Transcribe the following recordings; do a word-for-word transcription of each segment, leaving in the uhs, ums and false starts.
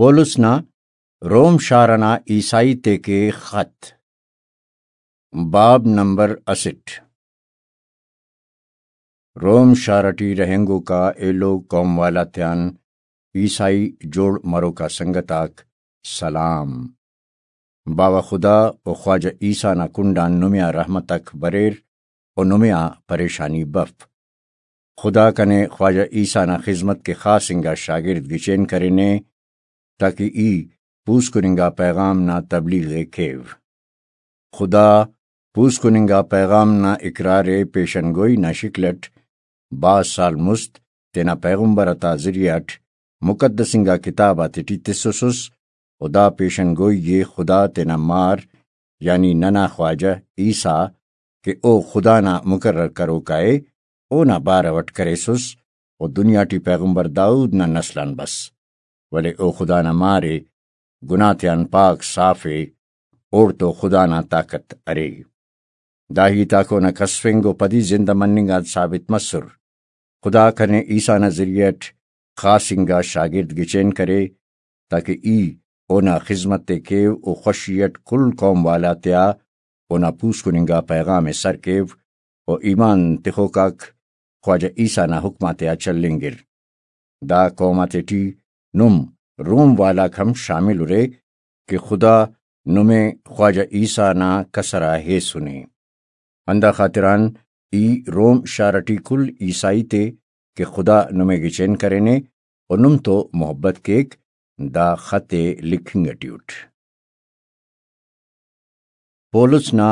پولس نا روم شار ئنا عیسائی تیکے خط۔ باب نمبر اسٹ۔ روم شار ٹی رہینگوکا ایلو قوم والا تیان عیسائی جوڑ مروکا سنگت آک سلام۔ باوہ خدا و خواجہ عیسیٰ نا کنڈان نمے آ رحمتک بریر و نمے آ پریشانی بف۔ خدا کنے خواجہ عیسیٰ نا خذمت کہ خاص انگا شاگرد گچین کرینے، تاکہ ای پوسکن انگا پیغام نا تبلیغ ءِ کیو۔ خدا پوسکن انگا پیغام نا اقرار ءِ پیشن گوئی نا شکل اٹ بھاز سال مست تینا پیغمبر آتا ذریعہ اٹ مقدس انگا کتاب آتیٹی تسوسس، و دا پیشن گوئی ءِ خدا تینا مار، یعنی ننا خواجہ عیسیٰ، کہ او خدا نا مقرر کروکا ءِ، اونا بارو اٹ کریسس، و دنیا ٹی پیغمبر داؤد نا نسل آن بس، ولے او خدا نا مار ءِ، گناہ تیان پاک صاف ءِ، اوڑتو خدا نا طاقت ارے۔ دا ہیت آک اونا کسفنگ و پدی زندہ مننگ آن ثابت مسر۔ خدا کنے عیسیٰ نا ذریعہ اٹ خاص انگا شاگرد گچین کرے، تاکہ ای اونا خذمت ءِ کیو و خوشی اٹ کل قوم والا تیا اونا پوسکن انگا پیغام ءِ سر کیو و ایمان تخوکاک خواجہ عیسیٰ نا حکم آتیا چلینگر۔ دا قوم آتیٹی نم روم والاک ہم شامل ارے کہ خدا نمے خواجہ عیسیٰ نا کسر آ ہیسنے۔ ہندا خاطران ای روم شار ٹی کل عیسائی تے کہ خدا نمے گچین کرینے و نم تو محبت کیک، دا خط ءِ لکھنگ ٹی اٹ۔ پولس نا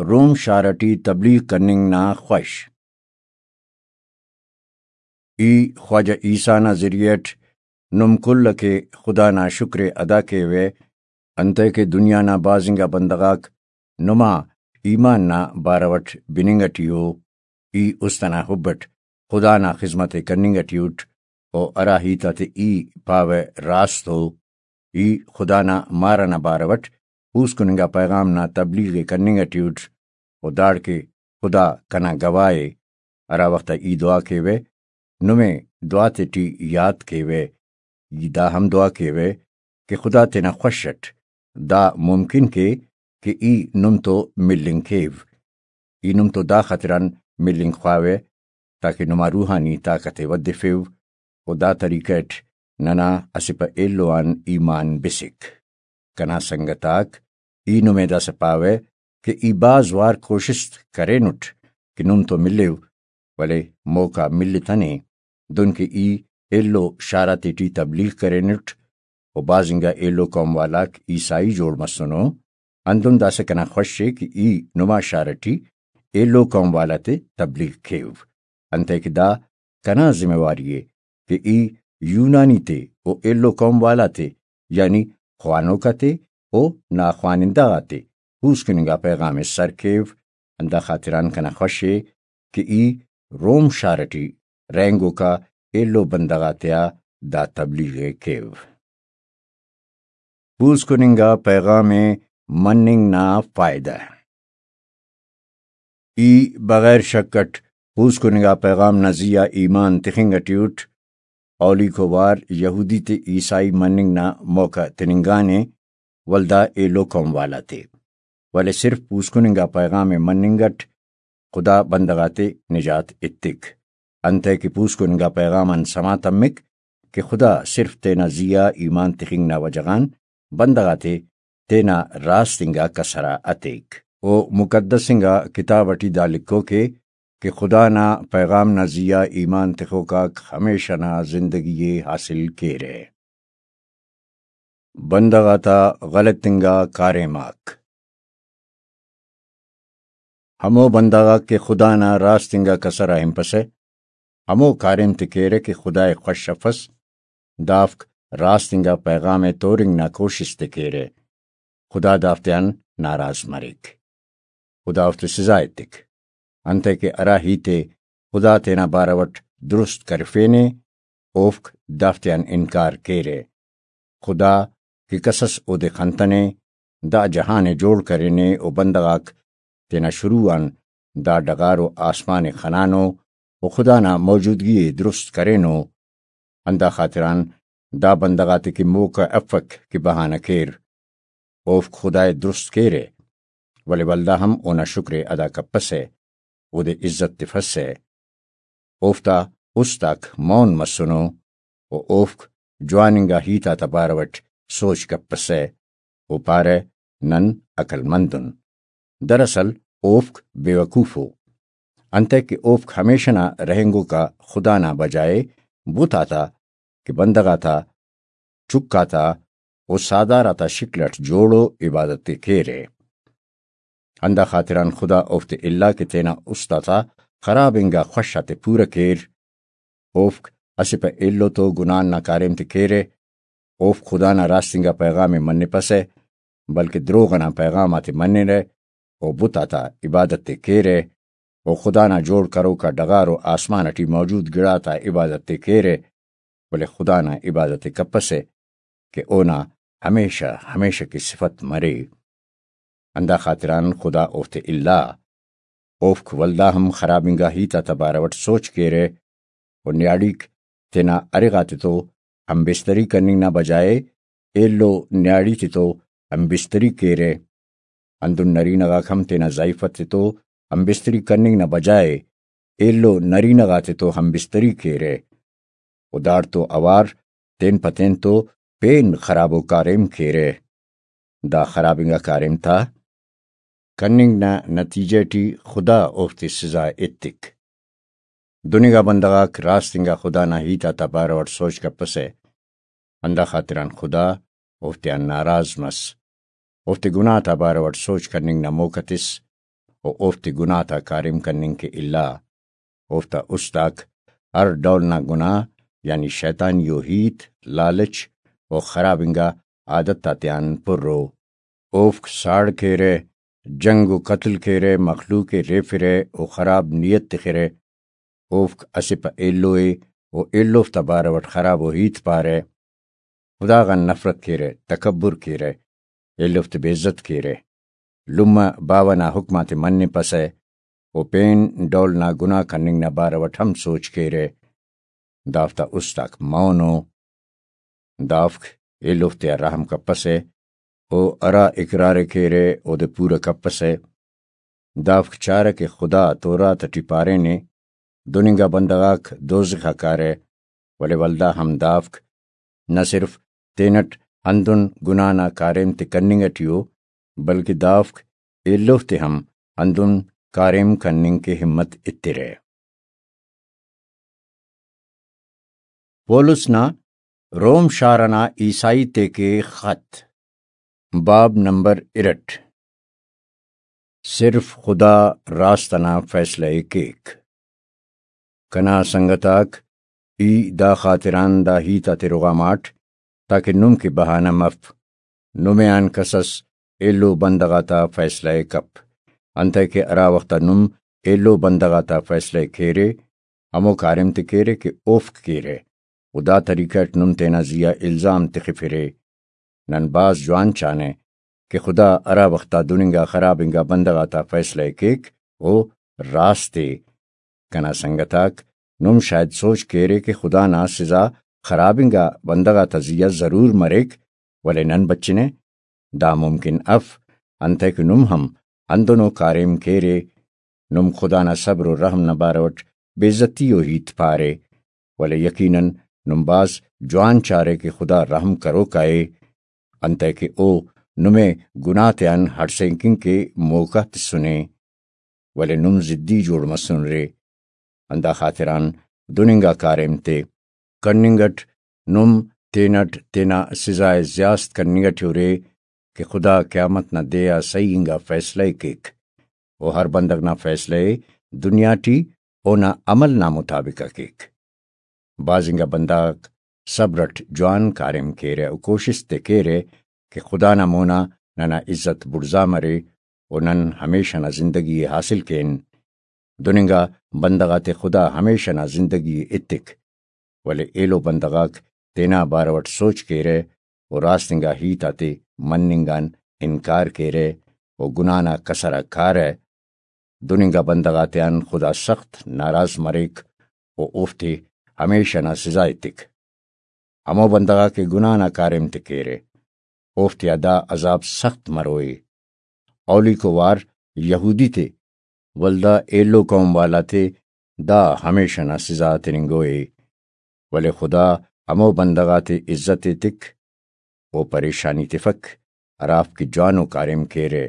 روم شار ٹی تبلیغ کننگ نا خوش۔ ای خواجہ عیسیٰ نا ذریعہ اٹ نم کل کہ خدا نا شکر ءِ ادا کیوہ، انتئے کہ دنیا نا بھاز انگا بندغ آک نما ایمان نا بارو اٹ بننگ ٹی ءُ۔ ای است ئنا حب اٹ خدا نا خذمت ءِ کننگ ٹی اٹ، و ہرا ہیت آتے ای پاوہ راست ءُ۔ ای خدا نا مار ئنا بارو اٹ پوسکن انگا پیغام نا تبلیغ ءِ کننگ ٹی اٹ، و داڑکہ خدا کنا گواہ ءِ۔ ہرا وخت آ ای دعا کیوہ، نمے دعا تیٹی یات کیوہ۔ ای دا ہم دعا کیوہ کہ خدا تینا خوش اٹ دا ممکن کے کہ ای نم تو ملنگ کیو۔ ای نم تو دا خاطران ملنگ خواوہ تاکہ نما روحانی طاقت ءِ ودفیو، و دا طریقہ اٹ ننا اسہ پہ ایلو آن ایمان بسک۔ کنا سنگت آک، ای نمے داسہ پاوہ کہ ای بھاز وار کوشست کرینٹ کہ نم تو ملیو، ولے موقع ملتنے، دنکہ ای ایلو شار آتیٹی تبلیغ کرینٹ، و بھاز انگا ایلو قوم والاک عیسائی جوڑ مسنو۔ ہندن داسہ کنا خوش ءِ کہ ای نما شار ٹی ایلو قوم والا تے تبلیغ کیو، انتئے کہ دا کنا ذمہ واری ءِ کہ ای یونانی تے و ایلو قوم والا تے، یعنی خوانوک آتے و نا خوانندہ غاتے پوسکن انگا پیغام ءِ سر کیو۔ ہندا خاطران کنا خوش ءِ کہ ای روم شار ٹی رہینگوکا ایلو بندغ آتیا دا تبلیغ ءِ کیو۔ پوسکن انگا پیغام ءِ مننگ نا فائدہ۔ ای بغیر شک اٹ پوسکن انگا پیغام نا زیہا ایمان تخنگ ٹی اٹ۔ اولیکو وار یہودی تے عیسائی مننگ نا موقع تننگانے، ولدا ایلو قوم والا تے۔ ولے صرف پوسکن انگا پیغام ءِ مننگ اٹ خدا بندغ آتے نجات ایتک۔ انتئے کہ پوسکن انگا پیغام آن سما تمک کہ خدا صرف تینا زیہا ایمان تخنگ نا وجہ غان بندغ آتے تینا راست انگا کسر آ اتیک۔ او مقدس انگا کتاب ٹی دا لکھوک ءِ کہ خدا نا پیغام نا زیہا ایمان تخوکاک ہمیشہ نا زندگی ءِ حاصل کیرہ۔ بندغ آتا غلط انگا کاریم آک۔ ہمو بندغ آک کہ خدا نا راست انگا کسر آ ہنپسہ، ہمو کاریم تے کیرہ کہ خدا ءِ خوش افس، دافک راست انگا پیغام ءِ تورنگ نا کوشست ءِ کیرہ۔ خدا دافتیان ناراض مریک۔ خدا اوفتے سزا ایتک۔ انتئے کہ ہرا ہیت ءِ خدا تینا بارو اٹ درست کرفینے، اوفک دافتیان انکار کیرہ۔ خدا کہ کسس اودے خنتنے، دا جہان ءِ جوڑ کرینے و بندغ آک تینا شروع آن دا ڈغار و آسمان ءِ خنانو و خدا نا موجودگی ءِ درست کرینو۔ ہندا خاطران دا بندغ آتے کہ موقع افک کہ بہانہ کیر، اوفک خدائے درست کیرہ، ولے ولدا ہم اونا شکر ءِ ادا کپسہ، اودے عزت تفسہ۔ اوفتا است آک مون مسنو و اوفک جوان انگا ہیت آتا بارو اٹ سوچ کپسہ۔ او پارہ، نن عقل مند ان۔ دراصل اوفک بے وقوف ءُ، انتئے کہ اوفک ہمیشہ نا رہینگوک آ خدا نا بجائے بت آتا کہ بندغ آتا، چک آتا و ساہدار آتا شکل اٹ جوڑ و عبادت ءِ کیرہ۔ ہندا خاطران خدا اوفتے الا کہ تینا است آتا خراب انگا خوش آتے پورہ کیر۔ اوفک اسہ پہ ایلو تو گناہ نا کاریم تے کیرہ، اوفک خدا نا راست انگا پیغام ءِ منپسہ، بلکہ دروغ ئنا پیغام آتے منرہ، و بت آتا عبادت تے کیرہ، و خدا نا جوڑ کروک آ ڈغار و آسمان اٹی موجود گڑاتا عبادت تے کیرہ، ولے خدا نا عبادت ءِ کپسہ کہ اونا ہمیشہ ہمیشہ کہ صفت مرے۔ ہندا خاطران خدا اوفتے الا۔ اوفک ولدا ہم خراب انگا ہیت آتا بارو اٹ سوچ کیرہ، و نیاڑیک تینا ارغ آتتو ہمبستری کننگ نا بجائے ایلو نیاڑی تتو ہمبستری کیرہ۔ ہندن نرینہ غاک ہم تینا ضعیفت تتو ہمبستری کننگ نا بجائے ایلو نرینہ غاتتو ہمبستری کیرہ۔ و داڑتو اوار تین پہ تین تو پین خرابو کاریم کیرہ۔ دا خراب انگا کاریم تا کننگ نا نتیجہ ٹی خدا اوفتے سزا ایتک۔ دننگا بندغ آک راست انگا خدا نا ہیت آتا بارو اٹ سوچ کپسہ، ہندا خاطران خدا اوفتیان ناراض مس۔ اوفتے گناہ تا بارو اٹ سوچ کننگ نا موقع تس، و اوفتے گناہ تا کاریم کننگ کہ الا۔ اوفتا است آک ہر ڈول نا گناہ، یعنی شیطانی و ہیت، لالچ و خراب انگا عادت آتیان پرو۔ اوفک ساڑ کیرہ، جنگ و قتل کیرہ، مخلوق ءِ ریفرہ و خراب نیت تخرہ۔ اوفک اسہ پہ ایلو ءِ و ایلوفتا بارو اٹ خرابو ہیت پارہ۔ خدا غان نفرت کیرہ، تکبر کیرہ، ایلوفتے بے عزت کیرہ۔ لمہ باوہ نا حکم آتے منپسہ و پین ڈول نا گناہ کننگ نا بارو اٹ ہم سوچ کیرہ۔ دافتا است آک مون ءُ۔ دافک ایلوفتے آ رحم کپسہ، او ہرا اقرار ءِ کیرہ اودے پورہ کپسہ۔ دافک چارہ کہ خدا تورات اٹی پارینے، دن انگا بندغ آک دوزخ آ کارہ، ولے ولدا ہم دافک نہ صرف تینٹ ہندن گناہ نا کاریم تے کننگ اٹی ءُ، بلکہ دافک ایلوفتے ہم ہندن کاریم کننگ کہ ہمت ایترہ۔ پولس نا روم شار انا عیسائی تیکے خط، باب نمبر ارٹ۔ صرف خدا راست انا فیصلہ ءِ کیک۔ کنا سنگت آک، ای دا خاطران دا ہیت آتے رغاماٹ، تاکہ نم کہ بہانہ مف، نمے آن کسس ایلو بندغ آتا فیصلہ ءِ کپ، انتئے کہ ہرا وخت آ نم ایلو بندغ آتا فیصلہ ءِ کیرے، ہمو کاریم تے کیرے کہ اوفک کیرہ، و دا طریقہ اٹ نم تینا زیہا الزام تخفرے۔ نن بھاز جوان چانہ کہ خدا ہرا وخت آ دن انگا خراب انگا بندغ آتا فیصلہ ءِ کیک، او راست ءِ۔ کنا سنگت آک، نم شاید سوچ کیرے کہ خدا نا سزا خراب انگا بندغ آتا زیہا ضرور مریک، ولے نن بچنہ۔ دا ممکن اف، انتئے کہ نم ہم ہندنو کاریم کیرے۔ نم خدا نا صبر و رحم نا بارو اٹ بے عزتی و ہیت پارے، ولے یقیناً نم بھاز جوان چارے کہ خدا رحم کروکا ءِ، انتئے کہ او نمے گناہ تیان ہڑسینگ کن کہ موقع تسنے، ولے نم ضدی جوڑ مسنرے۔ ہندا خاطران دن انگا کاریم تے کننگ اٹ نم تینٹ تینا سزا ءِ زیاست کننگ اٹی ارے کہ خدا قیامت نا دے آ صحیح انگا فیصلہ ءِ کیک، و ہر بندغ نا فیصلہ ءِ دنیا ٹی اونا عمل نا مطابق آ کیک۔ بھاز انگا بندغ آک صبر اٹ جوان کاریم کیرہ و کوشست ءِ کیرہ کہ خدا نا مونا ننا عزت بڑزا مرے و نن ہمیشہ نا زندگی ءِ حاصل کین۔ دن انگا بندغ آتے خدا ہمیشہ نا زندگی ءِ ایتک، ولے ایلو بندغ آک تینا بارو اٹ سوچ کیرہ و راست انگا ہیت آتے مننگ آن انکار کیرہ و گناہ نا کسر آ کارہ۔ دن انگا بندغ آتیان خدا سخت ناراض مریک و اوفتے ہمیشہ نا سزا ایتک۔ ہمو بندغ آک کہ گناہ نا کاریم تے کیرہ، اوفتیا دا عذاب سخت مروئے۔ اولیکو وار یہودی تے، ولدا ایلو قوم والا تے دا ہمیشہ نا سزا تننگوئے۔ ولے خدا ہمو بندغ آتے عزت ایتک، او پریشانی تفک، ہرافک کہ جوانو کاریم کیرہ۔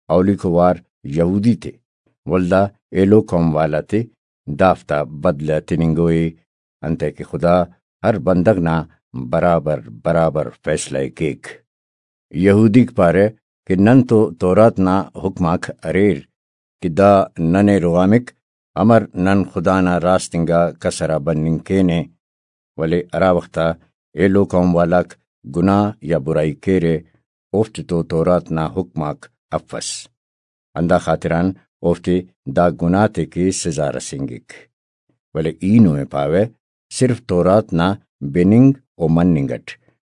اولیکو وار یہودی تے، ولدا ایلو قوم والا تے دافتا بدلہ تننگوئے، انتئے کہ خدا ہر بندغ نا برابر برابر فیصلہ ءِ کیک۔ یہودیک پارہ کہ نن تو تورات نا حکم آک اریر کہ دا ننے رغامک، امر نن خدا نا راست انگا کسر آ بننگ کینہ؟ ولے ہرا وخت آ ایلو قوم والاک گناہ یا برائی کیرہ، اوفتے تو تورات نا حکم آک افس۔ ہندا خاطران اوفتے دا گناہ تے کہ سزا رسینگک۔ ولے ای نمے پاوہ، صرف تورات نا بننگ و مننگ اٹ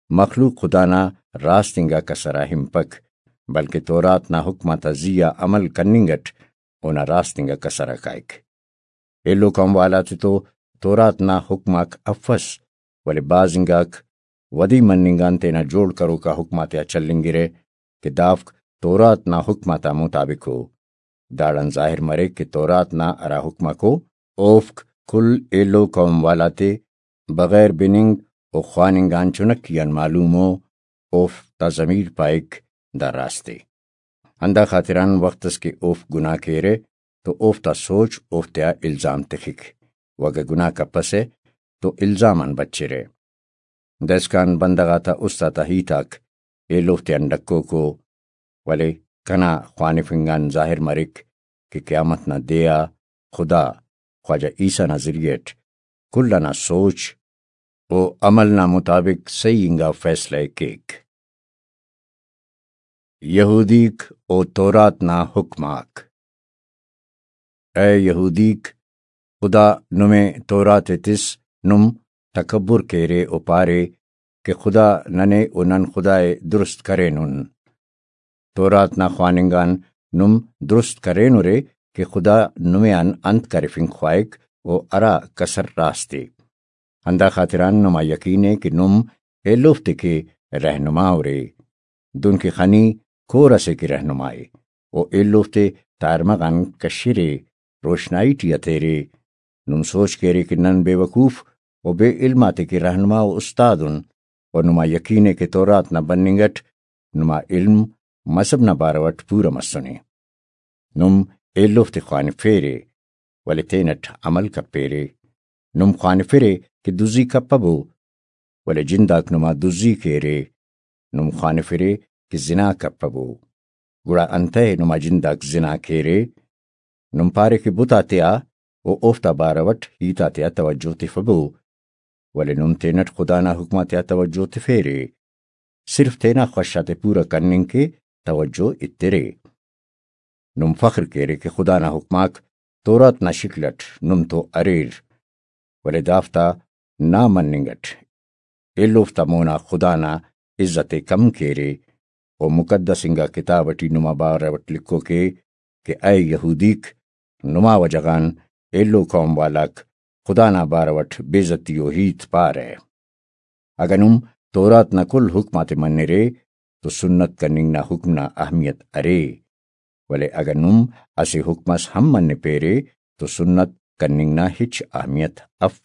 مخلوق خدا نا راست انگا کسر آ ہنپک، بلکہ تورات نا حکم آتا زی آ عمل کننگ اٹ اونا راست انگا کسر آ کائک۔ ایلو قوم والا تے تو تورات نا حکم آک افس، ولے بھاز انگاک ودی مننگ آن تینا جوڑ کروکا حکم آتیا چلینگرہ کہ دافک تورات نا حکم آتا مطابق ءُ۔ داڑان ظاہر مریک کہ تورات نا ہرا حکمک ءُ، اوفک کل ایلو قوم والا تے بغیر بننگ و خواننگ آن چنکی آن معلوم ءُ، اوفتا ضمیر پائک دا راست ءِ۔ ہندا خاطران وخت اس کہ اوفک گناہ کیرہ تو اوفتا سوچ اوفتیا الزام تخک، و اگہ گناہ کپسہ تو الزام آن بچرہ۔ دائسکان بندغ آتا است آتا ہیت آک ایلو تیان ڈکوک ءُ، ولے کنا خوانفنگ آن ظاہر مریک کہ قیامت نا دے آ خدا خواجہ عیسیٰ نا ذریعہ اٹ کل انا سوچ و عمل نا مطابق صحیح انگا فیصلہ ءِ کیک۔ یہودیک و تورات نا حکم آک۔ اے یہودیک، خدا نمے تورات ءِ تس، نم تکبر کیرے و پارے کہ خدا ننے و نن خدا ءِ درست کرینن۔ تورات نا خواننگ آن نم درست کرینرے کہ خدا نمے آن انت کرفنگ خواہک و ہرا کسر راست ءِ۔ ہندا خاطران نما یقین ءِ کہ نم ایلوفتے کہ رہنما ارے، دنکہ خنی کور اسے کہ رہنما ءِ، و ایلوفتے تارمغ آن کشرے، روشنائی ٹی اتیرے۔ نم سوچ کیرے کہ نن بے وقوف و بے علم آتے کہ رہنما و استاد ان، و نما یقین ءِ کہ تورات نا بننگ اٹ نما علم مذہب نا بارو اٹ پورا مسنے۔ نم ایلوفتے خوانفیرے، ولے تینٹ عمل کپیرے۔ نم خوانفرے کہ دزی کپبو، ولے جنداک نما دزی کیرے۔ نم خوانفرے کہ زنا کپبو، گڑا انتئے نما جنداک زنا کیرے؟ نم پارے کہ بت آتیا و اوفتا بارو اٹ ہیت آتیا توجہ تفبو، ولے نم تینٹ خدا نا حکم آتیا توجہ تفیرے، صرف تینا خوش آتے پورا کننگ کے توجہ ایترے۔ نم فخر کیرے کہ خدا نا حکم آک تورات نا شکل اٹ نم تو اریر، ولے دافتا نا مننگ اٹ ایلوفتا مونا خدا نا عزت ءِ کم کیرے، و مقدس انگا کتاب اٹی نما بارو اٹ لکھوکے کہ اے یہودیک، نما وجہ غان ایلو قوم والاک خدا نا بارو اٹ بے عزتی و ہیت پارہ۔ اگہ نم تورات نا کل حکم آتے منرے تو سنت کننگ نا حکم نا اہمیت ارے، ولے اگہ نم اسہ حکم اس ہم منپیرے تو سنت کننگ نا ہچ اہمیت اف۔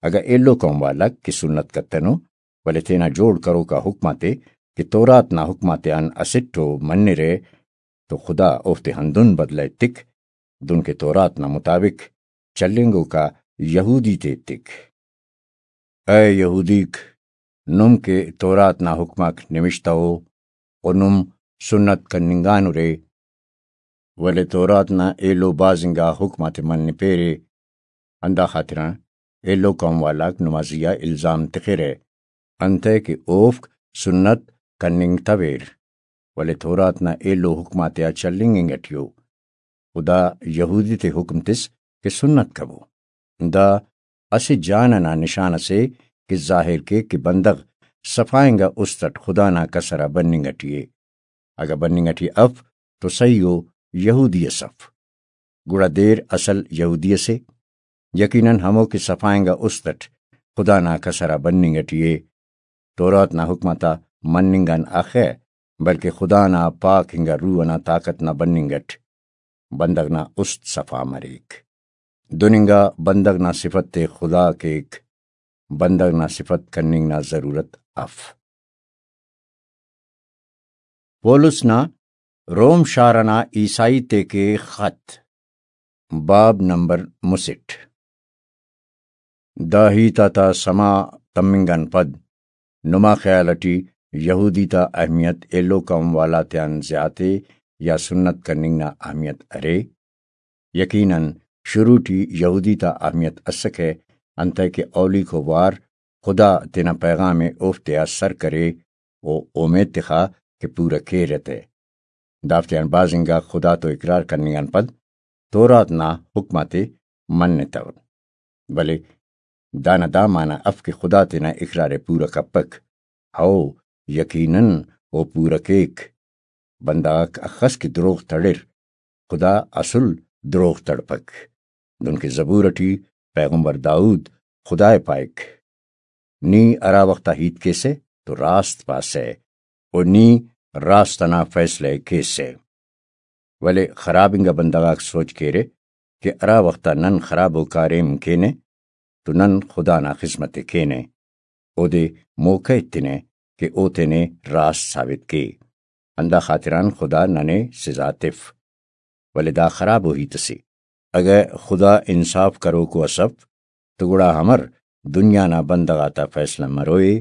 اگہ ایلو قوم والاک کہ سنت کتنو، ولے تینا جوڑ کروکا حکم آتے کہ تورات نا حکم آتیان اسٹ ءُ منرہ، تو خدا اوفتے ہندن بدلہ ایتک، دنکہ تورات نا مطابق چلینگوکا یہودی تے ایتک۔ اے یہودیک، نم کہ تورات نا حکم آک نوشتہ ءُ، و نم سنت کننگانرے، ولے تورات نا ایلو بھاز انگا حکم آتے منپیرے، ہندا خاطران ایلو قوم والاک نما زیہا الزام تخرہ، انتئے کہ اوفک سنت کننگتویر، ولے تورات نا ایلو حکم آتیا چلینگ انگ اٹی ءُ۔ خدا یہودی تے حکم تس کہ سنت کبو۔ دا اسہ جان ئنا نشان ئسے کہ ظاہر کیک کہ بندغ صفا انگا است ئٹ خدا نا کسر آ بننگ ئٹی ءِ۔ اگہ بننگ ئٹی اف تو سہی ءُ، یہودی ئس اف، گڑا دیر اصل یہودی ئسے۔ یقیناً ہمو کہ صفا انگا است ئٹ خدا نا کسر آ بننگ ٹی ءِ۔ تورات نا حکم آتا مننگ آن اخہ، بلکہ خدا نا پاک انگا روح ئنا طاقت نا بننگ اٹ بندغ نا است صفا مریک۔ دن انگا بندغ نا صفت ءِ خدا کیک، بندغ نا صفت کننگ نا ضرورت اف۔ پولس نا روم شار ئنا عیسائی تیکے خط، باب نمبر مسٹ۔ دا ہیت آتا سما تمنگ آن پد نما خیال اٹی یہودی تا اہمیت ایلو قوم والا تیان زیات ءِ یا سنت کننگ نا اہمیت ارے؟ یقیناً شروع ٹی یہودی تا اہمیت اسکہ، انتئے کہ اولیکو وار خدا تینا پیغام ءِ اوفتیا سر کرے و اومیت تخا کہ پورہ کیرہ تہ۔ دافتیان بھاز انگا خدا تو اقرار کننگ آن پد تورات نا حکم آتے منتو۔ ولے دانا دا معنی اف کہ خدا تینا اقرار ءِ پورہ کپک۔ ہو، یقیناً او پورہ کیک۔ بندغ آک اخس کہ دروغ تڑر، خدا اسل دروغ تڑپک۔ دنکہ زبور اٹی پیغمبر داؤد خدا ءِ پائک، نی ہرا وخت آ ہیت کیسہ تو راست پاسہ، و نی راست ئنا فیصلہ ءِ کیسہ۔ ولے خراب انگا بندغ آک سوچ کیرہ کہ ہرا وخت آ نن خرابو کاریم کینہ تو نن خدا نا خذمت ءِ کینہ، اودے موقع ایتنہ کہ او تینے راست ثابت کے۔ ہندا خاطران خدا ننے سزا تف۔ ولے دا خرابو ہیت اسے۔ اگہ خدا انصاف کروکو اس اف تو گڑا امر دنیا نا بندغ آتا فیصلہ مروئے؟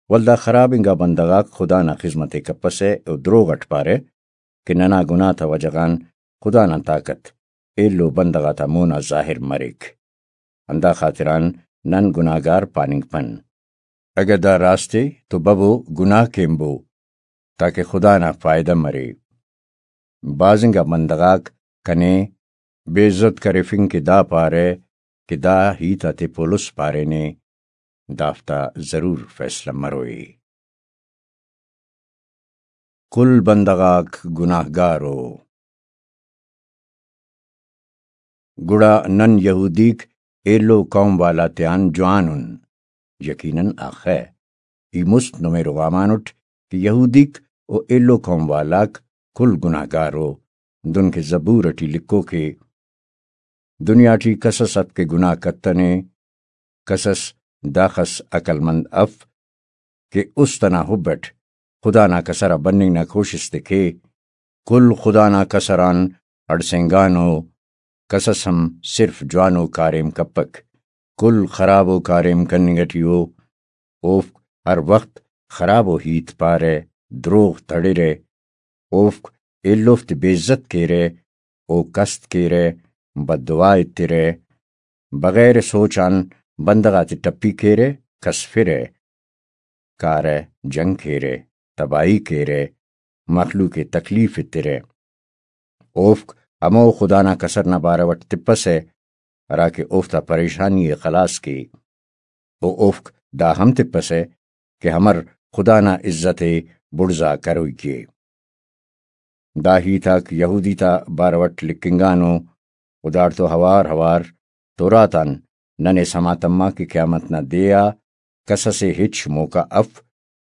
ولدا خراب انگا بندغ آک خدا نا خذمت ءِ کپسہ و دروغ اٹ پارہ کہ ننا گناہ تا وجہ غان خدا نا طاقت ایلو بندغ آتا مون آ ظاہر مریک۔ ہندا خاطران نن گناہگار پاننگ پن۔ اگہ دا راست ءِ تو ببو گناہ کین بو، تاکہ خدا نا فائدہ مرے۔ بھاز انگا بندغ آک کنے بے عزت کرفنگ کہ دا پارہ کہ دا ہیت آتے پولس پارینے، دافتا ضرور فیصلہ مروئے۔ کل بندغ آک گناہگار ءُ۔ گڑا نن یہودیک ایلو قوم والا تیان جوان ان۔ یقیناً آخہ ای مست نمے رغامانٹ کہ یہودیک و ایلو قوم والاک کل گناہگار ءُ، دنکہ زبور اٹی لکھوکے، دنیا ٹی کسس اف کہ گناہ کتنے، کسس داخس عقل مند اف کہ است انا حب اٹ خدا نا کسر آ بننگ نا کوشست ءِ کے۔ کل خدا نا کسر آن ہڑسینگانو، کسس ہم صرف جوانو کاریم کپک۔ کل خرابو کاریم کننگ ٹی ءُ۔ اوفک ہر وخت خرابو ہیت پارہ، دروغ تڑرہ، اوفک ایلوفتے بے عزت کیرہ، او کست کیرہ، بددعا ایترہ، بغیر سوچ آن بندغ آتے ٹپی کیرہ، کسفرہ، کارہ، جنگ کیرہ، تباہی کیرہ، مخلوق ءِ تکلیف ایترہ۔ اوفک ہمو خدا نا کسر نا بارو اٹ تپسہ، ہراکہ اوفتا پریشانی ءِ خلاص کے۔ و اوفک دا ہم تپسہ کہ امر خدا نا عزت ءِ بڑزا کروئی کے۔ دا ہیت آک یہودی تا بارو اٹ لکھنگانو، و داڑتو اوار اوار تورات آن ننے سما تما کہ قیامت نا دے آ کسس ءِ ہچ موقع اف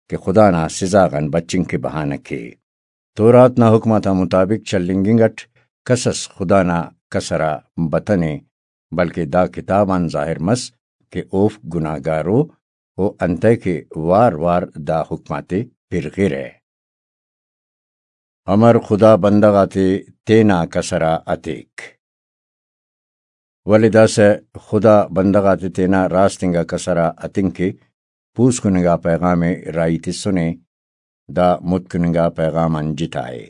کہ خدا نا سزا غان بچنگ کہ بہانہ کے۔ تورات نا حکم آتا مطابق چلینگنگ اٹ کسس خدا نا کسر آ بتنے، بلکہ دا کتاب آن ظاہر مس کہ اوفک گناہگار ءُ، و انتئے کہ وار وار دا حکم آتے پرغرہ۔ امر خدا بندغ آتے تینا کسر آ اتیک؟ ولے داسہ خدا بندغ آتے تینا راست انگا کسر آ اتنگ کہ پوسکننگا پیغام ءِ راہی تسنے، دا متکننگا پیغام آن جتا ءِ۔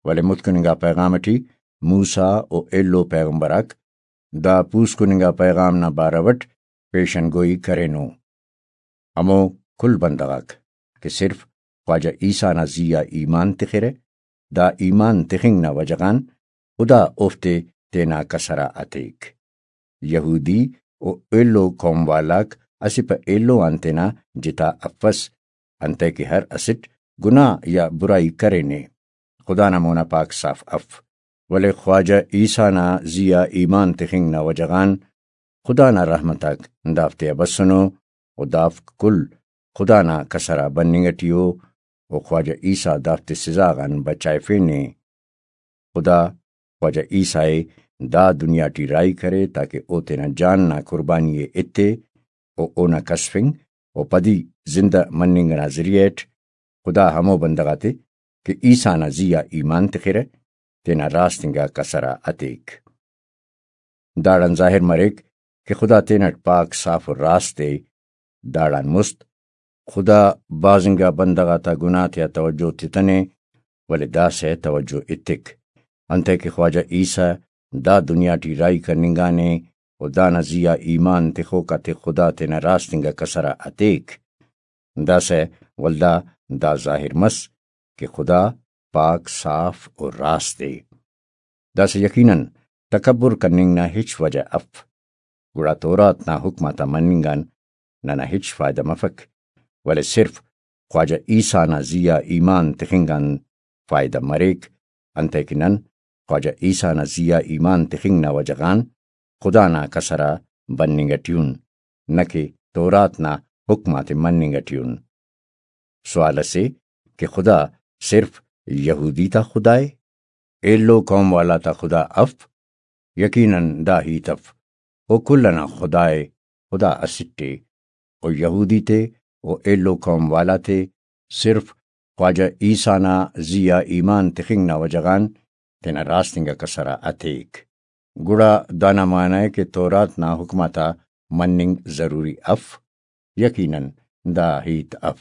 ولے متکننگا پیغام ٹی موسیٰ و ایلو پیغمبر آک دا پوسکننگا پیغام نا بارو اٹ پیشن گوئی کرینو۔ ہمو کل بندغ آک کہ صرف خواجہ عیسیٰ نا زی آ ایمان تخرہ، دا ایمان تخنگ نا وجہ غان خدا اوفتے تینا کسر آ اتیک۔ یہودی و ایلو قوم والاک اسہ پہ ایلو آن تینا جتا افس، انتئے کہ ہر اسٹ گناہ یا برائی کرینے، خدا نا مونا پاک صاف اف۔ ولے خواجہ عیسیٰ نا زی آ ایمان تخنگ نا وجہ غان خدا نا رحمت آک دافتے آ بسنو، و دافک کل خدا نا کسر آ بننگ ٹی ءُ، و خواجہ عیسیٰ دافتے سزا غان بچائفینے۔ خدا خواجہ عیسیٰ ءِ دا دنیا ٹی راہی کرے تاکہ او تینا جان نا قربانی ءِ ایتے و اونا کسفنگ و پدی زندہ مننگ ئنا ذریعہ اٹ خدا ہمو بندغ آتے کہ عیسیٰ نا زی آ ایمان تخرہ، تینا راست انگا کسر آ اتیک۔ داڑان ظاہر مریک کہ خدا تینٹ پاک، صاف و راست ءِ۔ داڑان مست خدا بھاز انگا بندغ آتا گناہ تیا توجہ تتنے، ولے داسہ توجہ ایتک، انتئے کہ خواجہ عیسیٰ دا دنیا ٹی راہی کننگانے و دانا زی آ ایمان تخوک آتے خدا تینا راست انگا کسر آ اتیک۔ داسہ ولدا دا ظاہر مس کہ خدا پاک، صاف و راست ءِ۔ داسہ یقیناً تکبر کننگ نا ہچ وجہ اف، گڑا تورات نا حکم آتا مننگ آن ننا ہچ فائدہ مفک، ولے صرف خواجہ عیسیٰ نا زی آ ایمان تخنگ آن فائدہ مریک، انتئے کہ نن خواجہ عیسیٰ نا زی آ ایمان تخنگ نا وجہ غان خدا نا کسر آ بننگ ٹی ان، نہ کہ تورات نا حکم آتے مننگ ٹی ان۔ سوال اسے کہ خدا صرف یہودی تا خدا ءِ؟ ایلو قوم والا تا خدا اف؟ یقیناً دا ہیت اف۔ او کل ئنا خدا ءِ، خدا اسٹ ءِ۔ او یہودی تے و ایلو قوم والا تے صرف خواجہ عیسیٰ نا زی آ ایمان تخنگ نا وجہ غان تینا راست انگا کسر آ اتیک۔ گڑا دانا معنی ءِ کہ تورات نا حکم آتا مننگ ضروری اف؟ یقیناً دا ہیت اف،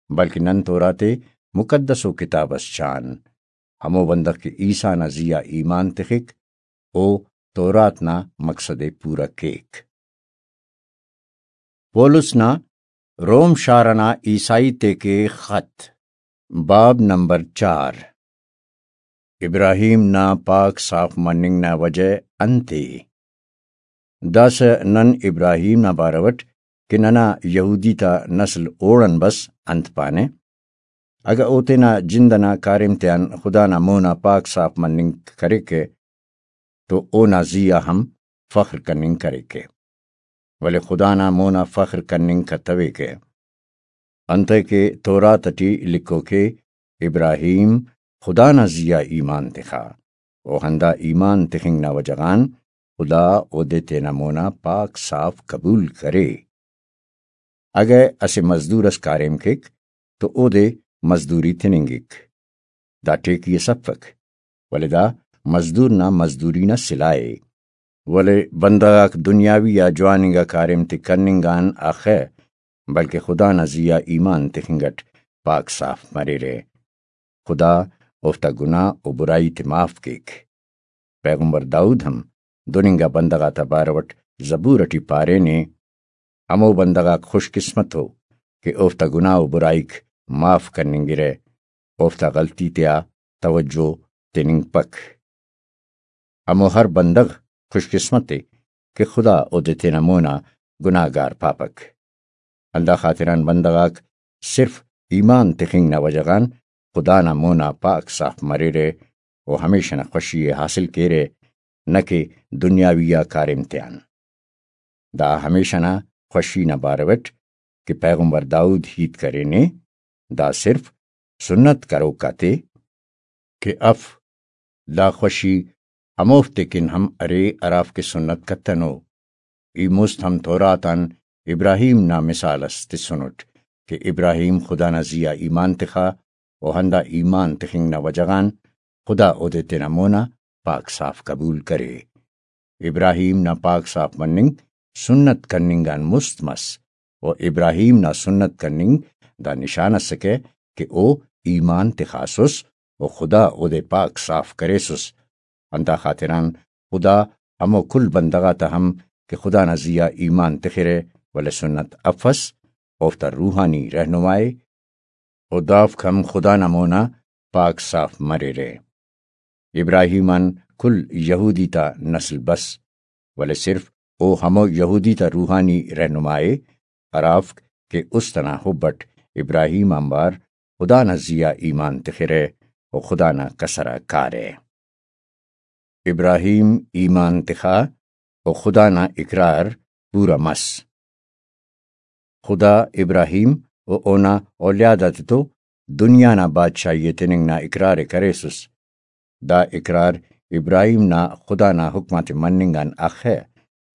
بلکہ نن تورات ءِ مقدس و کتاب اس چان۔ ہمو بندغ کہ عیسیٰ نا زی آ ایمان تخک، او تورات نا مقصد ءِ پورا کیک۔ پولس نا روم شار ئنا عیسائی تیکے خط، باب نمبر چار۔ ابراہیم نا پاک صاف مننگ نا وجہ انت ءِ؟ داسہ نن ابراہیم نا بارو اٹ کہ ننا یہودی تا نسل اوڑان بس انت پانہ؟ اگہ او تینا جند ئنا کاریم تیان خدا نا مون آ پاک صاف مننگ کریکہ تو اونا زی آ ہم فخر کننگ کریکہ، ولے خدا نا مون آ فخر کننگ کتویکہ۔ انتئے کہ تورات ٹی لکھوک ءِ، ابراہیم خدا نا زی آ ایمان تخا، و ہندا ایمان تخنگ نا وجہ غان خدا اودے تینا مون آ پاک صاف قبول کرے۔ اگہ اسہ مزدور اس کاریم کیک تو اودے مزدوری تننگک۔ دا ٹیکی اس افک، ولے دا مزدور نا مزدوری نا سلاہ ءِ۔ ولے بندغ آک دنیاوی آ جوان انگا کاریم تے کننگ آن اخہ، بلکہ خدا نا زی آ ایمان تخنگ اٹ پاک صاف مریرہ۔ خدا اوفتا گناہ و برائی تے معاف کیک۔ پیغمبر داؤد ہم دن انگا بندغ آتا بارو اٹ زبور اٹی پارینے، ہمو بندغ آک خوش قسمت ءُ کہ اوفتا گناہ و برائیک معاف کننگرہ، اوفتا غلطی تیا توجہ تننگپک۔ ہمو ہر بندغ خوش قسمت ءِ کہ خدا اودے تینا مونا گناہگار پاپک۔ ہندا خاطران بندغ آک صرف ایمان تخنگ نا وجہ غان خدا نا مونا پاک صاف مریرہ و ہمیش ئنا خوشی ءِ حاصل کیرہ، نہ کہ دنیاوی آ کاریم تیان۔ دا ہمیش ئنا خوشی نا بارو اٹ کہ پیغمبر داؤد ہیت کرینے، دا صرف سنت کروک آتے کہ اف۔ دا خوشی ہموفتے کن ہم ارے ہرافک سنت کتنو۔ ای مست ہم تورات آن ابراہیم نا مثال اس تسنٹ کہ ابراہیم خدا نا زی آ ایمان تخا و ہندا ایمان تخنگ نا وجہ غان خدا اودے تینا مونا پاک صاف قبول کرے۔ ابراہیم نا پاک صاف مننگ سنت کننگ آن مست مس، و ابراہیم نا سنت کننگ دا نشان ئسکہ کہ او ایمان تخاسس و خدا اودے پاک صاف کریسس۔ ہندا خاطران خدا ہمو کل بندغ آتا ہم کہ خدا نا زی آ ایمان تخرہ ولے سنت افس، اوفتا روحانی رہنما ءِ، و دافک ہم خدا نا مونا پاک صاف مریرہ۔ ابراہیم آن کل یہودی تا نسل بس، ولے صرف او ہمو یہودی تا روحانی رہنما ءِ ہرافک کہ است ئنا حب اٹ ابراہیم آنبار خدا نا زی آ ایمان تخرہ و خدا نا کسر آ کارہ۔ ابراہیم ایمان تخا، و خدا نا اقرار پورا مس۔ خدا ابراہیم و اونا اولیاد آتتو دنیا نا بادشاہی ءِ تننگ نا اقرار ءِ کریسس۔ دا اقرار ابراہیم نا خدا نا حکم آتے مننگ آن اخہ،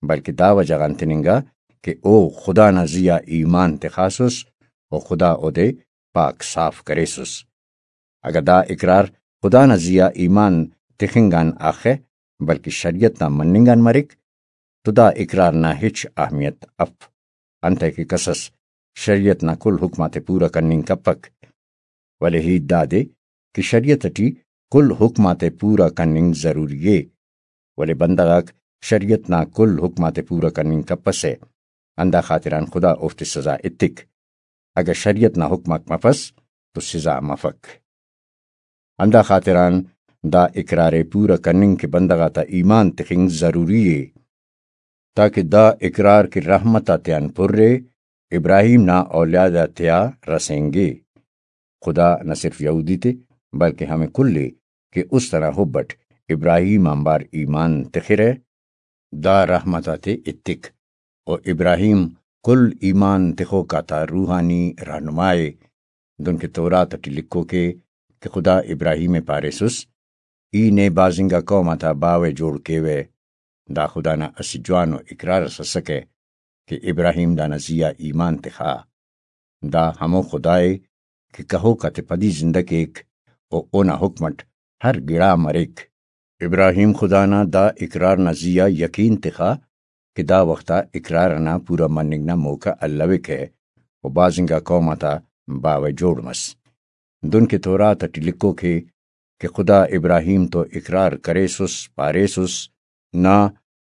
بلکہ دا وجہ غان تننگا کہ او خدا نا زیہا ایمان تخاسس و خدا اودے پاک صاف کریسس۔ اگہ دا اقرار خدا نا زیہا ایمان تخنگ آن اخہ، بلکہ شریعت نا مننگ آن مریک، تو دا اقرار نا ہچ اہمیت اف، انتئے کہ کسس شریعت نا کل حکم آتے پورا کننگ کپک۔ ولے ہیت دادے کہ شریعت ٹی کل حکم آتے پورا کننگ ضروری ءِ، ولے بندغ آک شریعت نا کل حکم آتے پورا کننگ کپسہ، ہندا خاطران خدا اوفتے سزا ایتک۔ اگہ شریعت نا حکم آک مفس تو سزا مفک۔ ہندا خاطران دا اقرار ءِ پورا کننگ کہ بندغ آتا ایمان تخنگ ضروری ءِ، تاکہ دا اقرار کہ رحمت آتیان پُر ءِ، ابراہیم نا اولیاد آتیا رسینگے۔ خدا نہ صرف یہودی تے، بلکہ ہمے کل ءِ کہ است ئنا حب اٹ ابراہیم آنبار ایمان تخرہ، دا رحمت آتے ایتک۔ و ابراہیم کل ایمان تخوک آتا روحانی رہنما ءِ، دنکہ تورات اٹی لکھوک ءِ کہ خدا ابراہیم ءِ پاریسس، ای نے بھاز انگا قوم آتا باوہ جوڑ کیوہ۔ دا خدا نا اسہ جوانو اقرار اس اسکہ کہ ابراہیم دانا زیہا ایمان تخا۔ دا ہمو خدا ءِ کہ کہوک آتے پدی زندہ کیک و اونا حکم اٹ ہر گڑا مریک۔ ابراہیم خدا نا دا اقرار نا زیہا یقین تخا کہ دا وخت آ اقرار ئنا پورا مننگ نا موقع الوکہ و بھاز انگا قوم آتا باوہ جوڑ مس۔ دنکہ تورات اٹی لکھوک ءِ کہ خدا ابراہیم تو اقرار کریسس، پاریسس، نا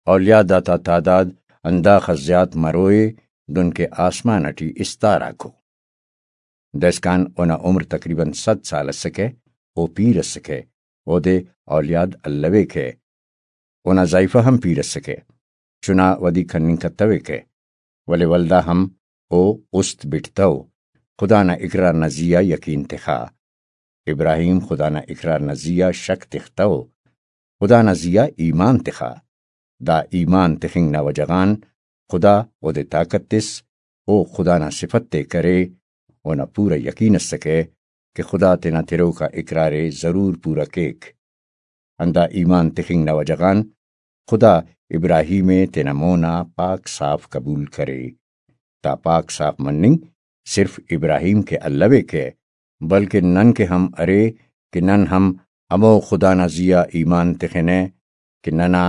اولیاد آتا تعداد ہنداخس زیات مروئے، دنکہ آسمان اٹی استار آکو۔ دائسکان اونا عمر تقریباً صد سال اسکہ، او پیر اسکہ، اودے اولیاد الویکہ۔ اونا زائیفہ ہم پیر اسکہ، چنا ودی کننگ کتویکہ، ولے ولدا ہم او است بٹتو، خدا نا اقرار نا زیہا یقین تخا۔ ابراہیم خدا نا اقرار نا زیہا شک تختو، خدا نا زیہا ایمان تخا۔ دا ایمان تخنگ نا وجہ غان خدا اودے طاقت تس، او خدا نا صفت تے کرے، اونا پورا یقین اسکہ کہ خدا تینا تروکا اقرار ءِ ضرور پورا کیک۔ ہندا ایمان تخنگ نا وجہ غان خدا ابراہیم ءِ تینا مونا پاک صاف قبول کرے۔ دا پاک صاف مننگ صرف ابراہیم کہ الویکہ، بلکن نن کہ ہم ارے کہ نن ہم ہمو خدا نا زیہا ایمان تخنہ کہ ننا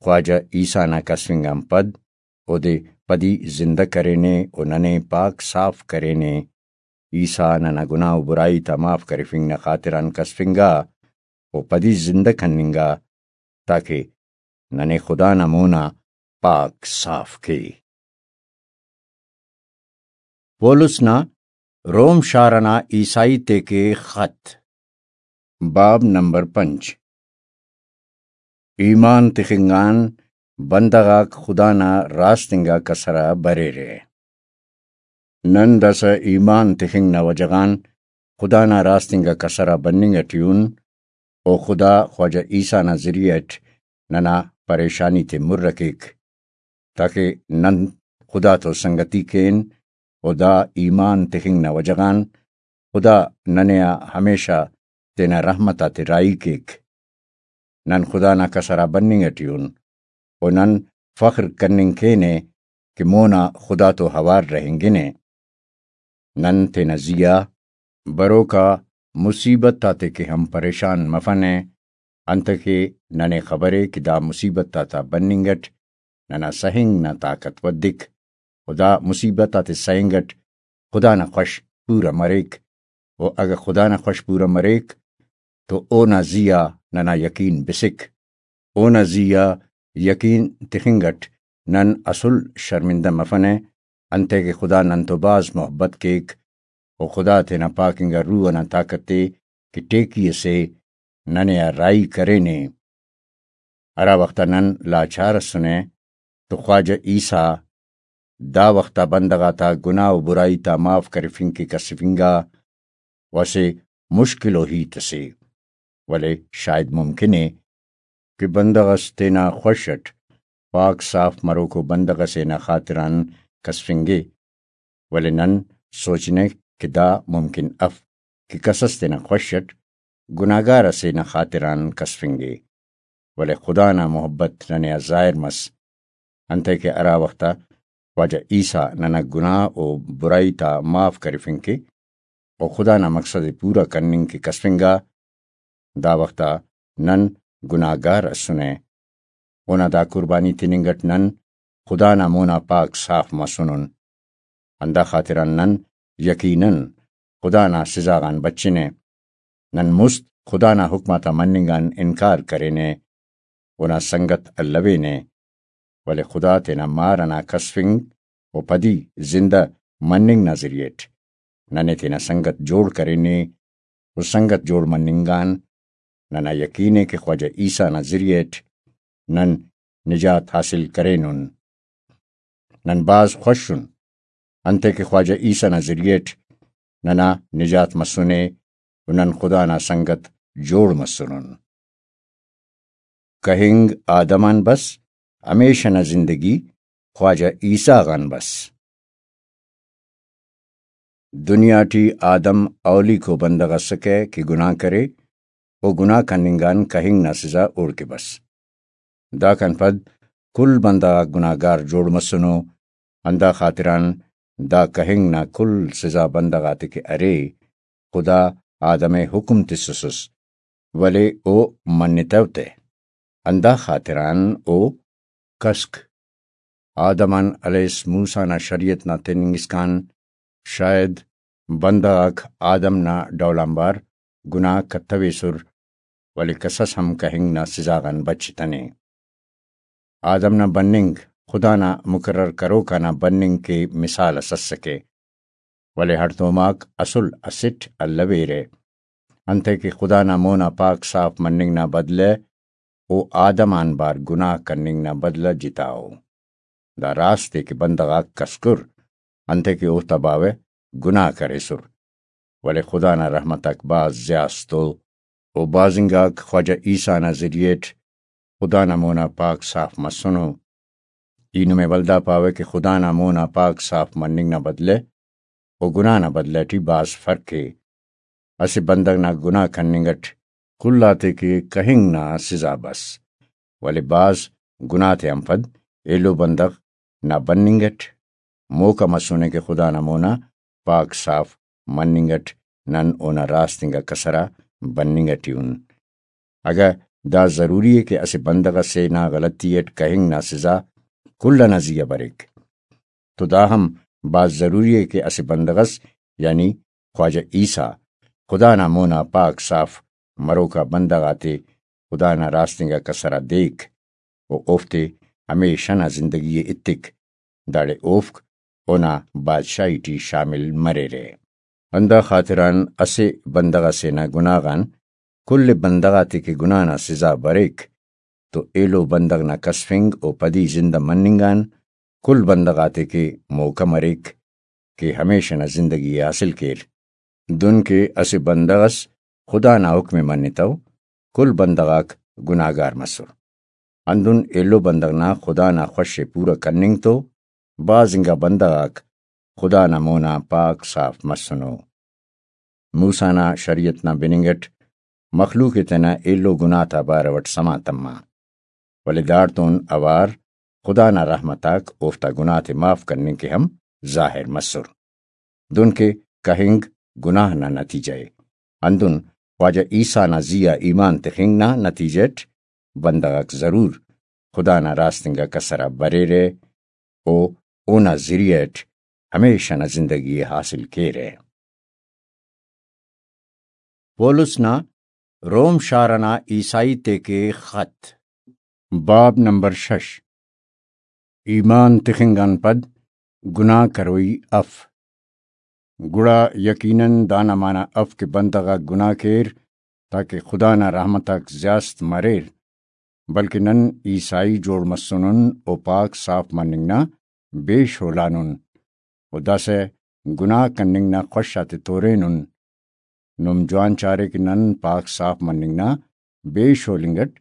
خواجہ عیسیٰ نا کسفنگ آن پد اودے پدی زندہ کرینے و ننے پاک صاف کرینے۔ عیسیٰ ننا گناہ و برائی تا معاف کرفنگ نا خاطران کسفنگا و پدی زندہ کننگا، تاکہ ننے خدا نا مونا پاک صاف کے۔ پولس نا روم شار ئنا عیسائی تیکے خط۔ باب نمبر پنچ۔ ایمان تخنگ آن بندغ آک خدا نا راست انگا کسر آ بریرہ۔ نن داسہ ایمان تخنگ نا وجہ غان خدا نا راست انگا کسر آ بننگ ٹی ان، و خدا خواجہ عیسیٰ نا ذریعہ اٹ ننا پریشانی تے مر کیک، تاکہ نن خدا تو سنگتی کین، و دا ایمان تخنگ نا وجہ غان خدا ننے آ ہمیشہ تینا رحمت آتے راہی کیک۔ نن خدا نا کسر آ بننگ ٹی ان، و نن فخر کننگ کینہ کہ مونا خدا تو اوار رہینگنہ۔ نن تینا زیہا بروکا مصیبت آتے کہ ہم پریشان مفنہ، انتکہ ننے خبرے کہ دا مصیبت آتا بننگ اٹ ننا سہنگ نا طاقت ودک، و دا مصیبت آتے سہنگ اٹ خدا نا خوش پورا مریک، و اگہ خدا نا خوش پورا مریک تو اونا زیہا ننا یقین بسک۔ اونا زیہا یقین تخنگ اٹ نن اسل شرمندہ مفنہ، انتئے کہ خدا نن تو بھاز محبت کیک، و خدا تینا پاک انگا روح ئنا طاقت تے کہ ٹیکی ئسے ننے آ راہی کرینے۔ ہرا وخت آ نن لاچار ئسنہ تو خواجہ عیسیٰ دا وخت آ بندغ آتا گناہ و برائی تا معاف کرفنگ کہ کسفنگا، و اسہ مشکل و ہیت ئسے، ولے شاید ممکن ءِ کہ بندغ ئس تینا خوش اٹ پاک صاف مروکو بندغ ئسے نا خاطران کسفنگے، ولے نن سوچنہ کہ دا ممکن اف کہ کسس تینا خوش اٹ گناہگار ئسے نا خاطران کسفنگے، ولے خدا نا محبت ننے آ ظاہر مس، انتئے کہ ہرا وخت آ خواجہ عیسیٰ ننا گناہ و برائی تا معاف کرفنگ کے و خدا نا مقصد ءِ پورا کننگ کہ کسفنگا، دا وخت آ نن گناہگار اسنہ۔ اونا دا قربانی تننگ اٹ نن خدا نا مونا پاک صاف مسنن۔ ہندا خاطران نن یقیناً خدا نا سزا غان بچنہ۔ نن مست خدا نا حکم آتا مننگ آن انکار کرینہ، اونا سنگت الوینہ، ولے خدا تینا مار ئنا کسفنگ و پدی زندہ مننگ نا ذریعہ اٹ ننے تینا سنگت جوڑ کرینے و سنگت جوڑ مننگ آن ننا یقین ءِ کہ خواجہ عیسیٰ نا ذریعہ اٹ نن نجات حاصل کرینن۔ نن بھاز خوش ان، انتئے کہ خواجہ عیسیٰ نا ذریعہ اٹ ننا نجات مسنے و نن خدا نا سنگت جوڑ مسنن۔ کہنگ آدم آن بس، ہمیشہ نا زندگی خواجہ عیسیٰ غان بس۔ دنیا ٹی آدم اولیکو بندغ اسکہ کہ گناہ کرے، و گناہ کننگ آن کہنگ نا سزا اوڑکہ بس۔ داکان پد کل بندغ آک گناہگار جوڑ مسنو، ہندا خاطران دا کہنگ نا کل سزا بندغ آتے کہ ارے، خدا آدم ءِ حکم تسسس، ولے او منتو تہ، ہندا خاطران او کسک۔ آدم آن ہلیس موسیٰ نا شریعت نا تننگ اسکان شاید بندغ آک آدم نا ڈول آنبار گناہ کتویسر، ولے کسس ہم کہنگ نا سزا غان بچتنے۔ آدم نا بننگ خدا نا مقرر کروکا نا بننگ کے مثال اس اسکہ، ولے ہڑتوماک اسل اسٹ الویرہ، انتئے کہ خدا نا مونا پاک صاف مننگ نا بدلہ او آدم آنبار گناہ کننگ نا بدلہ جتا ءُ۔ دا راست ءِ کہ بندغ آک کسکر، انتئے کہ اوفتا باوہ گناہ کریسر، ولے خدا نا رحمت آک بھاز زیات ءُ، و بھاز انگاک خواجہ عیسیٰ نا ذریعہ اٹ خدا نا مونا پاک صاف مسنو۔ ای نمے ولدا پاوہ کہ خدا نا مونا پاک صاف مننگ نا بدلہ و گناہ نا بدلہ ٹی بھاز فرق ءِ۔ اسہ بندغ نا گناہ کننگ اٹ کل آتے کہ کہنگ نا سزا بس، ولے بھاز گناہ تیان پد ایلو بندغ نا بننگ اٹ موقع مسنے کہ خدا نا مونا پاک صاف مننگ اٹ نن اونا راست انگا کسر آ بننگ اٹی ان۔ اگہ دا ضروری ءِ کہ اسہ بندغ ئسے نا غلطی اٹ کہنگ نا سزا کل ئنا زی آ بریک، تو دا ہم بھاز ضروری ءِ کہ اسہ بندغ ئس، یعنی خواجہ عیسیٰ، خدا نا مونا پاک صاف مروکا بندغ آتے خدا نا راست انگا کسر آ دیک و اوفتے ہمیشہ نا زندگی ءِ ایتک، داڑے اوفک اونا بادشاہی ٹی شامل مریرہ۔ ہندا خاطران اسہ بندغ ئسے نا گناہ غان کل بندغ آتے کہ گناہ نا سزا بریک، تو ایلو بندغ نا کسفنگ و پدی زندہ مننگ آن کل بندغ آتے کہ موقع مریک کہ ہمیشہ نا زندگی ءِ حاصل کیر۔ دن کہ اسہ بندغ ئس خدا نا حکم ءِ منتو، کل بندغ آک گناہگار مسر۔ ہندن ایلو بندغ نا خدا نا خوش ءِ پورا کننگ تو بھاز انگا بندغ آک خدا نا مونا پاک صاف مسنو۔ موسیٰ نا شریعت نا بننگ اٹ مخلوق ءِ تینا ایلو گناہ تا بارو اٹ سما تما، ولے داڑتون اوار خدا نا رحمت آک اوفتا گناہ تے معاف کننگ کہ ہم ظاہر مسر۔ دن کہ کہنگ گناہ نا نتیجہ ءِ، ہندن خواجہ عیسیٰ نا زی آ ایمان تخنگ نا نتیجہ اٹ بندغ آک ضرور خدا نا راست انگا کسر آ بریرہ و اونا ذریعہ اٹ ہمیشہ نا زندگی ءِ حاصل کیرہ۔ پولس نا روم شار ئنا عیسائی تیکے خط۔ باب نمبر شش۔ ایمان تخنگ آن پد گناہ کروئی اف۔ گڑا یقیناً دانا معنی اف کہ بندغ آک گناہ کیر تاکہ خدا نا رحمت آک زیاست مریر، بلکہ نن عیسائی جوڑ مسنن و پاک صاف مننگ نا بے شولانن و داسہ گناہ کننگ نا خوش آتے تورینن۔ نم جوان چارے کہ نن پاک صاف مننگ نا بے شولنگ اٹ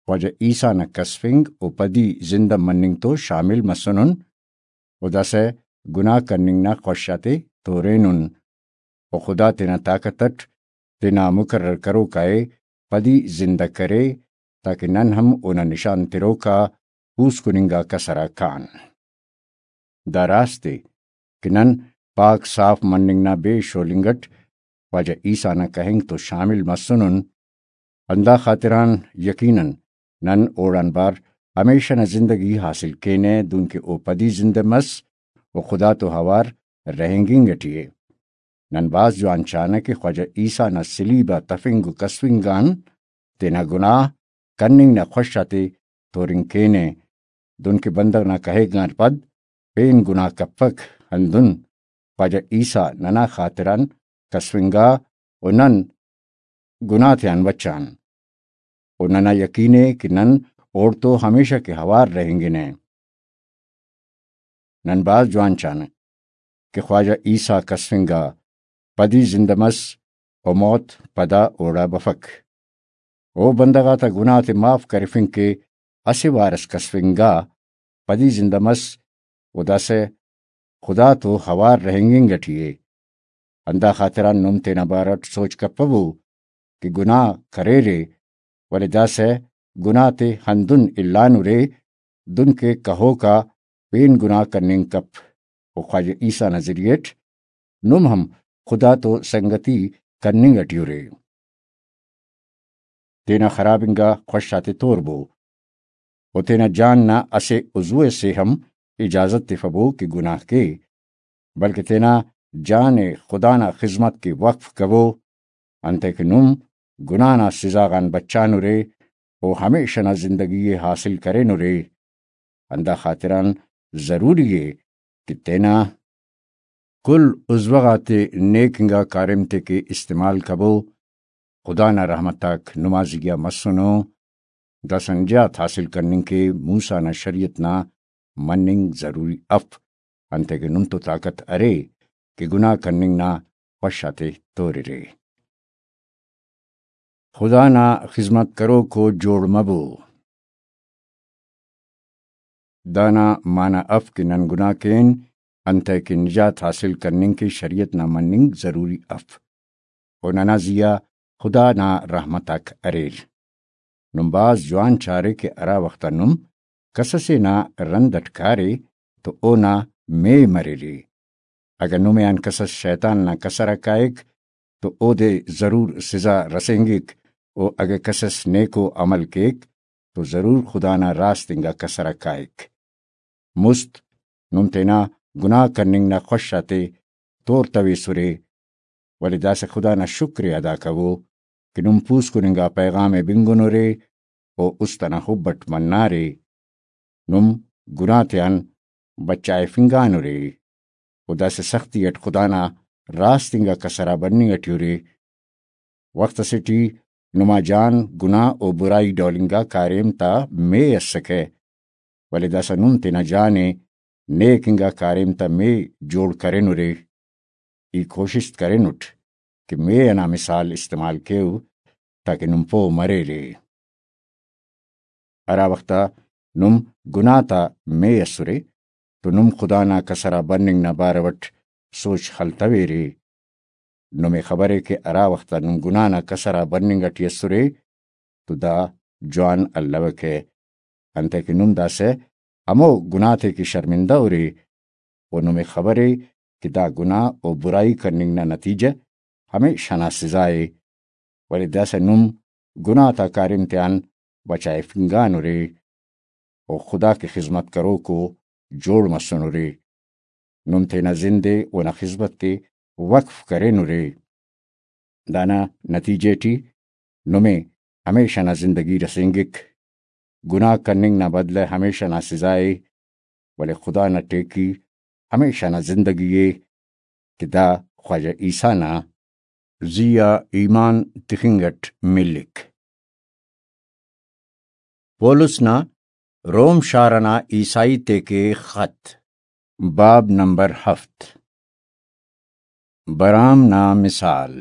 خواجہ عیسیٰ نا کسفنگ و پدی زندہ مننگ تو شامل مسنن، و داسہ گناہ کننگ نا خوش آتے تورینن، و خدا تینا طاقت اٹ تینا مقرر کروکا ءِ پدی زندہ کرے، تاکہ نن ہم اونا نشان تروکا پوسکننگا کسر آ کان۔ دا راست ءِ کہ نن پاک صاف مننگ نا بے شولنگ اٹ خواجہ عیسیٰ نا کہنگ تو شامل مسنن، ہندا خاطران یقیناً نن اوڑان بار ہمیشہ نا زندگی حاصل کینہ، دنکہ او پدی زندہ مس و خدا تو ہوار رہینگنگ اٹی ءِ۔ نن بھاز جوان چانہ کہ خواجہ عیسیٰ نا صلیب آ تفنگ و کسفنگ آن تینا گناہ کننگ نا خوش آتے تورنگ کینہ، دنکہ بندغ نا کہیک آن پد پین گناہ کپک، ہندن خواجہ عیسیٰ ننا خاطران کسفنگا و نن گناہ تیان بچان، و ننا یقین ءِ کہ نن اوڑتو ہمیشہ کہ ہوار رہینگنہ۔ نن بھاز جوان چانہ کہ خواجہ عیسیٰ کسفنگا، پدی زندہ مس و موت پدا اوڑا بفک۔ او بندغ آتا گناہ تے معاف کرفنگ کہ اسہ وار اس کسفنگا، پدی زندہ مس و داسہ خدا تو ہوار رہینگنگ اٹی ءِ۔ ہندا خاطران نم تینا بارٹ سوچ کپبو کہ گناہ کریرے، ولے داسہ گناہ تے ہندن الانرے، دنکہ کہوکا پین گناہ کننگ کپ، و خواجہ عیسیٰ نا ذریعہ اٹ نم ہم خدا تو سنگتی کننگ اٹی ارے۔ تینا خراب انگا خوش آتے توربو، و تینا جان نا اسہ عضو ئسے ہم اجازت تفبو کہ گناہ کے، بلکہ تینا جان ءِ خدا نا خذمت کہ وقف کبو، انتئے کہ نم گناہ نا سزا غان بچانرے و ہمیشہ نا زندگی ءِ حاصل کرینرے۔ ہندا خاطران ضروری ءِ کہ تینا کل عضوہ غاتے نیک انگا کاریم تے کہ استعمال کبو۔ خدا نا رحمت آک نما زیہا مسنو۔ داسہ نجات حاصل کننگ کہ موسیٰ نا شریعت نا مننگ ضروری اف، انتئے کہ نم تو طاقت ارے کہ گناہ کننگ نا خوش آتے توررے۔ خدا نا خذمت کروکو جوڑ مبو۔ دانا معنی اف کہ نن گناہ کین، انتئے کہ نجات حاصل کننگ کہ شریعت نا مننگ ضروری اف، و ننا زیہا خدا نا رحمت آک اریر۔ نم بھاز جوان چارے کہ ہرا وخت آ نم کسسے نا رند اٹ کارے تو اونا مے مریرے۔ اگہ نمے آن کسس شیطان نا کسر آ کائک تو اودے ضرور سزا رسینگک، و اگہ کسس نیکو عمل کیک تو ضرور خدا نا راست انگا کسر آ کائک۔ مست نم تینا گناہ کننگ نا خوش آتے تورتویسرے، ولے داسہ خدا نا شکر ءِ ادا کبو کہ نم پوسکن انگا پیغام ءِ بنگنرے و است ئنا حب اٹ منارے۔ نم گناہ تیان بچائفنگانرے و داسہ سختی اٹ خدا نا راست انگا کسر آ بننگ اٹی ارے۔ وخت اسے ٹی نما جان گناہ و برائی ڈول انگا کاریم تا مے اسکہ، ولے داسہ نم تینا جان ءِ نیک انگا کاریم تا مے جوڑ کرینرے۔ ای کوشست کرینٹ کہ مے ئنا مثال استعمال کیو، تاکہ نم پہہ مریرے۔ ہرا وخت آ نم گناہ تا مے ئسرے تو نم خدا نا کسر آ بننگ نا بارو اٹ سوچ خلتویرے۔ نمے خبرے کہ ہرا وخت آ نم گناہ نا کسر آ بننگ اٹی ئسرے تو دا جوان الوکہ، انتئے کہ نم داسہ ہمو گناہ تے کہ شرمندہ ارے، و نمے خبرے کہ دا گناہ و برائی کننگ نا نتیجہ ہمیشہ نا سزا ءِ، ولے داسہ نم گناہ تا کاریم تیان بچائفنگانرے و خدا کہ خذمت کروکو جوڑ مسنرے۔ نم تینا زند ءِ اونا خذمت ءِ وقف کرینرے۔ دانا نتیجہ ٹی نمے ہمیشہ نا زندگی رسینگک۔ گناہ کننگ نا بدلہ ہمیشہ نا سزا ءِ، ولے خدا نا ٹیکی ہمیشہ نا زندگی ءِ کہ دا خواجہ عیسیٰ نا زی آ ایمان تخنگ اٹ ملک۔ پولس نا روم شار ئنا عیسائی تیکے خط۔ باب نمبر ہفت۔ برام نا مثال۔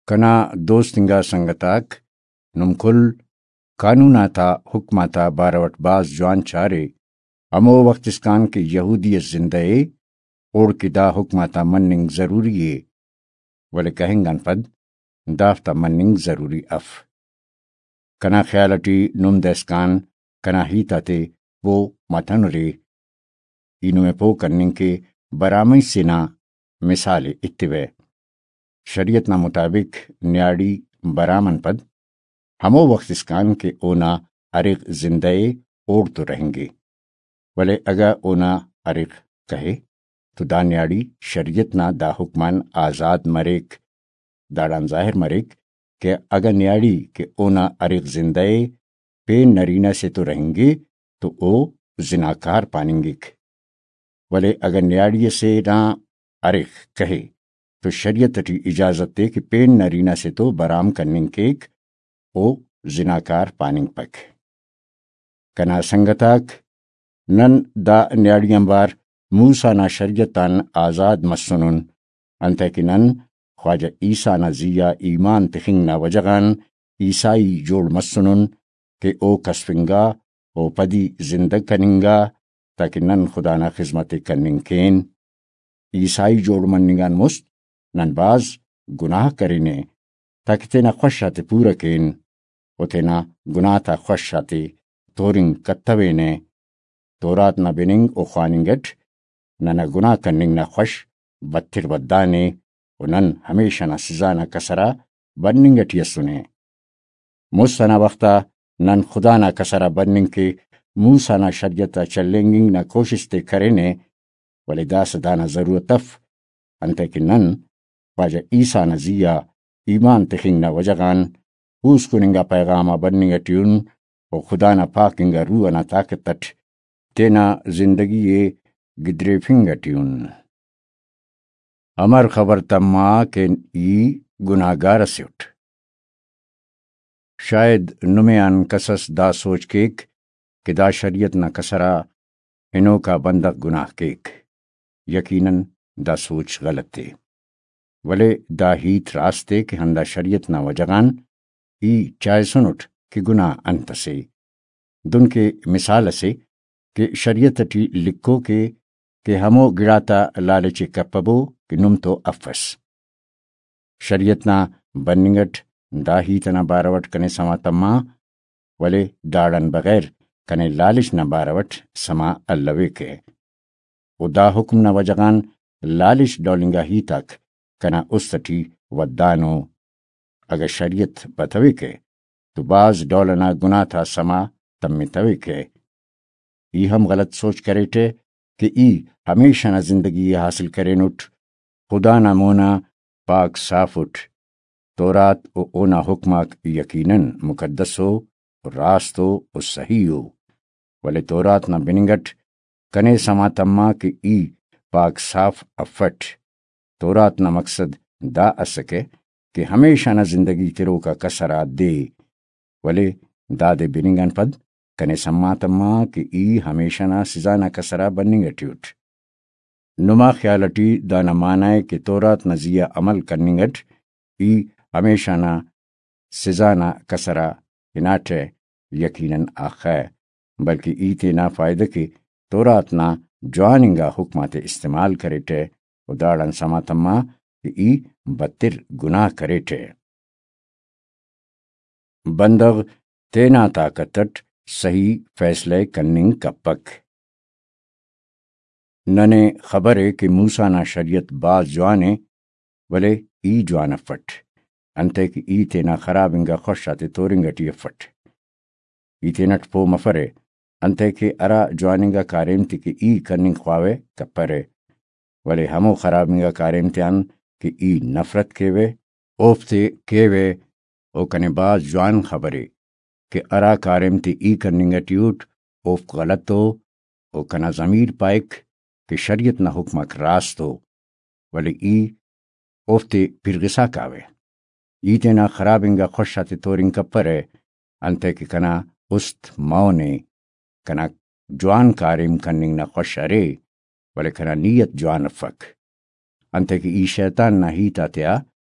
کنا دوست انگا سنگت آک، نم کل قانون آتا حکم آتا بارو اٹ بھاز جوان چارے، ہمو وخت اسکان کہ یہودی اس زندہ ءِ، اوڑکہ دا حکم آتا مننگ ضروری ءِ، ولے کہنگ آن پد دافتا مننگ ضروری اف۔ کنا خیال اٹی نم داسکان کنا ہیت آتے پہہ متنرے۔ ای نمے پہہ کننگ کہ برامئی سے نا مثال ءِ ایتیوہ۔ شریعت نا مطابق نیاڑی برام آن پد ہمو وخت اسکان کہ اونا اریغ زندہ ءِ، اوڑتو رہینگے، ولے اگہ اونا اریغ کہے تو دا نیاڑی شریعت نا دا حکم آن آزاد مریک۔ داڑان ظاہر مریک کہ اگہ نیاڑی کہ اونا اریغ زندہ ءِ پین نرینہ سے تو رہینگے تو او زناکار پاننگک، ولے اگہ نیاڑی اسے نا اریغ کہے تو شریعت اٹی اجازت ءِ کہ پین نرینہ سے تو برام کننگ کیک، او زناکار پاننگپک۔ کنا سنگت آک، نن دا نیاڑی آنبار موسیٰ نا شریعت آن آزاد مسنن، انتئے کہ نن خواجہ عیسیٰ نا زی آ ایمان تخنگ نا وجہ غان عیسائی جوڑ مسنن کہ او کسفنگا، او پدی زندگ کننگا، تاکہ نن خدا نا خذمت ءِ کننگ کین۔ عیسائی جوڑ مننگ آن مست نن بھاز گناہ کرینہ، تاکہ تینا خوش آتے پورہ کین، و تینا گناہ تا خوش آتے تورنگ کتوینہ۔ تورات نا بننگ و خواننگ اٹ ننا گناہ کننگ نا خوش بتر ودانے، و نن ہمیشہ نا سزا نا کسر آ بننگ اٹی اسنے۔ مست ئنا وخت آ نن خدا نا کسر آ بننگ کہ موسیٰ نا شریعت آ چلینگنگ نا کوشست ءِ کرینہ، ولے داسہ دانا ضرورت اف، انتئے کہ نن خواجہ عیسیٰ نا زی آ ایمان تخنگ نا وجہ غان پوسکن انگا پیغام آ بننگ اٹی ان و خدا نا پاک انگا روح ئنا طاقت اٹ تینا زندگی ءِ گدریفنگ اٹی ان۔ امر خبر تما کہ ای گناہگار ئسے اٹ۔ شاید نمے آن کس اس دا سوچ کیک کہ دا شریعت نا کسر آ ہنوکا بندغ گناہ کیک۔ یقیناً دا سوچ غلط ءِ، ولے دا ہیت راست ءِ کہ ہندا شریعت نا وجہ غان ای چائسنٹ کہ گناہ انت ئسے۔ دنکہ مثال ئسے کہ شریعت ٹی لکھوک ءِ کہ ہمو گڑاتا لالچ ءِ کپبو کہ نم تو افس۔ شریعت نا بننگ اٹ دا ہیت ئنا بارو اٹ کنے سما تما، ولے داڑان بغیر کنے لالچ نا بارو اٹ سما الویکہ۔ و دا حکم نا وجہ غان لالچ ڈول انگا ہیت آک کنا است ٹی ودانو۔ اگہ شریعت بتویکہ تو بھاز ڈول ئنا گناہ تا سما تمتویکہ۔ ای ہم غلط سوچ کریٹہ کہ ای ہمیشہ نا زندگی ءِ حاصل کرینٹ۔ خدا نا مونا پاک صاف اٹ۔ تورات و اونا حکم آک یقیناً مقدس ءُ، راست ءُ، و صحیح ءُ۔ ولے تورات نا بننگ اٹ کنے سما تما کہ ای پاک صاف افٹ۔ تورات نا مقصد دا اسکہ کہ ہمیشہ نا زندگی تروک آ کسر آ دے، ولے دادے بننگ آن پد کنے سما تما کہ ای ہمیشہ نا سزا نا کسر آ بننگ اٹی اٹ۔ نما خیال اٹی دانا معنی ءِ کہ تورات نا زی آ عمل کننگ اٹ ای ہمیشہ نا سزا نا کسر آ ہناٹہ، یقیناً آخہ، بلکہ ای تینا فائدہ کہ تورات نا جوان انگا حکم آتے استعمال کریٹہ و داڑان سما تما کہ ای بتر گناہ کریٹہ۔ بندغ تینا طاقت اٹ صحیح فیصلہ ءِ کننگ کپک۔ ننے خبر ءِ کہ موسیٰ نا شریعت بھاز جوان ءِ، ولے ای جوان افٹ، انتئے کہ ای تینا خراب انگا خوش آتے تورنگ اٹی افٹ۔ ای تینٹ پہہ مفرہ، انتئے کہ ہرا جوان انگا کاریم تے کہ ای کننگ خواوہ، کپرہ، ولے ہمو خراب انگا کاریم تیان کہ ای نفرت کیوہ، اوفتے کیوہ۔ او کنے بھاز جوان خبرے کہ ہرا کاریم تے ای کننگ اٹی اٹ، اوفک غلط ءُ، و کنا ضمیر پائک کہ شریعت نا حکم آک راست ءُ، ولے ای اوفتے پرغسا کاوہ۔ ای تینا خراب انگا خوش آتے تورنگ کپرہ، انتئے کہ کنا است مون ءِ۔ کنا جوان کاریم کننگ نا خوش ارے، ولے کنا نیت جوان افک، انتئے کہ ای شیطان نا ہیت آتیا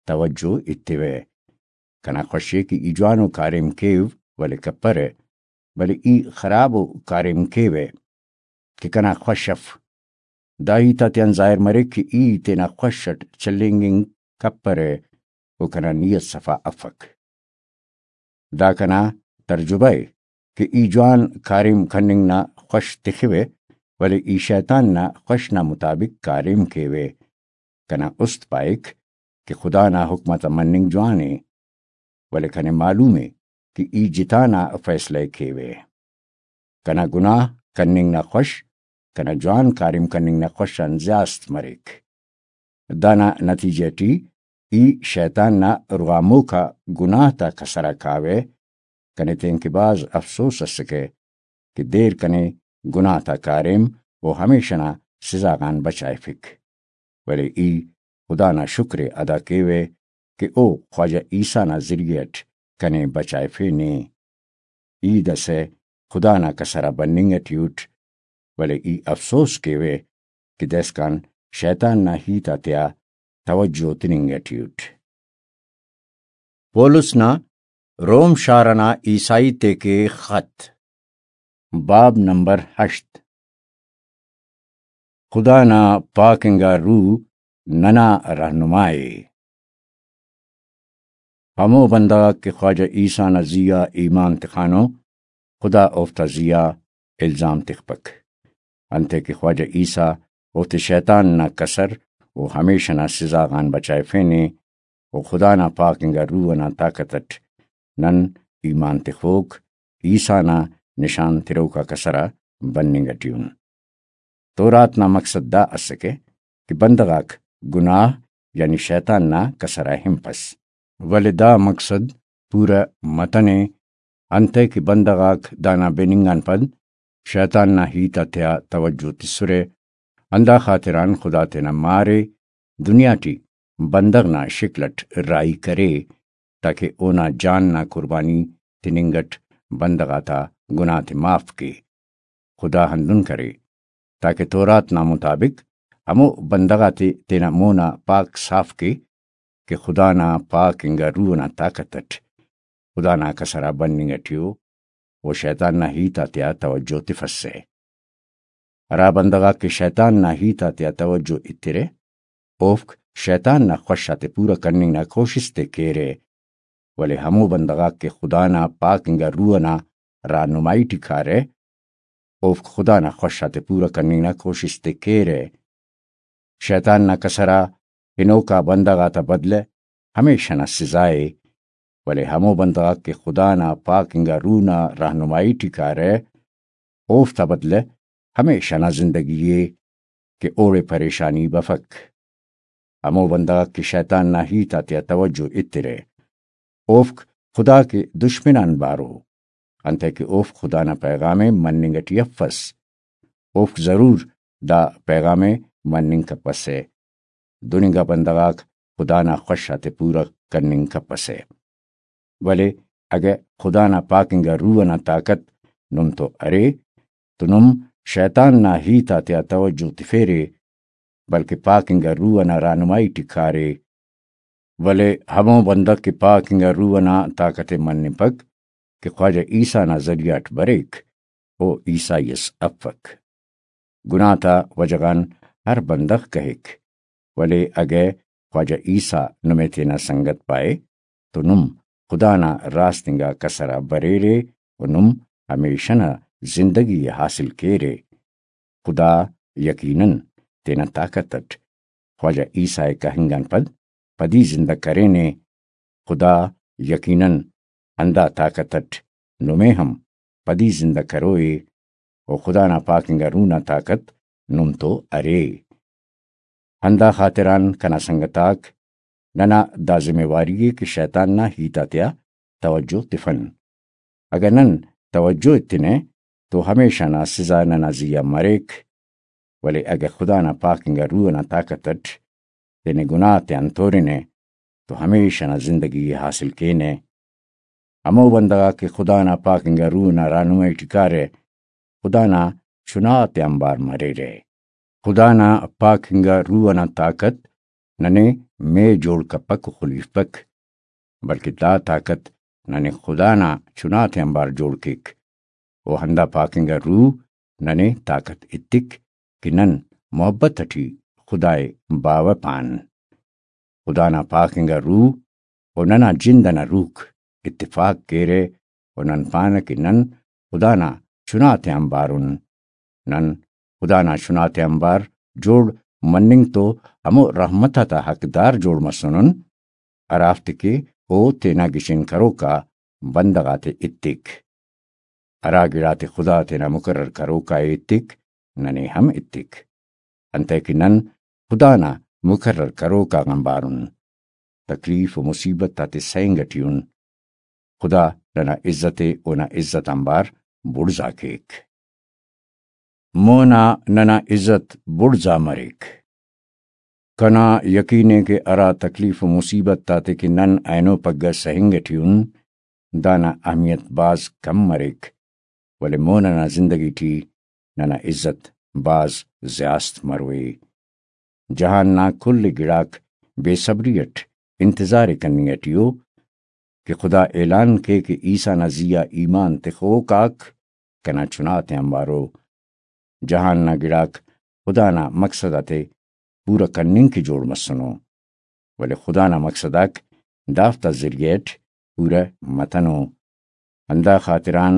توجہ ایتیوہ۔ کنا خوش ءِ کہ ای جوانو کاریم کیو، ولے کپرہ، ولے ای خرابو کاریم کیوہ کہ کنا خوش اف۔ دا ہیت آتیان ظاہر مریک کہ ای تینا خوش اٹ چلینگ انگ کپرہ و کنا نیت صفا افک۔ دا کنا ترجبہ ءِ کہ ای جوان کاریم کننگ نا خوش تخوہ، ولے ای شیطان نا خوش نا مطابق کاریم کیوہ۔ کنا است پائک کہ خدا نا حکم آتا مننگ جوان ءِ، ولے کنے معلوم ءِ کہ ای جتا نا فیصلہ ءِ کیوہ۔ کنا گناہ کننگ نا خوش کنا جوان کاریم کننگ نا خوش آن زیات مریک۔ دانا نتیجہ ٹی ای شیطان نا رغاموکا گناہ تا کسر آ کاوہ۔ کنے تینکہ بھاز افسوس اسکہ کہ دیر کنے گناہ تا کاریم و ہمیش ئنا سزا غان بچائفک۔ ولے ای خدا نا شکر ءِ ادا کیوہ کہ او خواجہ عیسی نا ذریعہ اٹ کنے بچائفینے۔ ای داسہ خدا نا کسر آ بننگ ٹی اٹ، ولے ای افسوس کیوہ کہ داسکان شیطان نا ہیت آتیا توجہ تننگ ٹی اٹ۔ پولس نا روم شار ئنا عیسائی تیکے خط، باب نمبر ہشت۔ خدا نا پاک انگا روح ننا رہنما ءِ۔ ہمو بندغ آک کہ خواجہ عیسی نا زی آ ایمان تخانو، خدا اوفتا زی آ الزام تخپک، انتئے کہ خواجہ عیسی اوفتے شیطان نا کسر و ہمیش ئنا سزا غان بچائفینے، و خدا نا پاک انگا روح ئنا طاقت ئٹ نن ایمان تخوک عیسی نا نشان تروکا کسر آ بننگ ٹی ان۔ تورات نا مقصد دا اسکہ کہ بندغ آک گناہ یعنی شیطان نا کسر آ ہنپس، ولے دا مقصد پورہ متنے، انتئے کہ بندغ آک دانا بننگ آن پد شیطان نا ہیت آتیا توجہ تسرہ۔ ہندا خاطران خدا تینا مارے دنیا ٹی بندغ نا شکل اٹ راہی کرے، تاکہ اونا جان نا قربانی تننگ اٹ بندغ آتا گناہ تے معاف کے۔ خدا ہندن کرے تاکہ تورات نا مطابق ہمو بندغ آتے تینا مونا پاک صاف کے کہ خدا نا پاک انگا روح نا طاقت اٹ خدا نا کسر آ بننگ ٹی او، و شیطان نا ہیت آتیا توجہ تفسہ۔ ہرا بندغ آک کہ شیطان نا ہیت آتیا توجہ ایترہ، اوفک شیطان نا خوش آتے پورہ کننگ نا کوشست ءِ کیرہ، ولے ہمو بندغ آک کہ خدا نا پاک انگا روح ئنا راہنمائی ٹی کارہ، اوفک خدا نا خوش آتے پورہ کننگ نا کوشست ءِ کیرہ۔ شیطان نا کسر آ ہنوکا بندغ آتا بدلہ ہمیش ئنا سزا ءِ، ولے ہمو بندغ آک کہ خدا نا پاک انگا روح نا راہنمائی ٹی کارہ، اوفتا بدلہ ہمیش ئنا زندگی ءِ کہ اوڑے پریشانی بفک۔ ہمو بندغ آک کہ شیطان نا ہیت آتیا توجہ ایترہ، اوفک خدا کہ دشمن آن بارو، انتئے کہ اوفک خدا نا پیغام ءِ مننگ ٹی افس، اوفک ضرور دا پیغام ءِ مننگ کپسہ۔ دن انگا بندغ آک خدا نا خوش آتے پورہ کننگ کپسہ۔ ولے اگہ خدا نا پاک انگا روح ئنا طاقت نم تو ارے، تو نم شیطان نا ہیت آتیا توجہ تفیرے، بلکہ پاک انگا روح ئنا راہنمائی ٹی کارے۔ ولے ہمو بندغ کہ پاک انگا روح ئنا طاقت ءِ منپک کہ خواجہ عیسی نا ذریعہ اٹ بریک، او عیسائی اس افک۔ گناہ تا وجہ غان ہر بندغ کہک، ولے اگہ خواجہ عیسی نمے تینا سنگت پائے تو نم خدا نا راست انگا کسر آ بریرے و نم ہمیش ئنا زندگی ءِ حاصل کیرے۔ خدا یقیناً تینا طاقت اٹ خواجہ عیسی ءِ کہنگ آن پد پدی زندہ کرینے۔ خدا یقیناً ہندا طاقت اٹ نمے ہم پدی زندہ کروئے، و خدا نا پاک انگا روح نا طاقت نم تو ارے۔ ہندا خاطران کنا سنگت آک، ننا دا ذمہ واری ءِ کہ شیطان نا ہیت آتیا توجہ تفن۔ اگہ نن توجہ ایتنہ تو ہمیشہ نا سزا ننا زی آ مریک، ولے اگہ خدا نا پاک انگا روح ئنا طاقت اٹ تینے گناہ تیان تورنہ تو ہمیشہ نا زندگی ءِ حاصل کینہ۔ ہمو بندغ آک کہ خدا نا پاک انگا روح نا رہنمائی ٹی کارہ، خدا نا چنا تے آنبار مریرہ۔ خدا نا پاک انگا روح ئنا طاقت ننے مے جوڑ کپک و خلیفپک، بلکہ دا طاقت ننے خدا نا چناتے آنبار جوڑ کیک۔ و ہندا پاک انگا روح ننے طاقت ایتک کہ نن محبت اٹی خدائے باوہ پان۔ خدا نا پاک انگا روح و ننا جند ئنا روحک اتفاق کیرہ و نن پانہ کہ نن خدا نا چناتے آنبار ان۔ نن خدا نا چناتے آنبار جوڑ مننگ تو ہمو رحمت آتا حقدار جوڑ مسنن، ہرافتے کہ او تینا گچین کروکا بندغ آتے ایتک۔ ہرا گڑاتے خدا تینا مقرر کروکا ایتک، ننے ہم ایتک۔ انتئے کہ نن خدا نا مقرر کروکا آنبار ان۔ تکلیف و مصیبت آتے سہنگ اٹی ان۔ خدا ننا عزت ء، اونا عزت آنبار بڑزا کیک۔ مونا ننا عزت بڑزا مریک۔ کنا یقین ء کہ ہرا تکلیف و مصیبت آتے کہ نن اینو پگہ سہنگ اٹی ان، دانا اہمیت بھاز کم مریک، ولے مون ئنا زندگی ٹی ننا عزت بھاز زیاست مروئے۔ جہان نا کل گڑاک بے صبری اٹ انتظار ء کننگ اٹی ء کہ خدا اعلان کے کہ عیسیٰ نا زی آ ایمان تخوک آک کنا چناتے آنبارو۔ جہان نا گڑاک خدا نا مقصد آتے پورہ کننگ کہ جوڑ مسنو، ولے خدا نا مقصد آک دافتا ذریعہ اٹ پورہ متنو۔ ہندا خاطران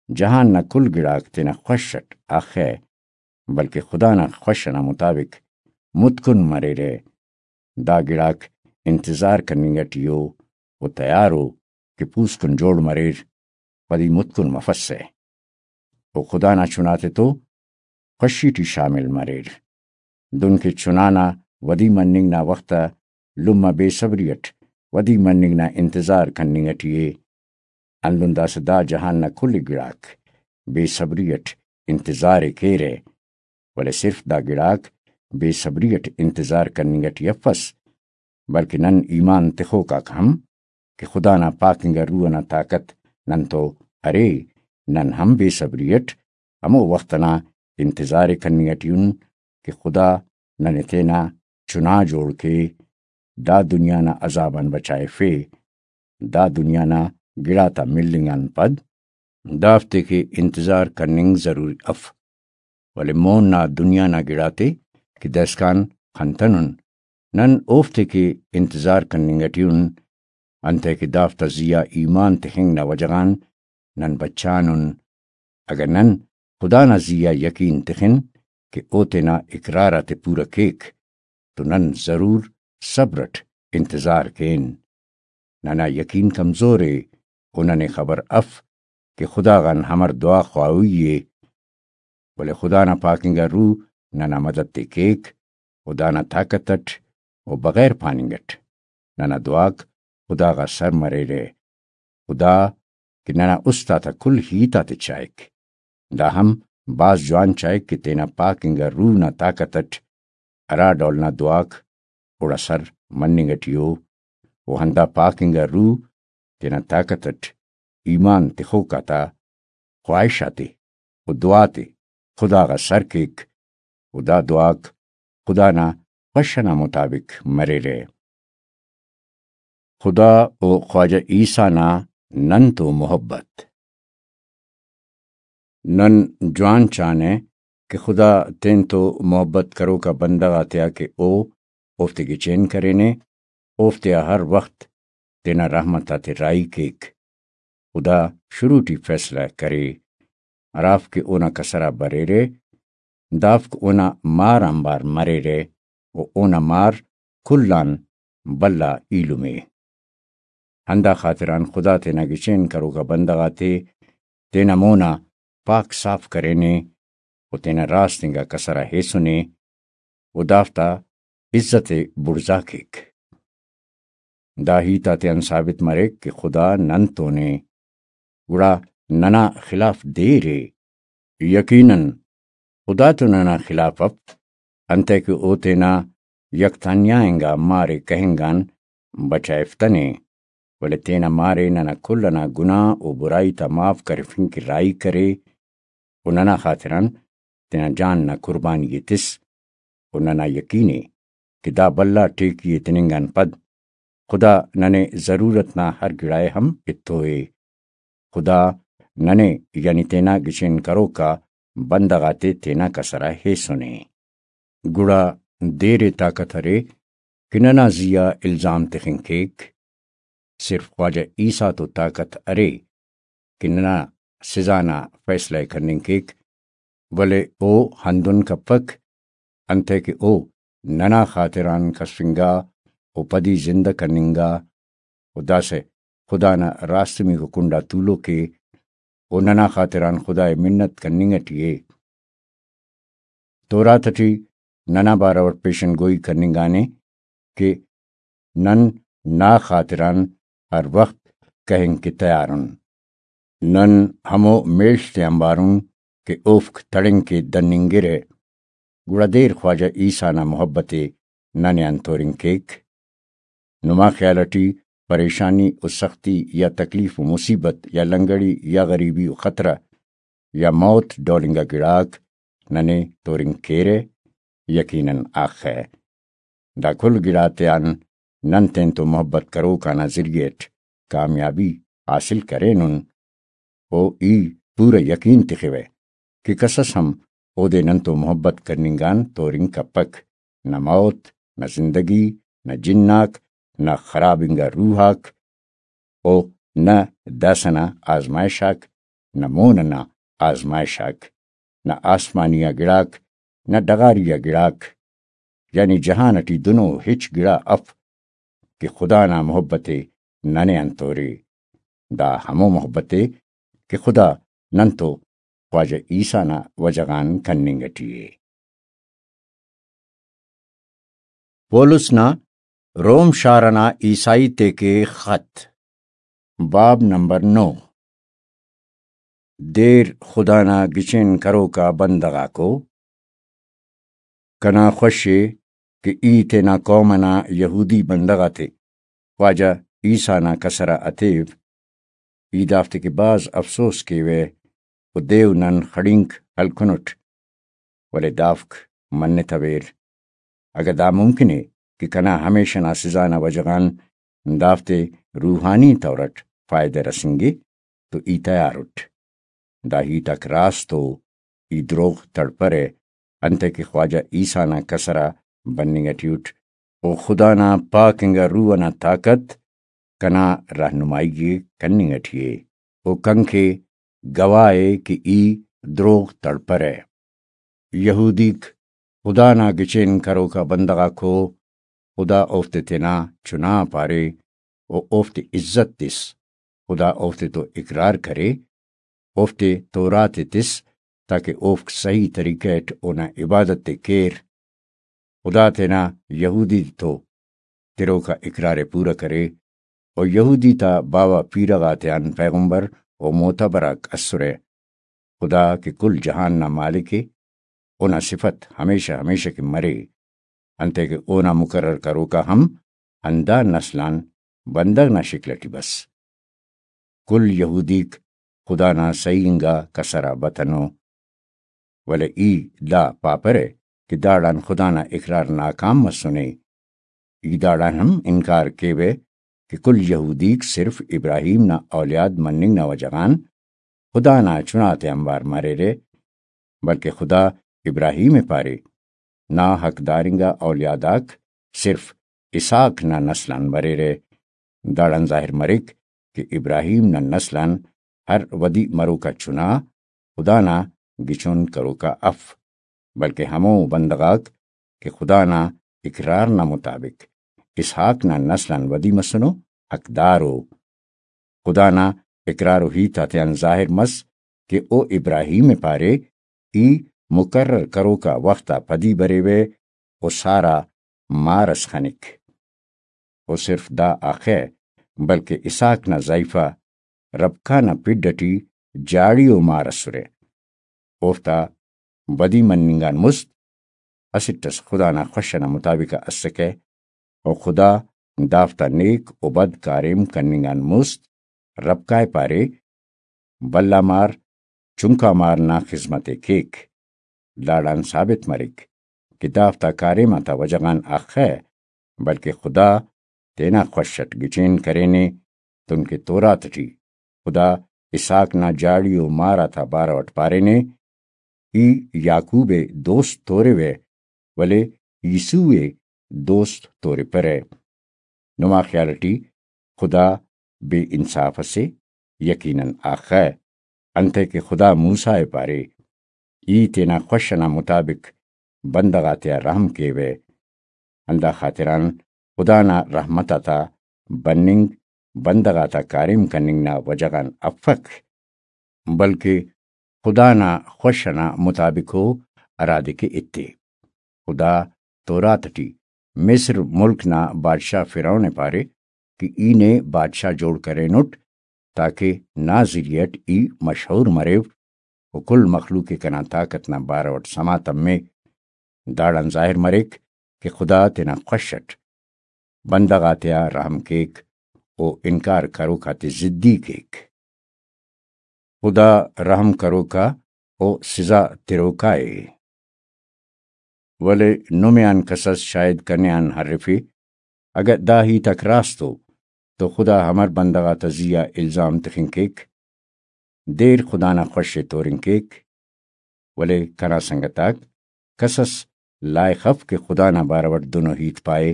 جہان نا کل گڑاک تینا خوش اٹ اخہ، بلکہ خدا نا خوش ئنا مطابق متکن مریرہ۔ دا گڑاک انتظار کننگ اٹی ء و تیار ء کہ پوسکن جوڑ مریر، ودی متکن مفسہ۔ و خدا نا چناتے تو خوشی ٹی شامل مریر۔ دن کہ چنا نا ودی مننگ نا وخت آ لمہ بے صبری اٹ ودی مننگ نا انتظار کننگ اٹی ء، ہندن داسہ دا جہان نا کل گڑاک بے صبری اٹ انتظار ء کیرہ، ولے صرف دا گڑاک بے صبری اٹ انتظار کننگ اٹی افس، بلکہ نن ایمان تخوک آک ہم کہ خدا نا پاک انگا روح ئنا طاقت نن تو ارے، نن ہم بے صبری اٹ ہمو وخت ئنا انتظار ء کننگ اٹی ان کہ خدا ننے تینا چنا جوڑ کے، دا دنیا نا عذاب آن بچائفے۔ دا دنیا نا گڑاتا ملنگ آن پد دافتے کہ انتظار کننگ ضروری اف، ولے مون نا دنیا نا گڑاتے کہ داسکان خنتنن، نن اوفتے کہ انتظار کننگ اٹی ان، انتئے کہ دافتا زی آ ایمان تخنگ نا وجہ غان نن بچانن۔ اگہ نن خدا نا زی آ یقین تخن کہ او تینا اقرار آتے پورہ کیک، تو نن ضرور صبر اٹ انتظار کین۔ ننا یقین کمزور ء و ننے خبر اف کہ خدا غان ہمر دعا خواہوئی ء، ولے خدا نا پاک انگا روح ننا مدد تے کیک و دانا طاقت اٹ و بغیر پاننگ اٹ ننا دعاک خدا غا سر مریرہ۔ خدا کہ ننا است آتا کل ہیت آتے چائک۔ دا ہم بھاز جوان چائک کہ تینا پاک انگا روح نا طاقت اٹ ہرا ڈول نا دعاک اوڑا سر مننگ اٹی ء، و ہندا پاک انگا روح تینا طاقت اٹ ایمان تخوک آتا خواہش آتے و دعا تے خدا غا سر کیک، و دا دعاک خدا نا خوش ئنا مطابق مریرہ۔ خدا و خواجہ عیسیٰ نا نن تو محبت۔ نن جوان چانہ کہ خدا تین تو محبت کروکا بندغ آتیا کہ او اوفتے گچین کرینے، اوفتیا ہر وخت تینا رحمت آتے راہی کیک۔ خدا شروع ٹی فیصلہ کرے، ہرافک اونا کسر آ بریرہ، دافک اونا مار آنبار مریرہ، و اونا مار کل آن بھلا ایلم ء۔ ہندا خاطران خدا تینا گچین کروکا بندغ آتے تینا مونا پاک صاف کرینے، و تینا راست انگا کسر آ ہیسنے، و دافتا عزت ء بڑزا کیک۔ دا ہیت آتیان ثابت مریک کہ خدا نن تون ء، گڑا ننا خلاف دیر ء۔ یقیناً خدا تو ننا خلاف اف، انتئے کہ او تینا یک تنیا انگا مار ء کہنگ آن بچائفتنے، ولے تینا مار ء ننا کل انا گناہ و برائی تا معاف کرفنگ کہ راہی کرے، و ننا خاطران تینا جان نا قربانی ء تس، و ننا یقین ء کہ دا بھلا ٹیکی ء تننگ آن پد خدا ننے ضرورت نا ہر گڑائے ہم ایتو ءِ۔ خدا ننے، یعنی تینا گچین کروکا بندغ آتے تینا کسر آ ہیسنے۔ گڑا دیر ءِ طاقت ارے کہ ننا زی آ الزام تخنگ کیک۔ صرف خواجہ عیسیٰ تو طاقت ارے کہ ننا سزا نا فیصلہ ءِ کننگ کیک، ولے او ہندن کپک، انتئے کہ او ننا خاطران کسفنگا و پدی زندہ کننگا، و داسہ خدا نا راستمیکو کنڈا تولوک ءِ، و ننا خاطران خدا ءِ منت کننگ اٹی ءِ۔ تورات اٹی ننا بارو اٹ پیشن گوئی کننگانے کہ نن نا خاطران ہر وخت کہنگ کہ تیار ان۔ نن ہمو میڷ تے آنبار ان کہ اوفک تڑنگ کہ دننگرہ۔ گڑا دیر خواجہ عیسیٰ نا محبت ءِ ننے آن تورنگ کیک۔ نما خیال اٹی پریشانی و سختی یا تکلیف و مصیبت یا لنگڑی یا غریبی و خطرہ یا موت ڈول انگا گڑاک ننے تورنگ کیرہ؟ یقیناً آخہ۔ دا کل گڑاتیان نن تینتو محبت کروکانا ذریعہ اٹ کامیابی حاصل کرینن۔ و ای پورا یقین تخوہ کہ کسس ہم اودے ننتو محبت کننگان تورنگ کپک، نہ موت، نہ زندگی، نہ جناک، نہ خراب انگا روح آک، و نہ داسہ نا آزمائش آک، نہ مون ئنا آزمائش آک، نہ آسمانی آ گڑاک، نہ ڈغاری آ گڑاک، یعنی جہان اٹی دنو ہچ گڑا اف کہ خدا نا محبت ءِ ننے آن تورے۔ دا ہمو محبت ءِ کہ خدا ننتو خواجہ عیسیٰ نا وجہ غان کننگ اٹی ءِ۔ پولس نا روم شار ئنا عیسائی تیکے خط، باب نمبر نو۔ دیر خدا نا گچین کروکا بندغ آکو، کنا خوش ءِ کہ ای تینا قوم ئنا یہودی بندغ آتے خواجہ عیسیٰ نا کسر آ اتیو۔ ای دافتے کہ بھاز افسوس کیوہ و دیو نن خڑینک ہلکنٹ، ولے دافک منتویر۔ اگہ دا ممکن ءِ کہ کنا ہمیشہ نا سزا نا وجہ غان دافتے روحانی طور اٹ فائدہ رسینگے تو ای تیار اٹ۔ دا ہیت آک راست ءُ، ای دروغ تڑپرہ، انتئے کہ خواجہ عیسیٰ نا کسر آ بننگ اٹی اٹ، و خدا نا پاک انگا روح ئنا طاقت کنا رہنمائی ءِ کننگ اٹی ءِ، و کنکے گواہ ءِ کہ ای دروغ تڑپرہ۔ یہودیک خدا نا گچین کروکا بندغ آکو، خدا اوفتے تینا چنا پارے و اوفتے عزت تس۔ خدا اوفتے تو اقرار کرے، اوفتے تورات ءِ تس تاکہ اوفک صحیح طریقہ اٹ اونا عبادت ءِ کیر۔ خدا تینا یہودی تو تروکا اقرار ءِ پورا کرے، و یہودی تا باوہ پیرہ غاتیان پیغمبر و معتبر آک اسرہ۔ خدا کہ کل جہان نا مالک ءِ، اونا صفت ہمیشہ ہمیشہ کہ مرے، انتئے کہ اونا مقرر کروکا ہم ہندا نسل آن بندغ نا شکل اٹی بس۔ کل یہودیک خدا نا صحیح انگا کسر آ بتنو۔ ولے ای دا پاپرہ کہ داڑان خدا نا اقرار ناکام مسنے۔ ای داڑان ہم انکار کیوہ کہ کل یہودیک صرف ابراہیم نا اولیاد مننگ نا وجہ غان خدا نا چناتے آنبار مریرہ، بلکہ خدا ابراہیم ءِ پارے، نا حقدار انگا اولیاد آک صرف اسحاق نا نسل آن بریرہ۔ داڑان ظاہر مریک کہ ابراہیم نا نسل آن ہر ودی مروکا چنا خدا نا گچون کروکا اف، بلکہ ہمو بندغ آک کہ خدا نا اقرار نا مطابق اسحاق نا نسل آن ودی مسنو، حقدار ءُ۔ خدا نا اقرار و ہیت آتیان ظاہر مس کہ او ابراہیم ءِ پارے، ای مقرر کروکا وخت آ پدی بریوہ و سارہ مار ئس خنک۔ و صرف دا آخہ، بلکہ اسحاق نا ضعیفہ ربقہ نا پڈ اٹی جاڑی و مار اسرہ۔ اوفتا ودی مننگ آن مست اسٹ ئس خدا نا خوش ئنا مطابق آ اسکہ، و خدا دافتا نیک و بد کاریم کننگ آن مست ربقہ ءِ پارے، بھلا مار چنکا مار نا خذمت ءِ کیک۔ داڑان ثابت مریک کہ دافتا کاریم آتا وجہ غان اخہ، بلکہ خدا تینا خوش اٹ گچین کرینے، دنکہ تورات اٹی خدا اسحاق نا جاڑی و مار آتا بارو اٹ پارینے، ای یعقوب ءِ دوست توروہ، ولے عیسو ءِ دوست تورپرہ۔ نما خیال اٹی خدا بے انصاف اسے؟ یقیناً آخہ، انتئے کہ خدا موسیٰ ءِ پارے، ای تینا خوش ئنا مطابق بندغ آتیا رحم کیوہ۔ ہندا خاطران خدا نا رحمت آتا بننگ بندغ آتا کاریم کننگ نا وجہ غان افک، بلکہ خدا نا خوش ئنا مطابق ءُ، ہرادے کہ ایتے۔ خدا تورات ٹی مصر ملک نا بادشاہ فرعون ءِ پارے کہ ای نے بادشاہ جوڑ کرینٹ، تاکہ نا ذریعہ اٹ ای مشہور مریو و کل مخلوق ءِ کنا طاقت نا بارو اٹ سما تمے۔ داڑان ظاہر مریک کہ خدا تینا خوش اٹ بندغ آتیا رحم کیک و انکار کروک آتے ضدی کیک۔ خدا رحم کروکا و سزا تروکا ءِ۔ ولے نمے آن کسس شاید کنے آن ہرفے، اگہ دا ہیت آک راست ءُ تو خدا امر بندغ آتا زی آ الزام تخنگ کیک؟ دیر خدا نا خوش ءِ تورنگ کیک۔ ولے کنا سنگت آک، کسس لائخ اف کہ خدا نا بارو اٹ دنو ہیت پائے۔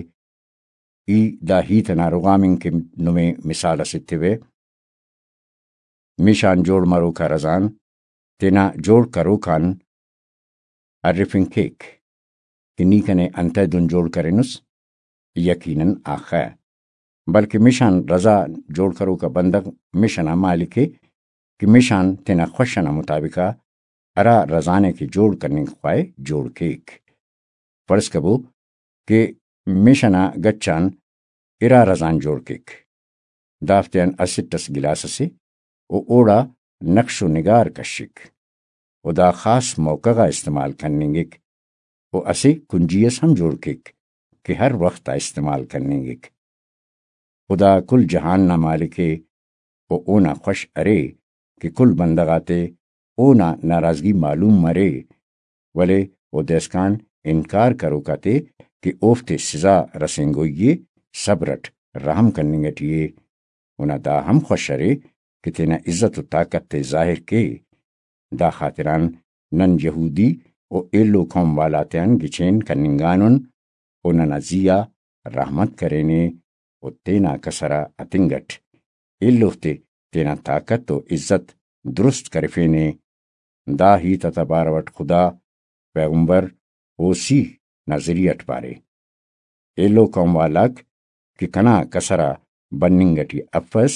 ای دا ہیت ئنا رغام انگ کہ نمے مثال اس ایتیوہ۔ مش آن جوڑ مروک آ رزان تینا جوڑ کروک آن ارفنگ کیک کہ نی کنے انتئے دن جوڑ کرینس؟ یقیناً آخہ، بلکہ مش آن رضا جوڑ کروکا بندغ مش ئنا مالک ءِ کہ مش آن تینا خوش ئنا مطابق آ ہرا رزانے کہ جوڑ کننگ خواہے جوڑ کیک۔ فرض کبو کہ مش ئنا گچ آن ارا رزان جوڑ کیک، دافتیان اسٹ اس گلاس اسے و اوڑا نقش و نگار کشک و دا خاص موقع غا استعمال کننگک و اسہ کنجی اس ہم جوڑ کیک کہ ہر وخت آ استعمال کننگک۔ خدا کل جہان نا مالک ءِ و اونا خوش ارے کہ کل بندغ آتے اونا ناراضگی معلوم مرے، ولے او دائسکان انکار کروک آتے کہ اوفتے سزا رسینگوئی ءِ صبر اٹ رحم کننگ اٹی ءِ۔ اونا دا ہم خوش ارے کہ تینا عزت و طاقت تے ظاہر کے۔ دا خاطران نن یہودی و ایلو قوم والاتیان گچین کننگانن و ننا زی آ رحمت کرینے و تینا کسر آ ہتنگ اٹ ایلوفتے تینا طاقت و عزت درست کرفینے۔ دا ہیت آتا بارو اٹ خدا پیغمبر ہوسی نا ذریعہ اٹ پارے، ایلو قوم والاک کہ کنا کسر آ بننگ اٹی افس،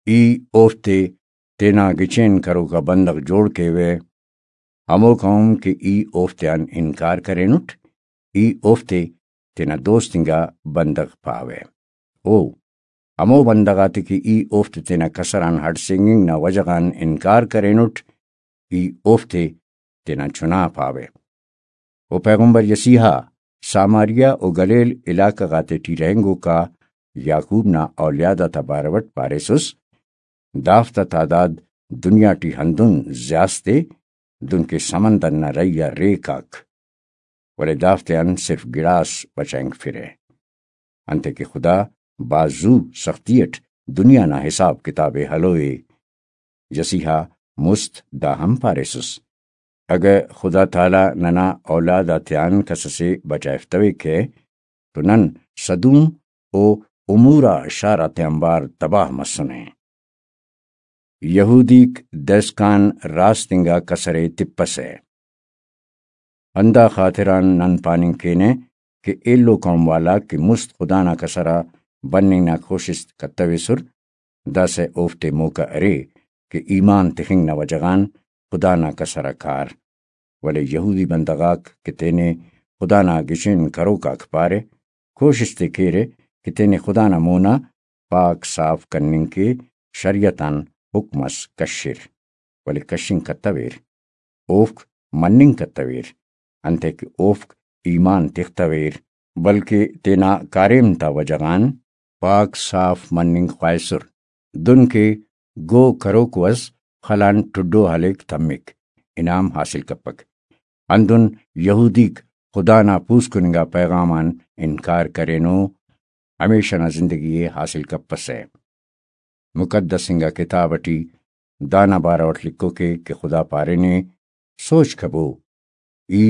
ای اوفتے تینا گچین کروکا بندغ جوڑ کیوہ، ہمو قوم کہ ای اوفتیان انکار کرینٹ، ای اوفتے تینا دوست انگا بندغ پاوہ۔ او ہمو بندغ آتے کہ ای اوفتے تینا کسر آن ہڑسینگنگ نا وجہ غان انکار کرینٹ، ای اوفتے تینا چنا پاوہ۔ و پیغمبر یسیحا ساماریہ و گلیل علاقہ غاتیٹی رہینگوکا یعقوب نا اولیاد آتا بارو اٹ پاریسس، دافتا تعداد دنیا ٹی ہندن زیاست ءِ، دنکہ سمندر نا رہی آ ریک آک، ولے دافتیان صرف گڑاس بچائنگفرہ۔ انتئے کہ خدا بھاز زو سختی اٹ دنیا نا حساب کتاب ءِ ہلوئے۔ یسیحا مست دا ہم پاریسس، اگہ خدا تعالیٰ ننا اولاد آتیان کس اسے بچائفتویکہ تو نن سدوم و عمورہ شار آتیانبار تباہ مسنے۔ یہودیک دائسکان راست انگا کسرے تپسہ۔ ہندا خاطران نن پاننگ کینہ کہ ایلو قوم والاک کہ مست خدا نا کسر آ بننگ نا کوشست کتویسر، داسہ اوفتے موقع ارے کہ ایمان تخنگ نا وجہ غان خدا نا کسر آ کار۔ ولے یہودی بندغ آک کہ تینے خدا نا گچین کروک آک پارہ، کوشست ءِ کیرہ کہ تینے خدا نا مونا پاک صاف کننگ کہ شریعت آن حکم اس کشر، ولے کشنگ کتویر، اوفک مننگ کتویر، انتئے کہ اوفک ایمان تختویر، بلکہ تینا کاریم تا وجہ غان پاک صاف مننگ خواہسر، دن کہ گو کروکو اس خل آن ٹڈو ہلیک تمک، انعام حاصل کپک۔ ہندن یہودیک خدا نا پوسکن انگا پیغام آن انکار کرینو۔ ہمیشہ نا زندگی ءِ حاصل کپسہ۔ مقدس انگا کتاب اٹی دانا بارو اٹ لکھوکے کہ خدا پارینے، سوچ کبو، ای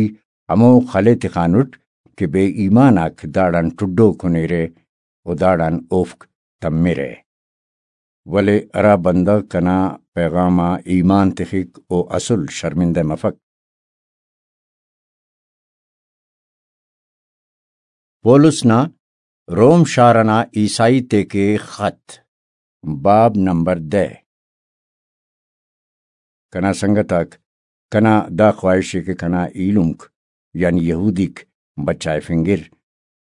ہمو خل ءِ تخانٹ کہ بے ایمان آک داڑان ٹڈو کنیرہ و داڑان اوفک تمرہ۔ ولے ہرا بندغ کنا پیغام آ ایمان تخک، او اسل شرمندہ مفک۔ پولس نا روم شار انا عیسائی تیکے خط، باب نمبر دہ۔ کنا سنگت آک، کنا دا خواہش ءِ کہ کنا ایلمک، یعنی یہودیک بچائفنگر،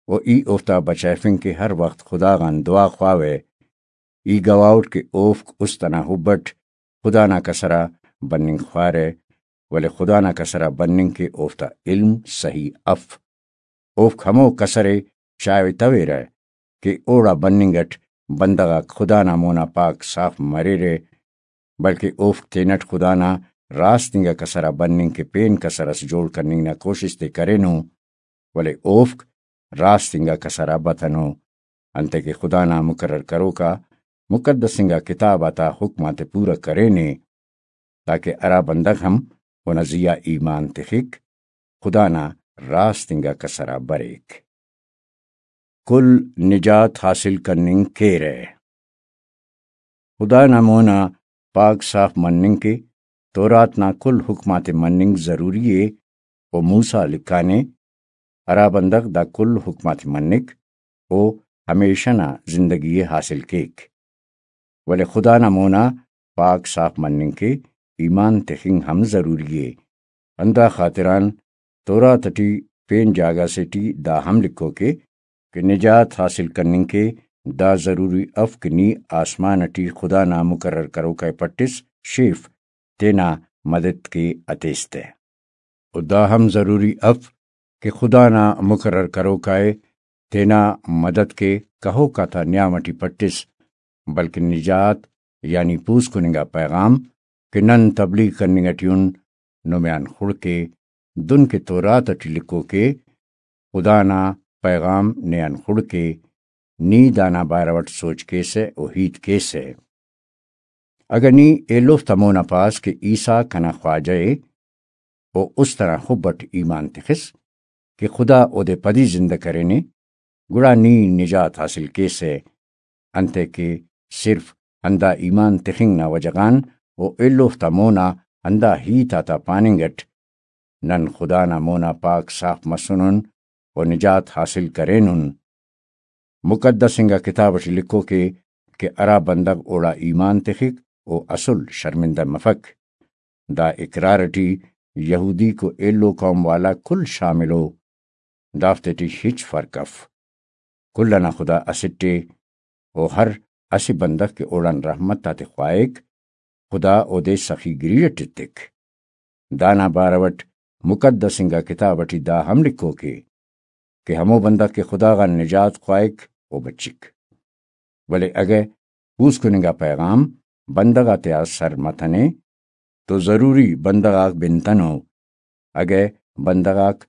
و ای اوفتا بچائفنگ کہ ہر وخت خدا غان دعا خواوہ۔ ای گواہ اٹ کہ اوفک است انا حب اٹ خدا نا کسر آ بننگ خوارہ، ولے خدا نا کسر آ بننگ کہ اوفتا علم صحیح اف۔ اوفک ہمو کسر ءِ چائوہ تویرہ کہ اوڑا بننگ اٹ بندغ آک خدا نا مونا پاک صاف مریرہ، بلکہ اوفک تینٹ خدا نا راست انگا کسر آ بننگ کہ پین کسر اس جوڑ کننگ نا کوشست ءِ کرینو، ولے اوفک راست انگا کسر آ بتنو، انتئے کہ خدا نا مقرر کروکا مقدس انگا کتاب آتا حکم آتے پورا کرینے، تاکہ ہرا بندغ ہم اونا زی آ ایمان تخک، خدا نا راست انگا کسر آ بریک۔ کل نجات حاصل کننگ کیرہ۔ خدا نا مونا پاک صاف مننگ کہ تورات نا کل حکم آتے مننگ ضروری ءِ، و موسیٰ لکھانے، ہرا بندغ دا کل حکم آتے منک، او ہمیشہ نا زندگی ءِ حاصل کیک۔ ولے خدا نا مونا پاک صاف مننگ کہ ایمان تخنگ ہم ضروری ءِ۔ ہندا خاطران تورات اٹی پین جاگہ سے ٹی دا ہم لکھوکے کہ نجات حاصل کننگ کہ دا ضروری اف کہ نی آسمان اٹی خدا نا مقرر کروکا ءِ پٹس شیف، تینا مدد کے ہتیس تہ۔ و دا ہم ضروری اف کہ خدا نا مقرر کروکا ءِ تینا مدد کے کہوکا تا نیام اٹی پٹس، بلکن نجات یعنی پوسکننگا پیغام کہ نن تبلیغ کننگ اٹی ان، نمے آن خڑکے، دن کہ تورات اٹی لکھوکے، خدا نا پیغام نے آن خڑکے، نی دانا بارو اٹ سوچ کیسہ و ہیت کیسہ۔ اگہ نی ایلوفتا مونا پاس کہ عیسیٰ کنا خواجہ ءِ، و است انا حب اٹ ایمان تخس کہ خدا اودے پدی زندہ کرینے، گڑا نی نجات حاصل کیسہ، انتئے کہ صرف ہندا ایمان تخنگ نا وجہ غان و ایلوفتا مونا ہندا ہیت آتا پاننگ اٹ نن خدا نا مونا پاک صاف مسنن و نجات حاصل کرینن۔ مقدس انگا کتاب اٹی لکھوکے کہ ہرا بندغ اوڑا ایمان تخک، او اسل شرمندہ مفک۔ دا اقرار اٹی یہودیک و ایلو قوم والا کل شامل ءُ، دافتے ٹی ہچ فرق اف۔ کل انا خدا اسٹ ءِ، و ہر اسہ بندغ کہ اوڑان رحمت آتے خواہک، خدا اودے سخی گری اٹ ایتک۔ دانا بارو اٹ مقدس انگا کتاب اٹی دا ہم لکھوکے کہ ہمو بندغ کہ خدا غان نجات خواہک، او بچک۔ ولے اگہ پوسکن انگا پیغام بندغ آتیا سر متنے تو ضروری بندغ آک بنتنو۔ اگہ بندغ آک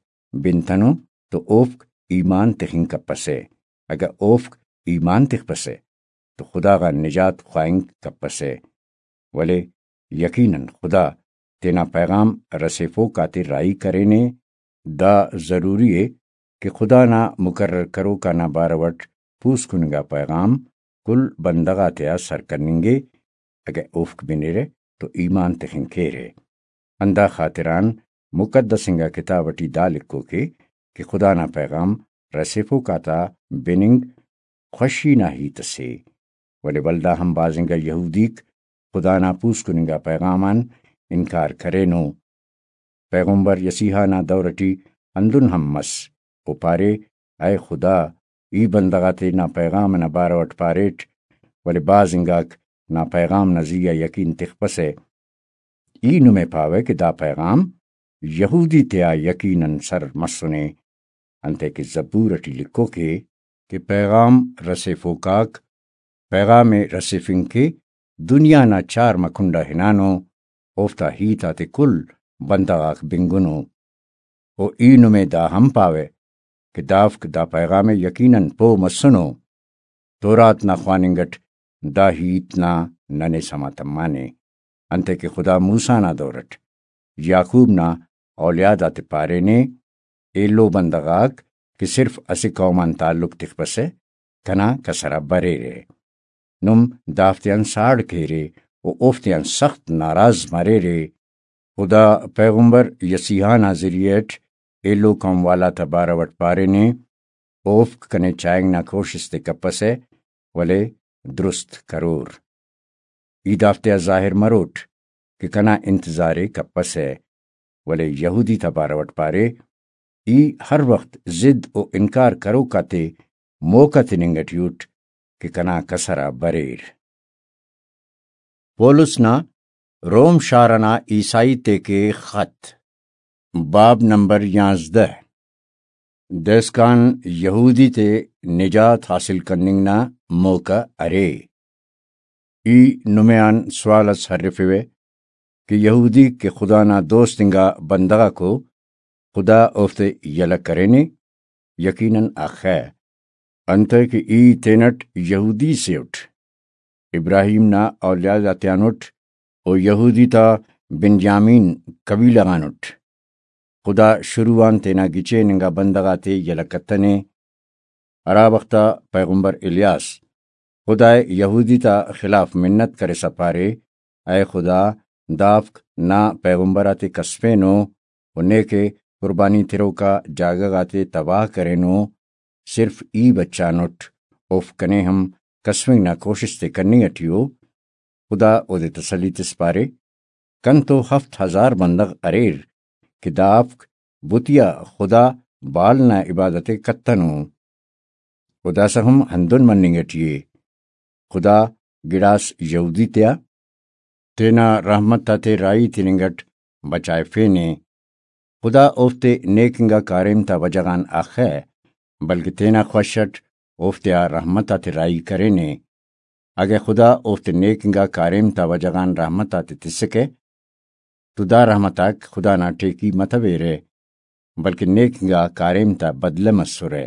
بنتنو تو اوفک ایمان تخنگ کپسہ۔ اگہ اوفک ایمان تخپسہ تو خدا غان نجات خواہنگ کپسہ۔ ولے یقیناً خدا تینا پیغام رسیفوک آتے راہی کرینے۔ دا ضروری ءِ کہ خدا نا مقرر کروک آنا بارو اٹ پوسکن انگا پیغام کل بندغ آتیا سر کننگے، اگہ اوفک بنیرہ تو ایمان تخنگ کیرہ۔ ہندا خاطران مقدس انگا کتاب اٹی دا لکھوکے کہ خدا نا پیغام رسیفوک آتا بننگ خوشی نا ہیت اسے، ولے ولدا ہم بھاز انگا یہودیک خدا نا پوسکن انگا پیغام آن انکار کرینو۔ پیغمبر یسیحا نا دور اٹی ہندن ہم مس۔ او پارے، اے خدا، ای بندغ آتے نا پیغام انا بارو اٹ پاریٹ، ولے بھاز انگاک نا پیغام نا زی آ یقین تخپسہ۔ ای نمے پاوہ کہ دا پیغام یہودی تیا یقیناً سر مسنے، انتئے کہ زبور اٹی لکھوکے کہ پیغام رسیفوک آک پیغام ءِ رسیفنگ کہ دنیا نا چارمہ کنڈ آ ہنانو، اوفتا ہیت آتے کل بندغ آک بنگنو۔ و ای نمے دا ہم پاوہ کہ دافک دا پیغام ءِ یقیناً پہہ مسنو، تورات نا خواننگ اٹ دا ہیت نا ننے سما تمانے، انتئے کہ خدا موسیٰ نا دور اٹ یعقوب نا اولیاد آتے پارینے، ایلو بندغ آک کہ صرف اسہ قوم آن تعلق تخپسہ، کنا کسر آ بریرہ۔ نم دافتیان ساڑ کیرے و اوفتیان سخت ناراض مریرے۔ خدا پیغمبر یسیحا نا ذریعہ اٹ ایلو قوم والا تا بارو اٹ پارینے، اوفک کنے چائنگ نا کوشست ءِ کپسہ، ولے درست کرور۔ ای دافتیا ظاہر مروٹ کہ کنا انتظار ءِ کپسہ، ولے یہودی تا بارو اٹ پارے، ای ہر وخت ضد و انکار کروک آتے موقع تننگ ٹی اٹ کہ کنا کسر آ بریر۔ پولس نا روم شار ئنا عیسائی تیکے خط، باب نمبر یانزدہ۔ دائسکان یہودی تے نجات حاصل کننگ نا موقع ارے۔ ای نمے آن سوال اس ہرفوہ کہ یہودیک کہ خدا نا دوست انگا بندغاکو، خدا اوفتے یلہ کرینے؟ یقیناً اخہ، انتئے کہ ای تینٹ یہودی سے اٹ، ابراہیم نا اولیاد آتیان اٹ، و یہودی تا بنجامین قبیلہ غان اٹ۔ خدا شروع آن تینا گچین انگا بندغ آتے یلہ کتنے۔ ہرا وخت آ پیغمبر الیاس خدائے یہودی تا خلاف منت کرسا پارے، اے خدا، دافک نا پیغمبر آتے کسفینو و نیکہ قربانی تروکا جاگہ غاتے تباہ کرینو، صرف ای بچانٹ، اوفک کنے ہم کسفنگ نا کوشست ءِ کننگ ٹی ءُ۔ خدا اودے تسلی تس پارے، کنتو ہفت ہزار بندغ اریر کہ دافک بتیا خدا بال نا عبادت ءِ کتنو۔ و داسہ ہم ہندن مننگ ٹی ءِ۔ خدا گڑاس یہودی تیا تینا رحمت آتے راہی تننگ اٹ بچائفینے۔ خدا اوفتے نیک انگا کاریم تا وجہ غان اخہ، بلکہ تینا خوش اٹ اوفتیا رحمت آتے راہی کرینے۔ اگہ خدا اوفتے نیک انگا کاریم تا وجہ غان رحمت آتے تسکہ، تو دا رحمت آک خدا نا ٹیکی متویرہ، بلکن نیک انگا کاریم تا بدلہ مسرہ۔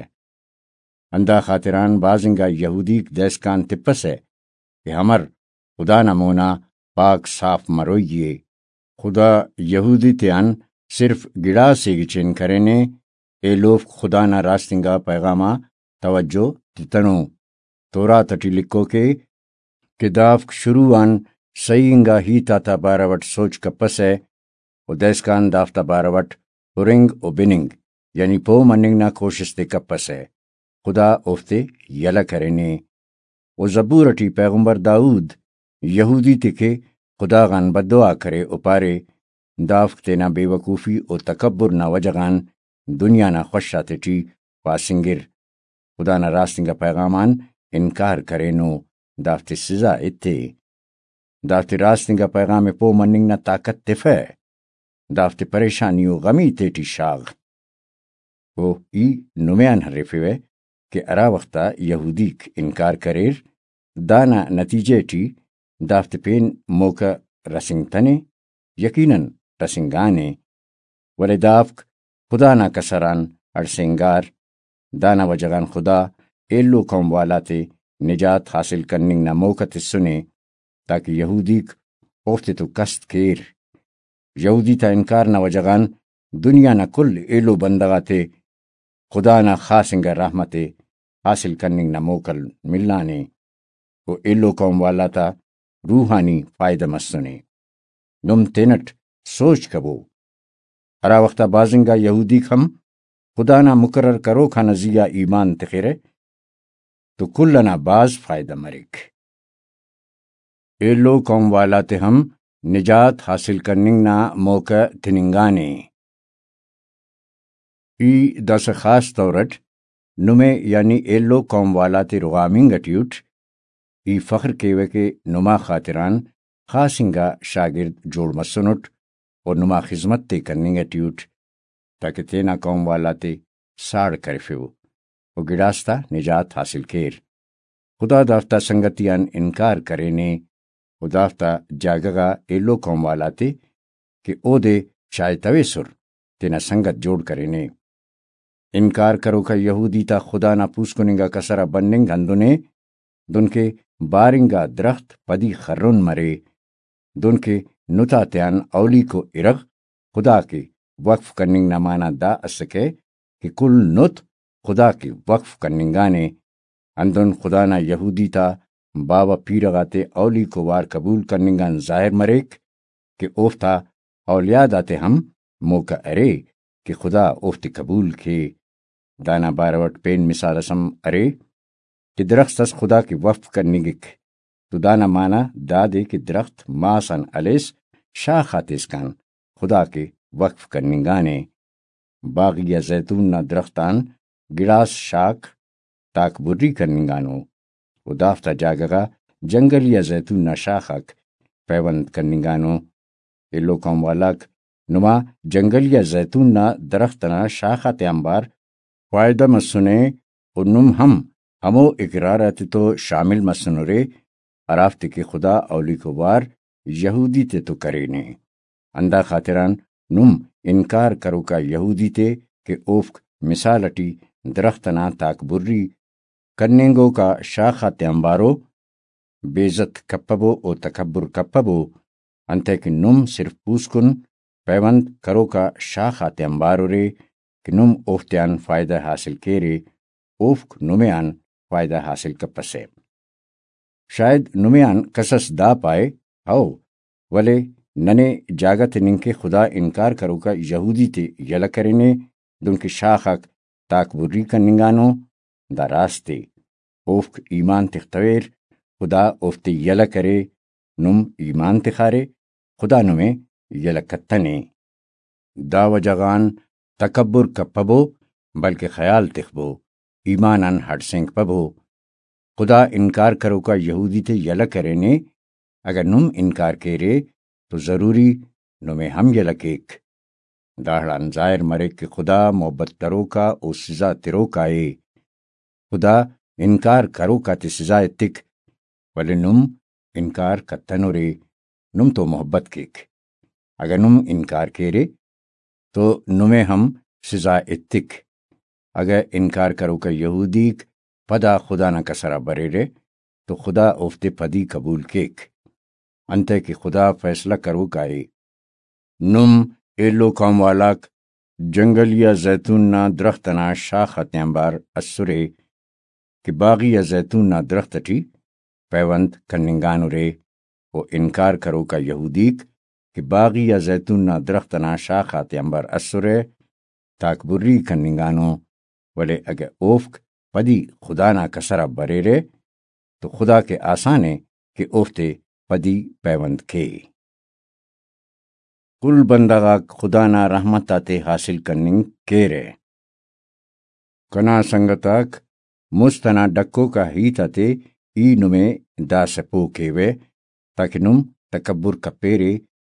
ہندا خاطران بھاز انگا یہودیک دائسکان تپسہ کہ امر خدا نا مونا پاک صاف مروئی ءِ۔ خدا یہودی تیان صرف گڑاسے گچین کرینے، ایلوفک خدا نا راست انگا پیغام آ توجہ تتنو۔ تورات ٹی لکھوک ءِ کہ دافک شروع آن صحیح انگا ہیت آتا بارو اٹ سوچ کپسہ و دائسکان دافتا بارو اٹ ہرنگ و بننگ، یعنی پہہ مننگ نا کوشست ءِ کپسہ۔ خدا اوفتے یلہ کرینے۔ و زبور ٹی پیغمبر داؤد یہودی تے کہ خدا غان بددعا کرے و پارے، دافک تینا بے وقوفی و تکبر نا وجہ غان دنیا نا خوش آتے ٹی پاسنگر۔ خدا نا راست انگا پیغام آن انکار کرینو، دافتے سزا ایتے۔ دافتے راست انگا پیغام ءِ پہہ مننگ نا طاقت تفہ۔ دافتے پریشانی و غمی تیٹی شاغ۔ و ای نمے آن ہرفیوہ کہ ہرا وخت آ یہودیک انکار کریر، دانا نتیجہ ٹی دافتے پین موقع رسینگتنے، یقیناً رسینگانے، ولے دافک خدا نا کسر آن ہڑسینگار۔ دانا وجہ غان خدا ایلو قوم والاتے نجات حاصل کننگ نا موقع تسنے، تاکہ یہودیک اوفتے تو کست کیر۔ یہودی تا انکار نا وجہ غان دنیا نا کل ایلو بندغ آتے خدا نا خاص انگا رحمت ءِ حاصل کننگ نا موکل ملانے و ایلو قوم والا تا روحانی فائدہ مسنے۔ نم تینٹ سوچ کبو، ہرا وخت آ بھاز انگا یہودیک ہم خدا نا مقرر کروک آنا زی آ ایمان تخرہ تو کل ئنا بھاز فائدہ مریک۔ ایلو قوم والا تے ہم نجات حاصل کننگ نا موقع تننگانے۔ ای داسہ خاص طور اٹ نمے یعنی ایلو قوم والا تے رغامنگ ٹی اٹ۔ ای فخر کیوہ کہ نما خاطران خاص انگا شاگرد جوڑ مسنٹ و نما خذمت تے کننگ ٹی اٹ، تاکہ تینا قوم والا تے ساڑ کرفیو و گڑاس تا نجات حاصل کیر۔ خدا دافتا سنگتی آن انکار کرینے و دافتا جاگہ غا ایلو قوم والا تے کہ اودے چائتویسر، تینا سنگت جوڑ کرینے۔ انکار کروکا یہودی تا خدا نا پوسکن انگا کسر آ بننگ ہندن ءِ دنکہ بار انگا درخت پدی خرن مرے۔ دنکہ نت آتیان اولیکو ارغ خدا کے وقف کننگ نا معنی دا اسکہ کہ کل نت خدا کے وقف کننگانے۔ ہندن خدا نا یہودی تا باوہ پیرہ غاتے اولیکو وار قبول کننگ آن ظاہر مریک کہ اوفتا اولیاد آتے ہم موقع ارے کہ خدا اوفتے قبول کے۔ دانا بارو اٹ پین مثال اس ہم ارے کہ درخت اس خدا کے وقف کننگک، تو دانا معنی دادے کہ درخت ماس آن ہلیس شاخ آتے اسکان خدا کے وقف کننگانے۔ باغی آ زیتون نا درخت آن گڑاس شاخ تاکبری کننگانو و دافتا جاگہ غا جنگلی آ زیتون نا شاخ آک پیوند کننگانو۔ ایلو قوم والاک، نما جنگلی آ زیتون نا درخت ئنا شاخ آتے آنبار فائدہ مسنے و نم ہم ہمو اقرار آتے تو شامل مسنرے، ہرافتے کہ خدا اولیکو وار یہودی تیتو کرینے۔ ہندا خاطران نم انکار کروکا یہودی تے کہ اوفک مثال ئٹی درخت ئنا تاکبری کننگوکا شاخ آتے آنبارو، بے عزت کپبو و تکبر کپبو، انتئے کہ نم صرف پوسکن پیوند کروکا شاخ آتے آنبار ارے کہ نم اوفتیان فائدہ حاصل کیرے، اوفک نمے آن فائدہ حاصل کپسہ۔ شاید نمے آن کسس دا پائے، ہئو، ولے ننے جاگہ تننگ کہ خدا انکار کروکا یہودی تے یلہ کرینے، دنکہ شاخ آک تاکبری کننگانو۔ دا راست ءِ۔ اوفک ایمان تختویر، خدا اوفتے یلہ کرے، نم ایمان تخارے، خدا نمے یلہ کتنے۔ دا وجہ غان تکبر کپبو، بلکہ خیال تخبو، ایمان آن ہڑسینگپبو۔ خدا انکار کروکا یہودی تے یلہ کرینے، اگہ نم انکار کیرے تو ضروری نمے ہم یلہ کیک۔ داڑان ظاہر مریک کہ خدا محبت کروکا و سزا تروکا ءِ۔ خدا انکار کروک آتے سزا ایتک، ولے نم انکار کتنرے، نم تو محبت کیک۔ اگہ نم انکار کیرے تو نمے ہم سزا ایتک۔ اگہ انکار کروکا یہودیک پدا خدا نا کسر آ بریرہ تو خدا اوفتے پدی قبول کیک، انتئے کہ خدا فیصلہ کروکا ءِ۔ نم ایلو قوم والاک جنگلی آ زیتون نا درخت ئنا شاخ آتیانبار اسرے کہ باغی آ زیتون نا درخت ئٹی پیوند کننگانرے، و انکار کروکا یہودیک کہ باغی آ زیتون نا درخت ئنا شاخ آتیانبار اسرہ، تاکبری کننگانو، ولے اگہ اوفک پدی خدا نا کسر آ بریرہ تو خدا کہ آسان ءِ کہ اوفتے پدی پیوند کے۔ کل بندغ آک خدا نا رحمت آتے حاصل کننگ کیرہ۔ کنا سنگت آک، مست ئنا ڈکوک آ ہیت آتے ای نمے داسہ پہہ کیوہ، تاکہ نم تکبر کپیرے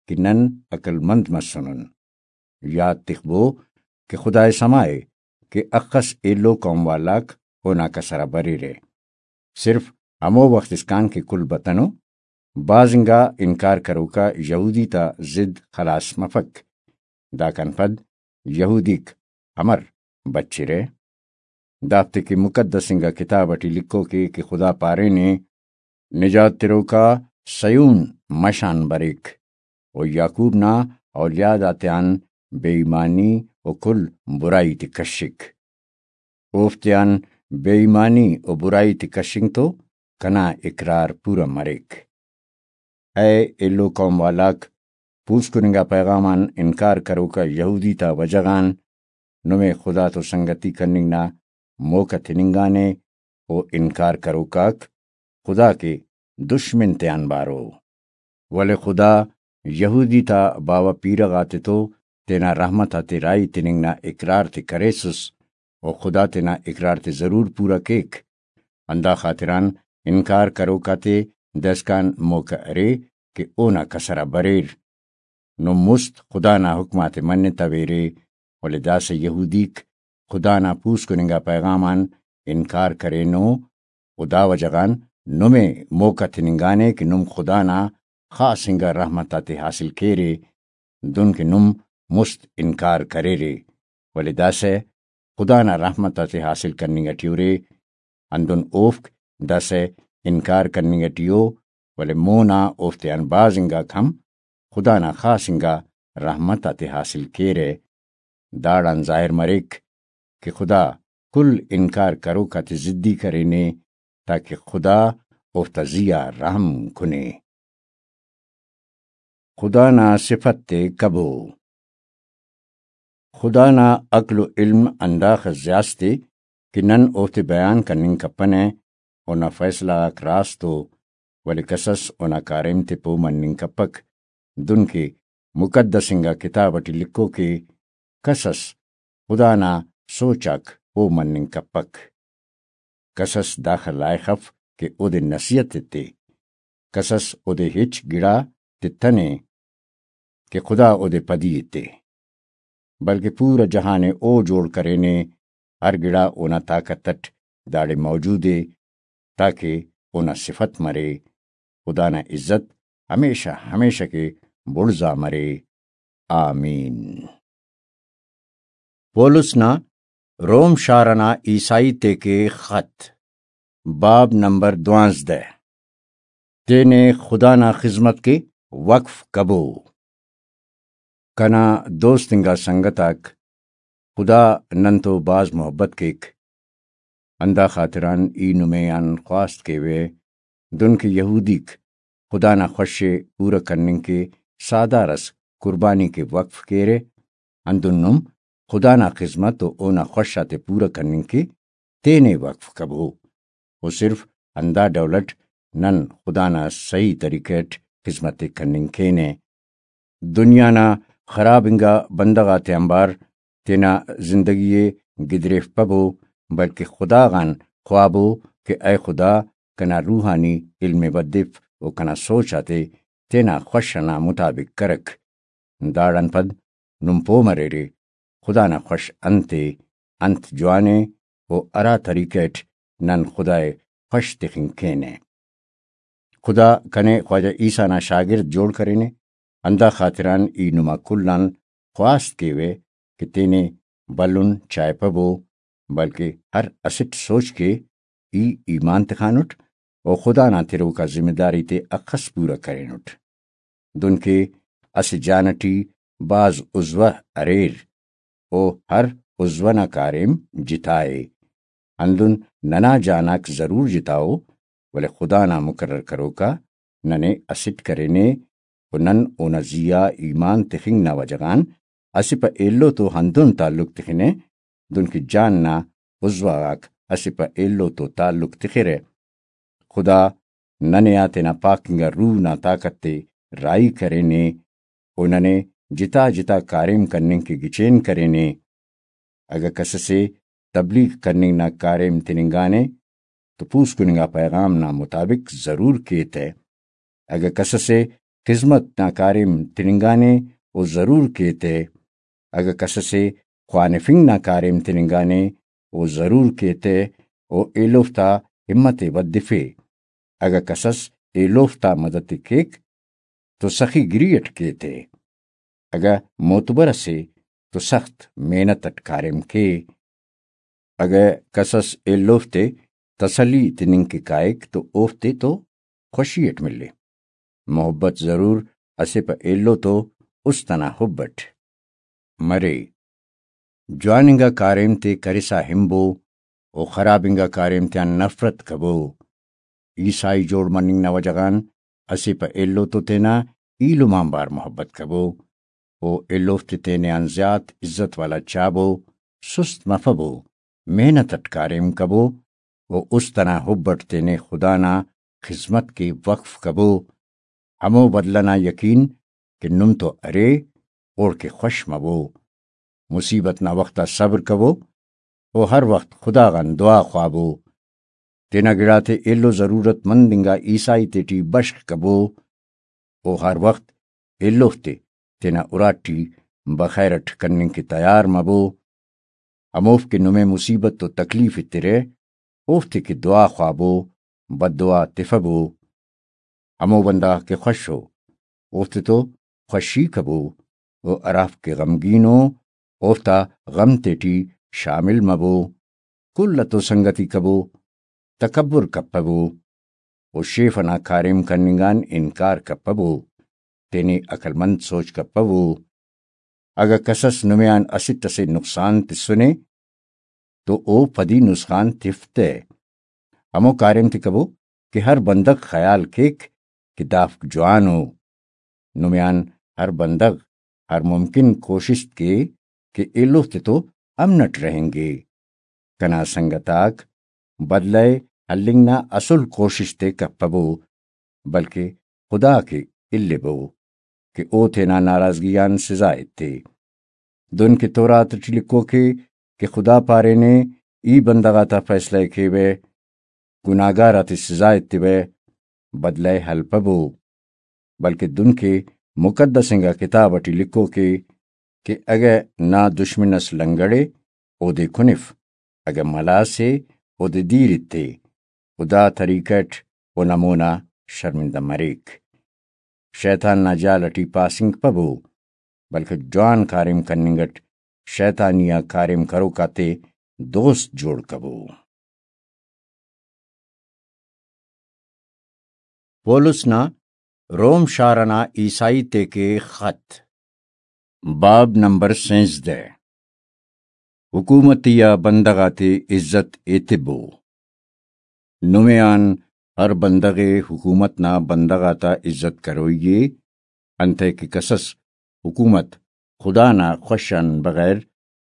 کہ نن عقل مند مسنن۔ یات تخبو کہ خدائے سما ءِ کہ اخس ایلو قوم والاک اونا کسر آ بریرہ۔ صرف ہمو وخت اسکان کہ کل بتنو، بھاز انگا انکار کروکا یہودی تا ضد خلاص مفک۔ داکان پد یہودیک امر بچرہ؟ دافتے کہ مقدس انگا کتاب ٹی لکھوک ءِ کہ خدا پارینے، نجات تروکا صیون مش آن بریک، و یعقوب نا اولیاد آتیان بے ایمانی و کل برائی تے کشک۔ اوفتیان بے ایمانی و برائی تے کشنگ تو کنا اقرار پورا مریک۔ اے ایلو قوم والاک، پوسکن انگا پیغام آن انکار کروکا یہودی تا وجہ غان نمے خدا تو سنگتی کننگ نا موقع تننگانے، و انکار کروکاک خدا کے دشمن تیان بارو۔ ولے خدا یہودی تا باوہ پیرہ غاتے تو تینا رحمت آتے راہی تننگ نا اقرار تے کریسس، و خدا تینا اقرار تے ضرور پورا کیک۔ ہندا خاطران انکار کروک آتے داسکان موقع ارے کہ اونا کسر آ بریر۔ نم مست خدا نا حکم آتے منتویرے، ولے داسہ یہودیک خدا نا پوسکن انگا پیغام آن انکار کرینو، و دا وجہ غان نمے موقع تننگانے کہ نم خدا نا خاص انگا رحمت آتے حاصل کیرے، دن کہ نم مست انکار کریرے، ولے داسہ خدا نا رحمت آتے حاصل کننگ ٹی ارے، ہندن اوفک داسہ انکار کننگ ٹی ءُ، ولے مونا اوفتیان بھاز انگاک ہم خدا نا خاص انگا رحمت آتے حاصل کیرہ۔ داڑان ظاہر مریک کہ خدا کل انکار کروک آتے ضدی کرینے، تاکہ خدا اوفتا زی آ رحم کنے۔ خدا نا صفت تے کبو۔ خدا نا عقل و علم ہنداخس زیاست ءِ کہ نن اوفتے بیان کننگ کپنہ، اونا فیصلہ غاک راست ءُ، ولے کسس اونا کاریم تے پہہ مننگ کپک، دن کہ مقدس انگا کتاب ٹی لکھوک ءِ، کسس خدا نا سوچ آک پہہ مننگ کپک۔ کسس داخہ لائخ اف کہ اودے نصیحت ایتے، کسس اودے ہچ گڑا تتنے کہ خدا اودے پدی ایتے، بلکہ پورا جہان ءِ او جوڑ کرینے، ہر گڑا اونا طاقت اٹ داڑے موجود ءِ، تاکہ اونا صفت مرے۔ خدا نا عزت ہمیشہ ہمیشہ کہ بڑزا مرے۔ آمین۔ پولس نا روم شار ئنا عیسائی تیکے خط، باب نمبر دوانزدہ، تینے خدا نا خذمت کہ وقف کبو۔ کنا دوست انگا سنگت آک، خدا نن تو بھاز محبت کیک، ہندا خاطران ای نمے آن خواست کیوہ، دن کہ یہودیک خدا نا خوش ءِ پورہ کننگ کہ ساہدار اس قربانی کہ وقف کیرہ، ہندن نم خدا نا خذمت و اونا خوش آتے پورہ کننگ کہ تینے وقف کبو۔ و صرف ہندا ڈول اٹ نن خدا نا صحیح طریقہ اٹ خذمت ءِ کننگ کینہ۔ دنیا نا خراب انگا بندغ آتے آنبار تینا زندگی ءِ گدریفپبو، بلکہ خدا غان خوابو کہ اے خدا، کنا روحانی علم ءِ ودف و کنا سوچ آتے تینا خوش ئنا مطابق کرک۔ داڑان پد نم پہہ مریرے خدا نا خوش انت ءِ، انت جوان ءِ، و ہرا طریقہ اٹ نن خدا ءِ خوش تخنگ کینہ۔ خدا کنے خواجہ عیسیٰ نا شاگرد جوڑ کرینے، ہندا خاطران ای نما کل آن خواست کیوہ کہ تینے بھلن چائپبو، بلکہ ہر اسٹ سوچ کے ای ایمان تخانٹ و خدا نا تروکا ذمہ داری تے اخس پورہ کرینٹ۔ دنکہ اسہ جان ٹی بھاز عضوہ اریر، و ہر عضوہ نا کاریم جتا ءِ۔ ہندن ننا جان آک ضرور جتا ءُ، ولے خدا نا مقرر کروکا ننے اسٹ کرینے، و نن اونا زی آ ایمان تخنگ نا وجہ غان اسہ پہ ایلو تو ہندن تعلق تخنہ، دنکہ جان نا عضوہ غاک اسہ پہ ایلو تو تعلق تخرہ۔ خدا ننے آ تینا پاک انگا روح نا طاقت تے راہی کرینے، و ننے جتا جتا کاریم کننگ کہ گچین کرینے۔ اگہ کس ئسے تبلیغ کننگ نا کاریم تننگانے تو پوسکن انگا پیغام نا مطابق ضرور کے تہ۔ اگہ کس ئسے خذمت نا کاریم تننگانے او ضرور کے تہ۔ اگہ کس ئسے خوانفنگ نا کاریم تننگانے او ضرور کے تہ، و ایلوفتا ہمت ءِ ودفے۔ اگہ کسس ایلوفتا مدد ءِ کیک تو سخی گری اٹ کے تے۔ اگہ معتبر اسے تو سخت محنت اٹ کاریم کے۔ اگہ کسس ایلوفتے تسلی تننگ کہ کائک تو اوفتے تو خوشی اٹ ملے۔ محبت ضرور اسہ پہ ایلو تو است انا حب اٹ مرے۔ جوان انگا کاریم تے کرسا ہنبو و خراب انگا کاریم تیان نفرت کبو۔ عیسائی جوڑ مننگ نا وجہ غان اسہ پہ ایلو تو تینا ایلم آنبار محبت کبو و ایلوفتے تینے آن زیات عزت والا چابو، سست مفبو، محنت اٹ کاریم کبو و است انا حب اٹ تینے خدا نا خذمت کہ وقف کبو۔ ہمو بدلہ نا یقین کہ نم تو ارے، اوڑکہ خوش مبو۔ مصیبت نا وخت آ صبر کبو و ہر وخت خدا غان دعا خوابو۔ تینا گڑاتے ایلو ضرورت مند انگا عیسائی تیٹی بشخ کبو و ہر وخت ایلوفتے تینا اراٹی بخیر اٹ کننگ کہ تیار مبو۔ ہموفک کہ نمے مصیبت و تکلیف ایترہ، اوفتے کہ دعا خوابو، بددعا تفبو۔ ہمو بندغ کہ خوش ءُ، اوفتے تو خوشی کبو، و ہرافک کہ غمگین ءُ، اوفتا غم تیٹی شامل مبو۔ کل ءِ تو سنگتی کبو، تکبر کپبو۔ و شیف ئنا کاریم کننگ آن انکار کپبو، تینے عقل مند سوچ کپبو۔ اگہ کسس نمے آن اسٹ اسے نقصان تسنے تو او پدی نسخان تفتہ۔ ہمو کاریم تے کبو کہ ہر بندغ خیال کیک کہ دافک جوان ءُ۔ نمے آن ہر بندغ ہر ممکن کوشست کے کہ ایلوفتے تو امن اٹ رہینگے۔ کنا سنگت آک، بدلہ ءِ ہلنگ نا اسل کوشست ءِ کپبو، بلکہ خدا کے الیبو کہ او تینا ناراضگی آن سزا ایتے۔ دن کہ تورات ٹی لکھوکے کہ خدا پارینے، ای بندغ آتا فیصلہ ءِ کیوہ، گناہگار آتے سزا ایتیوہ، بدلہ ءِ ہلپبو۔ بلکہ دن کہ مقدس انگا کتاب ٹی لکھوکے کہ اگہ نا دشمن اس لنگڑے، اودے کنف، اگہ ملاس ءِ، اودے دیر ایتے، و دا طریقہ اٹ او نا مونا شرمندہ مریک۔ شیطان نا جال ٹی پاسنگ پبو، بلکہ جوان کاریم کننگ اٹ شیطانی آ کاریم کروک آتے دوست جوڑ کبو۔ پولس نا روم شار ئنا عیسائی تیکے خط۔ باب نمبر سینزدہ۔ حکومتی آ بندغ آتے عزت ایتبو۔ نمے آن ہر بندغ ءِ حکومت نا بندغ آتا عزت کروئی ءِ، انتئے کہ کسس حکومت خدا نا خوش آن بغیر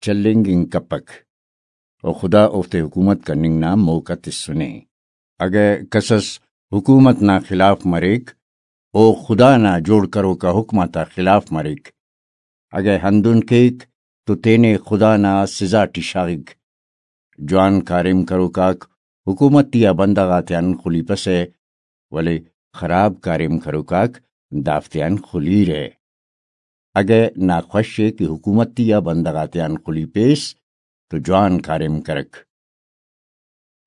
چلینگنگ کپک، و خدا اوفتے حکومت کننگ نا موقع تسنے۔ اگہ کسس حکومت نا خلاف مریک، او خدا نا جوڑ کروکا حکم آتا خلاف مریک۔ اگہ ہندن کیک تو تینے خدا نا سزا ٹی شاغک۔ جوان کاریم کروکاک حکومتی آ بندغ آتیان خلیپسہ، ولے خراب کاریم کروکاک دافتیان خلیرہ۔ اگہ نا خوش ءِ کہ حکومتی آ بندغ آتیان خلیپیس تو جوان کاریم کرک۔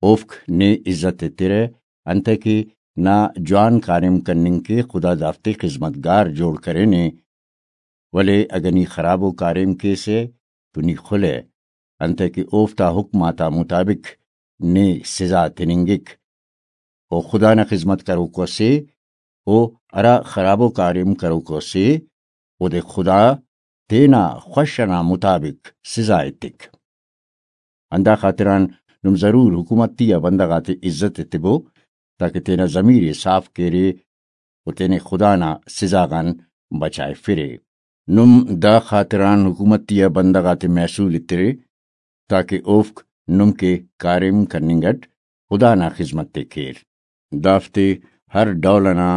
اوفک نے عزت ایترہ، انتئے کہ نا جوان کاریم کننگ کے خدا دافتے خذمت گار جوڑ کرینے، ولے اگہ نی خرابو کاریم کیسہ تو نی خلہ، انتئے کہ اوفتا حکم آتا مطابق نے سزا تننگک۔ او خدا نا خذمت کروکو سے، او ہرا خرابو کاریم کروکو سے، اودے خدا تینا خوش ئنا مطابق سزا ایتک۔ ہندا خاطران نم ضرور حکومتی آ بندغ آتے عزت ایتبو، تاکہ تینا ضمیر ءِ صاف کیرے و تینے خدا نا سزا غان بچائفرے۔ نم دا خاطران حکومتی آ بندغ آتے محصول ایترے، تاکہ اوفک نم کہ کاریم کننگ اٹ خدا نا خذمت ءِ کیر۔ دافتے ہر ڈول ئنا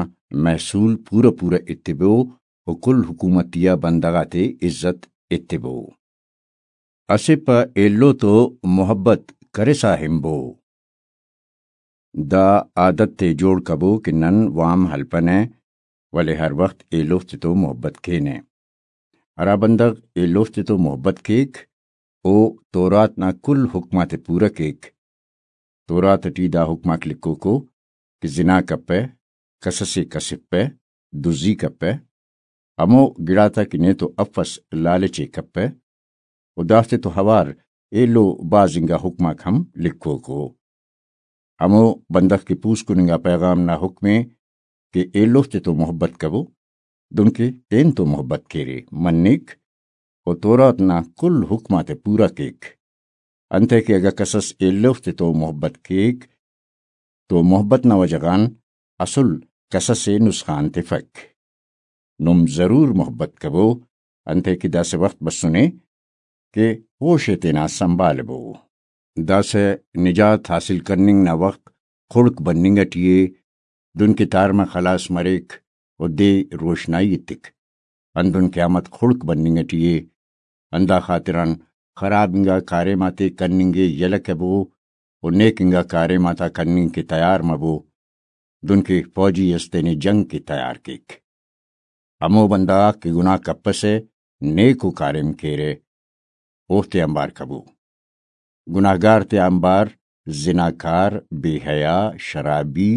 محصول پورہ پورہ ایتبو و کل حکومتی آ بندغ آتے عزت ایتبو۔ اسہ پہ ایلو تو محبت کرسا ہنبو۔ دا عادت تے جوڑ کبو کہ نن وام ہلپنہ، ولے ہر وخت ایلوفتے تو محبت کینہ۔ ہرا بندغ ایلوفتے تو محبت کیک، او تورات نا کل حکم آتے پورہ کیک۔ تورات ٹی دا حکم آک لکھوکو کہ زنا کپہ، کسسے کسفپہ، دزی کپہ، ہمو گڑاتا کہ نیتو افس لالچ ءِ کپہ، و دافتے تو اوار ایلو بھاز انگا حکم آک ہم لکھوکو۔ ہمو بندغ کہ پوسکن انگا پیغام نا حکم ءِ کہ ایلوفتے تو محبت کبو، دنکہ تین تو محبت کیرے، منک و تورات نا کل حکم آتے پورا کیک۔ انتئے کہ اگہ کسس ایلوفتے تو محبت کیک تو محبت نا وجہ غان اسل کسس ءِ نسخان تفک۔ نم ضرور محبت کبو، انتئے کہ داسہ وخت بسنے کہ ہوش ءِ تینا سنبھالبو۔ داسہ نجات حاصل کننگ نا وخت خڑک بننگ ٹی ءِ، دن کہ تارمہ خلاس مریک و دے روشنائی ایتک، ہندن قیامت خڑک بننگ ٹی ءِ۔ ہندا خاطران خراب انگا کاریم آتے کننگ ءِ یلہ کبو و نیک انگا کاریم آتا کننگ کہ تیار مبو، دنکہ فوجی اس تینے جنگ کہ تیار کیک۔ ہمو بندغ آک کہ گناہ کپسہ، نیکو کاریم کیرہ، اوفتے آنبار کبو۔ گناہگار تے آنبار زناکار، بے حیا، شرابی،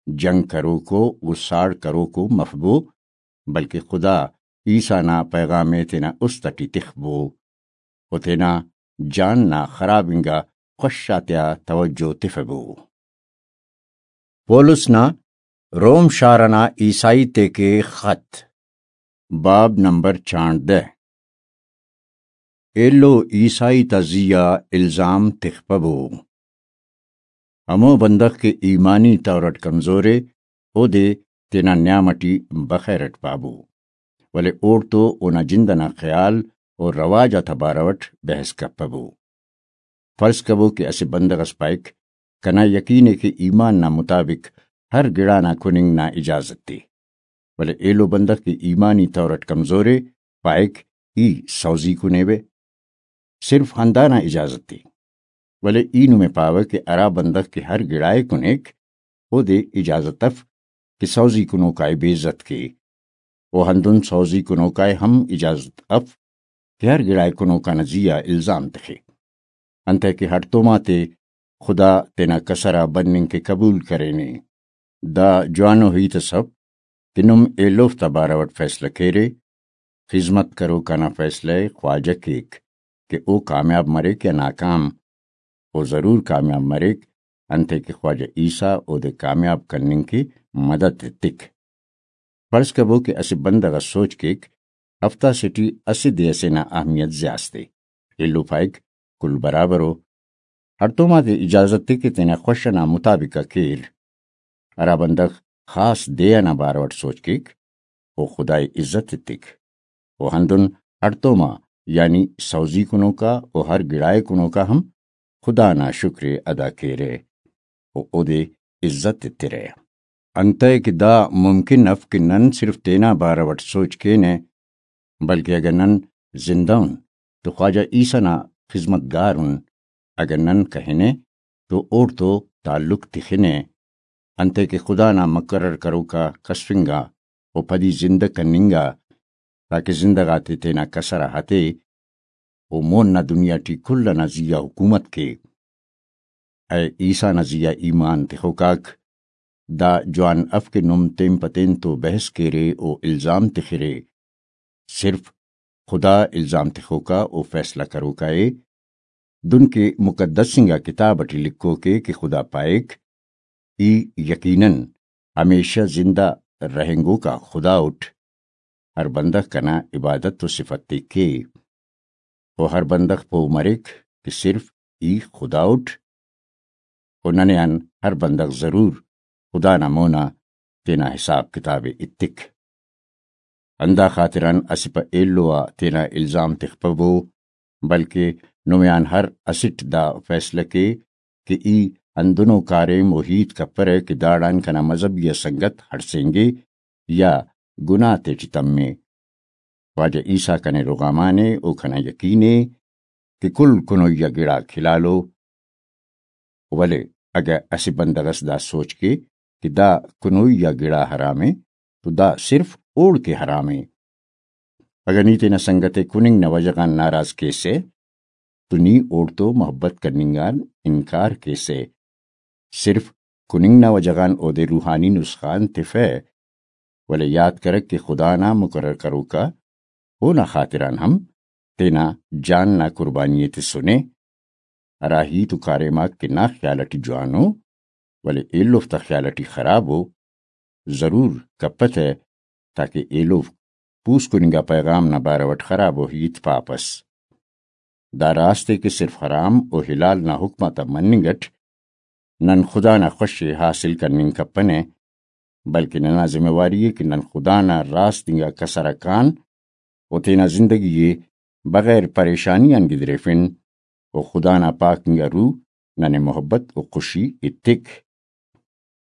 جنگ کروکو و ساڑ کروکو مفبو، بلکہ خدا عیسیٰ نا پیغام ءِ تینا است ٹی تخبو و تینا جان نا خراب انگا خوش آتیا توجہ تفبو۔ پولس نا روم شار ئنا عیسائی تیکے خط۔ باب نمبر چانڑدہ۔ ایلو عیسائی تا زی آ الزام تخپبو۔ ہمو بندغ کہ ایمانی طور اٹ کمزور ءِ، اودے تینا نیام اٹی بخیر اٹ پابو، ولے اوڑتو اونا جند ئنا خیال و رواج آتا بارو اٹ بحث کپبو۔ فرض کبو کہ اسہ بندغ ئس پائک، کنا یقین ءِ کہ ایمان نا مطابق ہر گڑا نا کننگ نا اجازت ءِ، ولے ایلو بندغ کہ ایمانی طور اٹ کمزور ءِ، پائک، ای سوزی کنیوہ، صرف ہندانا اجازت ءِ۔ ولے ای نمے پاوہ کہ ہرا بندغ کہ ہر گڑائے کنیک، اودے اجازت اف کہ سوزی کنوکائے بے عزت کے، و ہندن سوزی کنوکائے ہم اجازت اف کہ ہر گڑائے کنوکانا زی آ الزام تخے، انتئے کہ ہڑتوم آتے خدا تینا کسر آ بننگ کہ قبول کرینے۔ دا جوانو ہیت اس اف کہ نم ایلوفتا بارو اٹ فیصلہ کیرے۔ خذمت کروکانا فیصلہ ءِ خواجہ کیک کہ او کامیاب مریک یا ناکام۔ او ضرور کامیاب مریک، انتئے کہ خواجہ عیسیٰ اودے کامیاب کننگ کہ مدد ایتک۔ فرض کبو کہ اسہ بندغ اس سوچ کیک، ہفتہ سے ٹی اسہ دے ئسے نا اہمیت زیاست ءِ۔ ایلو پائک، کل برابر ءُ۔ ہڑتوم آتے اجازت ءِ کہ تینا خوش ئنا مطابق آ کیر۔ ہرا بندغ خاص دے ئنا بارو اٹ سوچ کیک، او خدائے عزت ایتک۔ و ہندن ہڑتوما، یعنی سوزی کنوکا و ہر گڑائے کنوکا ہم خدا نا شکر ءِ ادا کیرہ و اودے عزت ایترہ۔ انتئے کہ دا ممکن اف کہ نن صرف تینا بارو اٹ سوچ کینہ، بلکہ اگہ نن زندہ ان تو خواجہ عیسیٰ نا خذمت گار ان، اگہ نن کہنہ تو اوڑتو تعلق تخنہ، انتئے کہ خدا نا مقرر کروکا کسفنگا و پدی زندہ کننگا، تاکہ زندہ غاتے تینا کسر آ ہتے و مون نا دنیا ٹی کل ئنا زی آ حکومت کے۔ اے عیسیٰ نا زی آ ایمان تخوکاک، دا جوان اف کہ نم تین پہ تین تو بحث کیرے و الزام تخرے۔ صرف خدا الزام تخوکا و فیصلہ کروکا ءِ۔ دنکہ مقدس انگا کتاب اٹی لکھوک ءِ کہ خدا پائک، ای یقیناً ہمیشہ زندہ رہینگوکا خدا اٹ۔ ہر بندغ کنا عبادت و صفت ءِ کے۔ و ہر بندغ پہہ مریک کہ صرف ای خدا اٹ۔ و ننے آن ہر بندغ ضرور خدا نا مونا تینا حساب کتاب ءِ ایتک۔ ہندا خاطران اسہ پہ ایلو آ تینا الزام تخپبو، بلکہ نمے آن ہر اسٹ دا فیصلہ کے کہ ای ہندنو کاریم و ہیت کپرہ کہ داڑان کنا مذہبی آ سنگت ہڑسینگے یا گناہ تیٹی تمے۔ خواجہ عیسیٰ کنے رغامانے و کنا یقین ءِ کہ کل کنوئی آ گڑاک حلالو، ولے اگہ اسہ بندغ ئس دا سوچ کے کہ دا کنوئی آ گڑا حرام ءِ تو دا صرف اوڑکہ حرام ءِ۔ اگہ نی تینا سنگت ءِ کننگ نا وجہ غان ناراض کیسہ تو نی اوڑتو محبت کننگ آن انکار کیسہ۔ صرف کننگ نا وجہ غان اودے روحانی نسخان تفہ، ولے یات کرک کہ خدا نا مقرر کروکا اونا خاطران ہم تینا جان نا قربانی ءِ تسنے۔ ہرا ہیت و کاریم آک کہ نا خیال اٹی جوانو، ولے ایلوفتا خیال اٹی خرابو، ضرور کپتہ، تاکہ ایلوفک پوسکننگا پیغام نا بارو اٹ خرابو ہیت پاپس۔ دا راست ءِ کہ صرف حرام و حلال نا حکم آتا مننگ اٹ نن خدا نا خوش ءِ حاصل کننگ کپنہ، بلکہ ننا ذمہ واری ءِ کہ نن خدا نا راست انگا کسر آ کان و تینا زندگی ءِ بغیر پریشانی آن گدریفن و خدا نا پاک انگا روح ننے محبت و خوشی ایتک۔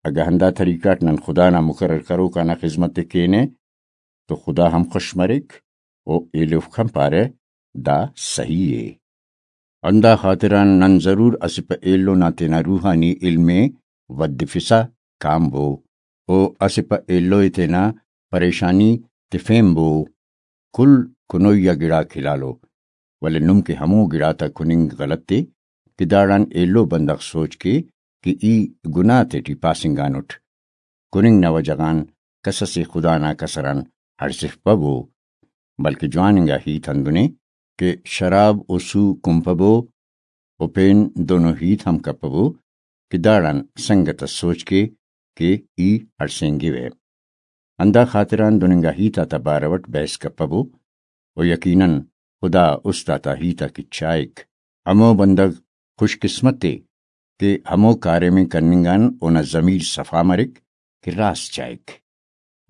اگہ ہندا طریقہ اٹ نن خدا نا مقرر کروکا نا خذمت ءِ کینہ تو خدا ہم خوش مریک و ایلوفک ہم پارہ، دا سہی ءِ۔ ہندا خاطران نن ضرور اسہ پہ ایلو نا تینا روحانی علم ءِ ودفسا کانبو و اسہ پہ ایلو ءِ تینا پریشانی تفینبو۔ کل کنوئی آ گڑاک حلالو، ولے نم کہ ہمو گڑاتا کننگ غلط ءِ کہ داڑان ایلو بندغ سوچ کے کہ ای گناہ تیٹی پاسنگانٹ۔ کننگ نا وجہ غان کس اسے خدا نا کسر آن ہڑسفپبو، بلکہ جوان انگا ہیت ہندن ءِ کہ شراب و سو کنپبو و پین دنو ہیت ہم کپبو کہ داڑان سنگت اس سوچ کے کہ ای ہڑسینگوہ۔ ہندا خاطران دن انگا ہیت آتا بارو اٹ بحث کپبو، و یقیناً خدا است آتا ہیت آک چائک۔ ہمو بندغ خوش قسمت ءِ کہ ہمو کاریم ءِ کننگ آن اونا ضمیر صفا مریک کہ راست چائک،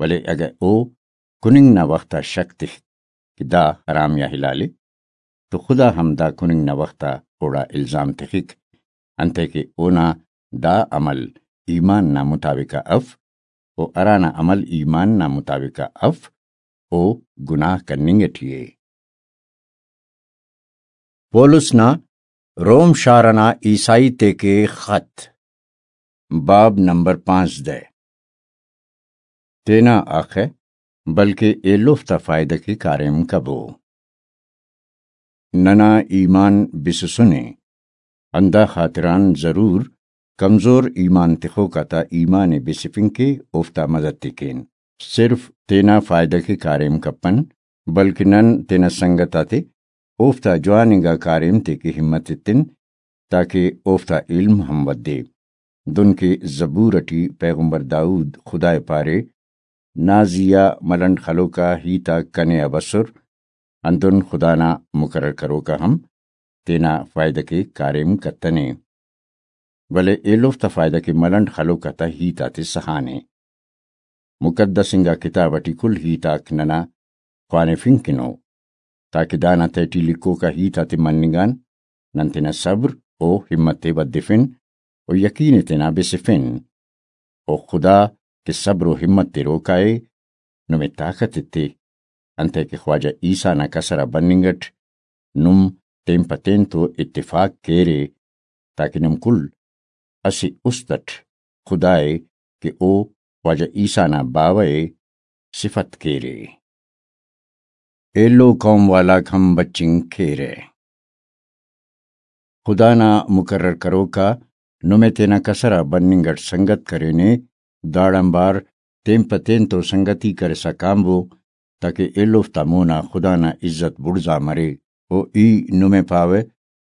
ولے اگہ او کننگ نا وخت آ شک تخک کہ دا حرام یا حلال ءِ، تو خدا ہم دا کننگ نا وخت آ اوڑا الزام تخک، انتئے کہ اونا دا عمل ایمان نا مطابق آ اف، و ہرانا عمل ایمان نا مطابق آ اف، او گناہ کننگ ٹی ءِ۔ پولس نا روم شار ئنا عیسائی تیکے خط، باب نمبر پانزدہ۔ تینا آخہ، بلکہ ایلوفتا فائدہ کے کاریم کبو۔ ننا ایمان بسسنے، ہندا خاطران ضرور کمزور ایمان تخوک آتا ایمان ءِ بسفنگ کے اوفتا مدد ءِ کین۔ صرف تینا فائدہ کے کاریم کپن، بلکہ نن تینا سنگت آتے اوفتا جوان انگا کاریم تے کہ ہمت ایتن، تاکہ اوفتا علم ہم ودے۔ دن کہ زبور اٹی پیغمبر داؤد خدا ءِ پارے، نا زیہا ملنڈ خلوکا ہیت آک کنے آ بسر، ہندن خدا نا مقرر کروکا ہم تینا فائدہ کے کاریم کتنے، ولے ایلوفتا فائدہ کے ملنڈ خلوک آتا ہیت آتے سہانے۔ مقدس انگا کتاب اٹی کل ہیت آک ننا خوانفنگ کنو، تاکہ دانا تہٹی لکھوکا ہیت آتے مننگ آن نن تینا صبر و ہمت ءِ ودفن و یقین ءِ تینا بسفن۔ و خدا کہ صبر و ہمت تروکا ءِ، نمے طاقت ایتے، انتئے کہ خواجہ عیسیٰ نا کسر آ بننگ اٹ نم تین پہ تین تو اتفاق کیرے، تاکہ نم کل اسہ است اٹ خدا ءِ کہ او خواجہ عیسیٰ نا باوہ ءِ صفت کیرے۔ ایلو قوم والاک ہم بچنگ کیرہ۔ خدا نا مقرر کروکا نمے تینا کسر آ بننگ اٹ سنگت کرینے، داڑان بار تین پہ تین تو سنگتی کرسا کانبو، تاکہ ایلوفتا مونا خدا نا عزت بڑزا مرے۔ و ای نمے پاوہ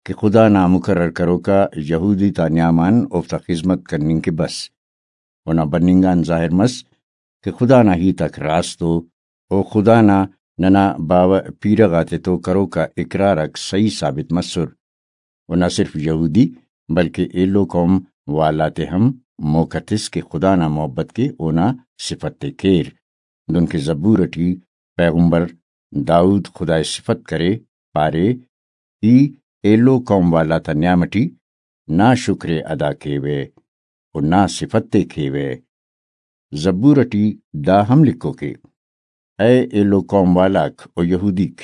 کہ خدا نا مقرر کروکا یہودی تا نیام آن اوفتا خذمت کننگ کہ بس۔ اونا بننگ آن ظاہر مس کہ خدا نا ہیت آک راست ءُ، و خدا نا ننا باوہ پیرہ غاتے تو کروکا اقرار آک صحیح ثابت مسر۔ و نہ صرف یہودی بلکہ ایلو قوم والا تے ہم موقع تس کہ خدا نا محبت کے اونا صفت تے کیر۔ دنکہ زبور اٹی پیغمبر داؤد خدا ءِ صفت کرے، پارے، ای ایلو قوم والا تا نیام اٹی نا شکر ءِ ادا کیوہ و نا صفت ءِ کیوہ۔ زبور اٹی دا ہم لکھوکے، اے ایلو قوم والاک و یہودیک،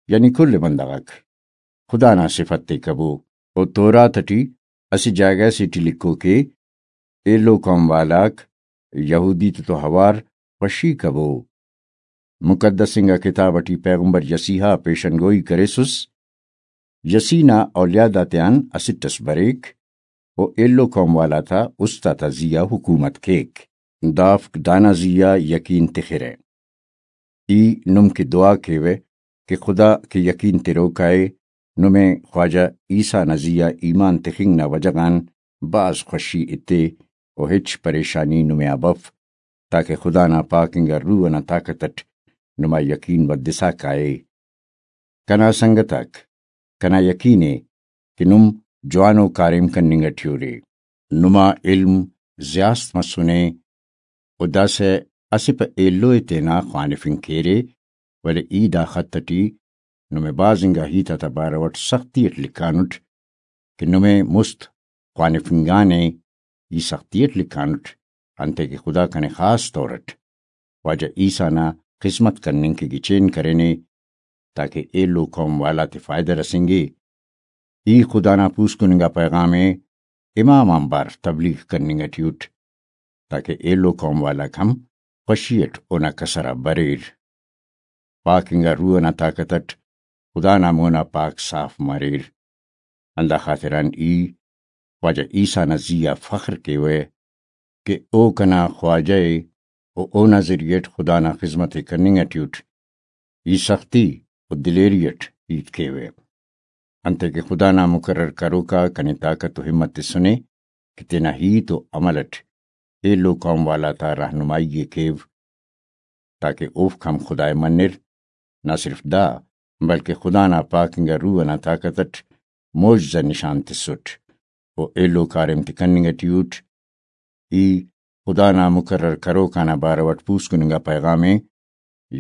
یعنی کل بندغ آک، خدا نا صفت تے کبو۔ و تورات اٹی اسہ جاگہ سے ٹی لکھوکے، ایلو قوم والاک یہودی تے تو ہوار خوشی کبو۔ مقدس انگا کتاب اٹی پیغمبر یسیح آ پیشن گوئی کریسس، یسیح نا اولیاد آتیان اسٹ اس بریک، و ایلو قوم والا تا است آتا زی آ حکومت کیک۔ دافک دانا زی آ یقین تخرہ۔ ای نم کہ دعا کیوہ کہ خدا کہ یقین تروکا ءِ، نمے خواجہ عیسیٰ نا زی آ ایمان تخنگ نا وجہ غان بھاز خوشی ایتے و ہچ پریشانی نمے آ بف، تاکہ خدا نا پاک انگا روح ئنا طاقت ئٹ نما یقین ودسا کائے۔ کنا سنگت آک، کنا یقین ءِ کہ نم جوانو کاریم کننگ ٹی اُرے۔ نما علم زیاست مسنے و داسہ اسہ پہ ایلو ءِ تینا خوانفنگ کیرے، ولے ای دا خط ٹی نمے بھاز انگا ہیت آتا بارو اٹ سختی اٹ لکھانٹ کہ نمے مست خوانفنگانے، ای سختی اٹ لکھانٹ، انتئے کہ خدا کنے خاص طور اٹ خواجہ عیسیٰ نا خذمت کننگ کہ گچین کرینے، تاکہ ایلو قوم والا تے فائدہ رسینگے۔ ای خدا نا پوسکن انگا پیغام ءِ امام آنبار تبلیغ کننگ ٹی اٹ، تاکہ ایلو قوم والاک ہم خوشی اٹ اونا کسر آ بریر۔ پاک انگا روح ئنا طاقت اٹ خدا نا مونا پاک صاف مریر۔ ہندا خاطران ای خواجہ عیسیٰ نا زی آ فخر کیوہ کہ او کنا خواجہ ءِ و اونا ذریعہ اٹ خدا نا خذمت ءِ کننگ ٹی اٹ۔ ای سختی و دلیری اٹ ہیت کیوہ، انتئے کہ خدا نا مقرر کروکا کنے طاقت و ہمت تسنے کہ تینا ہیت و عمل اٹ ایلو قوم والا تا رہنمائی ءِ کیو، تاکہ اوفک ہم خدا ءِ منر۔ نہ صرف دا، بلکہ خدا نا پاک انگا روح ئنا طاقت ئٹ معجزہ نشان تسٹ و ایلو کاریم تے کننگ ٹی اٹ۔ ای خدا نا مقرر کروک آنا بارو ئٹ پوسکن انگا پیغام ءِ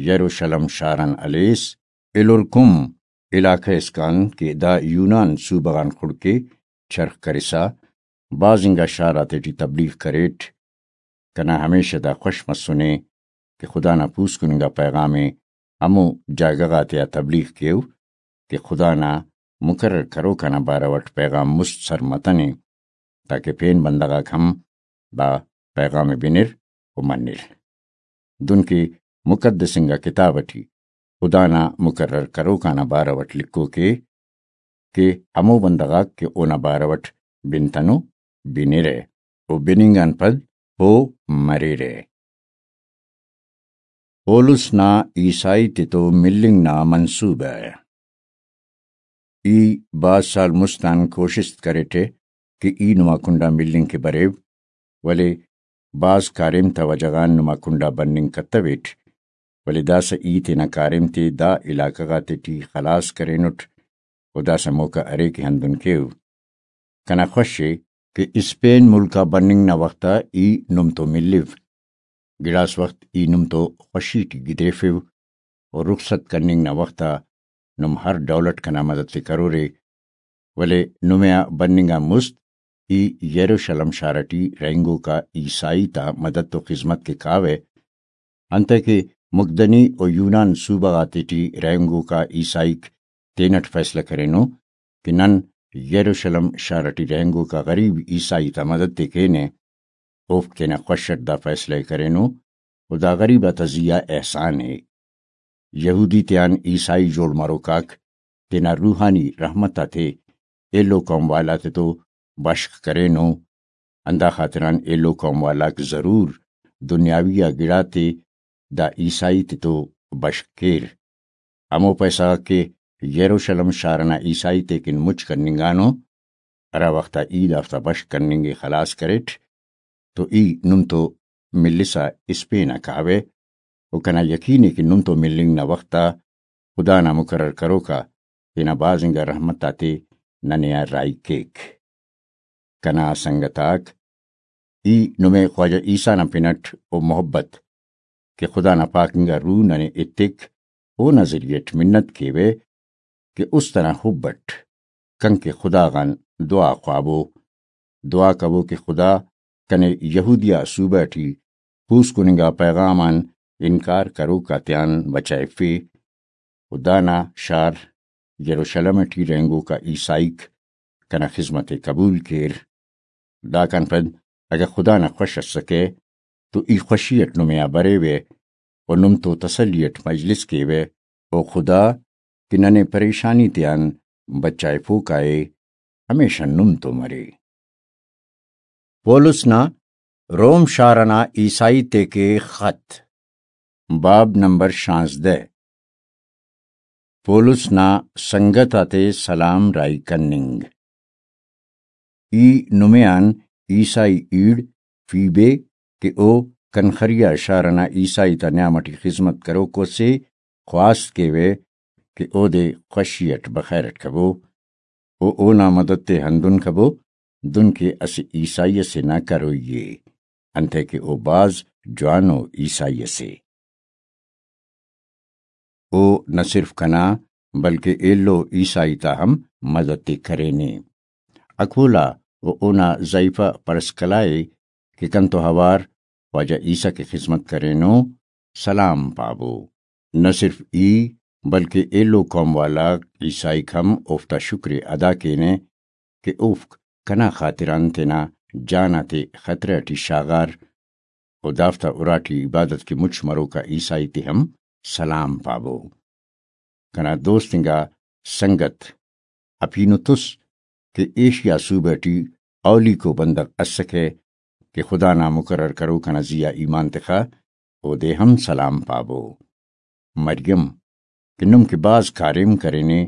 یروشلم شار آن ہلیس۔ ایلورکم علاقہ اسکان کہ دا یونان صوبہ غان خڑک ءِ، چرخ کرسا بھاز انگا شار آتیٹی تبلیغ کریٹ۔ کنا ہمیشہ دا خوش مسنے کہ خدا نا پوسکن انگا پیغام ءِ ہمو جاگہ غاتیا تبلیغ کیو کہ خدا نا مقرر کروک آنا بارو ئٹ پیغام مست سر متنے، تاکہ پین بندغ آک ہم دا پیغام ءِ بنر و منر۔ دنکہ مقدس انگا کتاب ٹی خدا نا مقرر کروک آنا بارو ئٹ لکھوک ءِ کہ ہمو بندغ آک کہ اونا بارو ئٹ بنتنو، بنرہ و بننگ آن پد پہہ مریرہ۔ پولس نا عیسائی تتو ملنگ نا منصوبہ۔ ای بھاز سال مست آن کوشست کریٹہ کہ ای نما کنڈا ملنگ کہ بریو، ولے بھاز کاریم تا وجہ غان نما کنڈا بننگ کتویٹ، ولے داسہ ای تینا کاریم تے دا علاقہ غاتیٹی خلاس کرینٹ و داسہ موقع ارے کہ ہندن کیو۔ کنا خوش ءِ کہ اسپین ملک آ بننگ نا وخت آ ای نم تو ملیو۔ گڑاس وخت ای نم تو خوشی ٹی گدریفو و رخصت کننگ نا وخت آ نم ہر ڈول اٹ کنا مدد تے کرورے، ولے نمے آ بننگ آن مست ای یروشلم شار ٹی رہینگوکا عیسائی تا مدد و خذمت کہ کاوہ، انتئے کہ مقدنی و یونان صوبہ غاتیٹی رہینگوکا عیسائیک تینٹ فیصلہ کرینو کہ نن یروشلم شار ٹی رہینگوکا غریب عیسائی تا مدد تے کینہ، اوفک تینا خوش اٹ دا فیصلہ ءِ کرینو و دا غریب آتا زی آ احسان ءِ۔ یہودی تیان عیسائی جوڑ مروک آک تینا روحانی رحمت آتے ایلو قوم والا تتو بشخ کرینو، ہندا خاطران ایلو قوم والاک ضرور دنیاوی آ گڑاتے دا عیسائی تتو بشخ کیر۔ ہمو پیسہ غاک کہ یروشلم شار ئنا عیسائی تیکن مچ کننگانو، ہرا وخت آ ای دافتا بشخ کننگ ءِ خلاس کریٹ، تو ای نم تو ملسا اسپین آ کاوہ، و کنا یقین ءِ کہ نم تو ملنگ نا وخت آ خدا نا مقرر کروک آ تینا بھاز انگا رحمت آتے ننے آ راہی کیک۔ کنا سنگت آک، ای نمے خواجہ عیسیٰ نا پن اٹ و محبت کہ خدا نا پاک انگا روح ننے ایتک، اونا ذریعہ اٹ منت کیوہ کہ است ئنا حب اٹ کن کہ خدا غان دعا خوابو۔ دعا کبو کہ خدا کنے یہودیہ صوبہ ٹی پوسکن انگا پیغام آن انکار کروک آتیان بچائفے، و دانا شار یروشلم ٹی رہینگوکا عیسائیک کنا خذمت ءِ قبول کیر۔ داکان پد اگہ خدا نا خوش ئسکہ تو ای خوشی اٹ نمے آ بریوہ و نم تو تسلی اٹ مجلس کیوہ، و خدا کہ ننے پریشانی تیان بچائفوکا ءِ، ہمیشہ نم تو مرے۔ پولس نا روم شار ئنا عیسائی تیکے خط۔ باب نمبر شانزدہ۔ پولس نا سنگت آتے سلام راہی کننگ۔ ای نمے آن عیسائی ایڑ فیبے کہ او کنخریا شار ئنا عیسائی تا نیام ٹی خذمت کروکو سے خواست کیوہ کہ اودے خوشی اٹ بخیر اٹ کبو، و اونا مدد تے ہندن کبو، دن کہ اسہ عیسائی ئسے نا کروئی ءِ، انتئے کہ او بھاز جوانو عیسائی ئسے۔ او نہ صرف کنا، بلکہ ایلو عیسائی تا ہم مدد تے کرینے۔ اکولا و اونا ضعیفہ پرسکلا ءِ کہ کنتو اوار خواجہ عیسیٰ کہ خذمت کرینو، سلام پابو۔ نہ صرف ای، بلکہ ایلو قوم والا عیسائیک ہم اوفتا شکر ءِ ادا کینہ کہ اوفک کنا خاطران تینا جان آتے خطرہ ٹی شاغار، و دافتا اراٹی عبادت کہ مچ مروکا عیسائی تے ہم سلام پابو۔ کنا دوست انگا سنگت اپینوتس کہ ایشیا صوبہ ٹی اولیکو بندغ اسکہ کہ خدا نا مقرر کروک ئنا زی آ ایمان تخا، اودے ہم سلام پابو۔ مریم کہ نم کہ بھاز کاریم کرینے،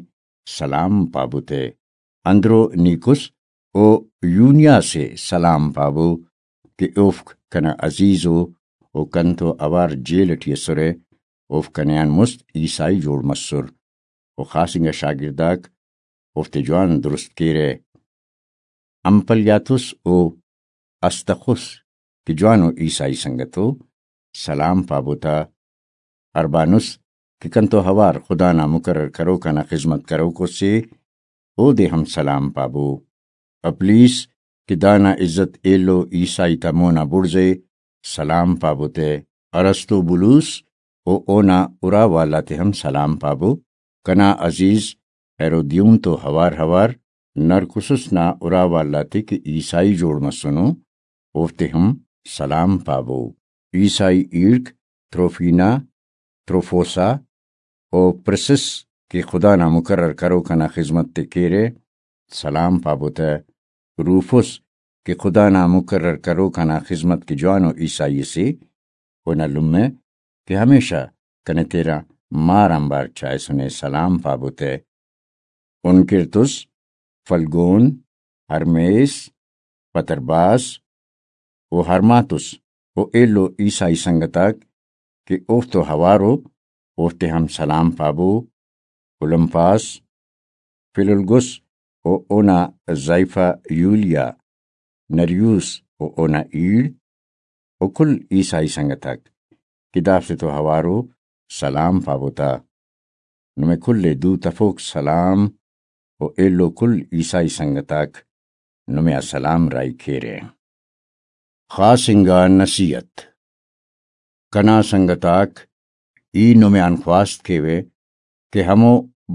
سلام پابو تے۔ اندرو نیکس او یونیا سے سلام پابو کہ اوفک کنا عزیز ءُ، و کنتو اوار جیل ٹی ئسرہ، اوفک کنے آن مست عیسائی جوڑ مسر، و خاص انگا شاگرداک اوفتے جوان درست کیرہ۔ امپلیاتس و استخس کہ جوانو عیسائی سنگتو، سلام پابو تا۔ اربانس کہ کنتو اوار خدا نا مقرر کروک آنا خذمت کروکو سے، اودے ہم سلام پابو۔ اپلیس کہ دانا عزت ایلو عیسائی تا مونا بڑزے، سلام پابو تہ۔ ارسطوبولوس و اونا اراوال آتے ہم سلام پابو۔ کنا عزیز ہیرودیون تو اوار اوار نرکسس نا اراوال آتے کہ عیسائی جوڑ مسنو، اوفتے ہم سلام پابو۔ عیسائی ایڑک تروفینا، تروفوسا و پرسس کہ خدا نا مقرر کروک آنا خذمت تے کیرہ، سلام پابو تہ۔ روفس کہ خدا نا مقرر کروک آنا خذمت کہ جوانو عیسائی سے، اونا لمہ کہ ہمیشہ کنے تینا مار آنبار چائسنے، سلام پابو تہ۔ انکرتس، فلگون، ہرمیس، پترباس و ہرماتس و ایلو عیسائی سنگتاک کہ اوفتو اوارو، اوفتے ہم سلام پابو۔ اولمپاس، فلولگس و اونا زائیفہ یولیا، نریوس و اونا ایڑ و کل عیسائی سنگتاک کہ دافتے تو اوارو، سلام پابو تا۔ نمے کل ءِ دوت افوک سلام و ایلو کل عیسائی سنگتاک نمے آ سلام راہی کیرہ۔ خاص انگا نصیحت۔ کنا سنگتاک، ای نمے آن خواست کیوہ کہ ہمو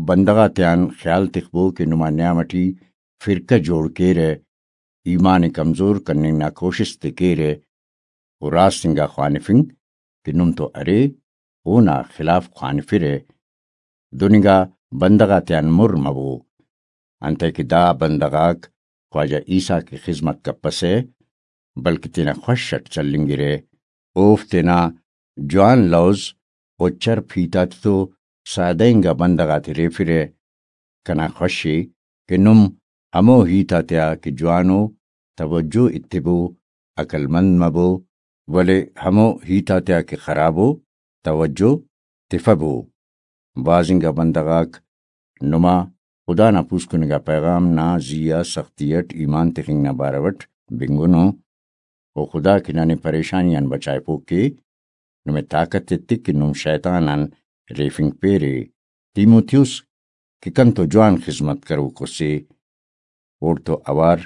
بندغ آتیان خیال تخبو کہ نما نیام ٹی فرقہ جوڑ کیرہ، ایمان ءِ کمزور کننگ نا کوشست ءِ کیرہ، و راست انگا خوانفنگ کہ نم تو ارے اونا خلاف خوانفرہ۔ دن انگا بندغ آتیان مر مبو، انتئے کہ دا بندغ آک خواجہ عیسیٰ کہ خذمت کپسہ، بلکہ تینا خوش اٹ چلینگرہ۔ اوفک تینا جوان لوز و چرپ ہیت آتتو سادہ انگا بندغ آتے ریفرہ۔ کنا خوش ءِ کہ نم ہمو ہیت آتیا کہ جوانو توجہ ایتبو، عقل مند مبو، ولے ہمو ہیت آتیا کہ خرابو توجہ تفبو۔ بھاز انگا بندغ آک نما خدا نا پوسکننگا پیغام نا زی آ سختی اٹ ایمان تخنگ نا بارو اٹ بنگنو، و خدا کہ ننے پریشانی آن بچائفوک کے، نمے طاقت ایتک کہ نم شیطان آن ریفنگ پیرے۔ تیموتیوس کہ کنتو جوان خذمت کروکو سے، اوڑتو اوار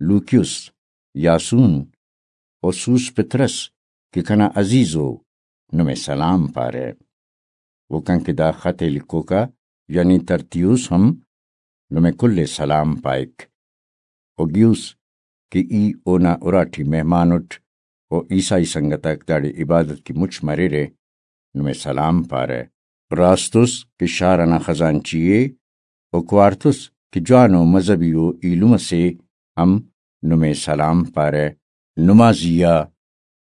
لوکیوس، یاسون و سوس پطرس کہ کنا عزیزو، نمے سلام پارہ۔ و کن کہ دا خط ءِ لکھوکا یعنی ترتیوس ہم نمے کل ءِ سلام پائک۔ و گیوس کہ ای اونا اراٹی مہمان اٹ و عیسائی سنگت آک داڑے عبادت کہ مچ مریرہ، نمے سلام پارہ۔ راسطس کہ شار ئنا خزانچی ءِ و کوارتس کہ جوانو مذہبی و ایلم ئسے ہم نمے سلام پارہ۔ نما زی آ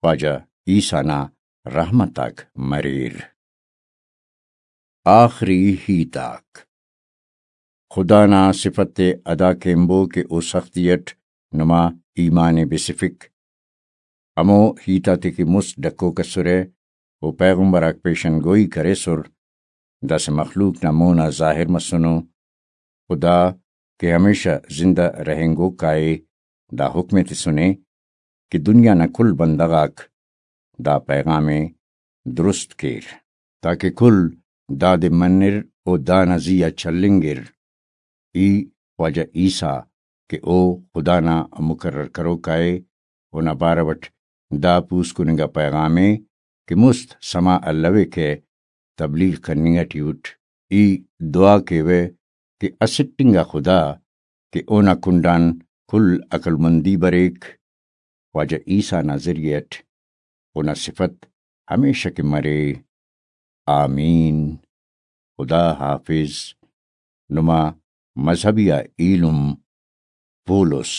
خواجہ عیسیٰ نا رحمت آک مریر۔ آخری ہیت آک۔ خدا نا صفت ءِ ادا کینبو کہ او سختی اٹ نما ایمان ءِ بسفک۔ ہمو ہیت آتے کہ مست ڈکوک اسرہ و پیغمبر آک پیشن گوئی کریسر، داسہ مخلوق نا مون آ ظاہر مسنو۔ خدا کہ ہمیشہ زندہ رہینگوک آ ءِ، دا حکم ءِ تسنے کہ دنیا نا کل بندغ آک دا پیغام ءِ درست کیر، تاکہ کل دادے منر و دانا زی آ چلینگر۔ ای خواجہ عیسیٰ کہ او خدا نا مقرر کروکا ءِ، اونا بارو اٹ دا پوسکننگا پیغام ءِ کہ مست سما الویکہ، تبلیغ کننگ ٹی اٹ۔ ای دعا کیوہ کہ اسٹ انگا خدا کہ اونا کنڈان کل عقلمندی بریک، خواجہ عیسیٰ نا ذریعہ اٹ اونا صفت ہمیشہ کہ مرے۔ آمین۔ خدا حافظ۔ نما مذہبی آ ایلم پولس۔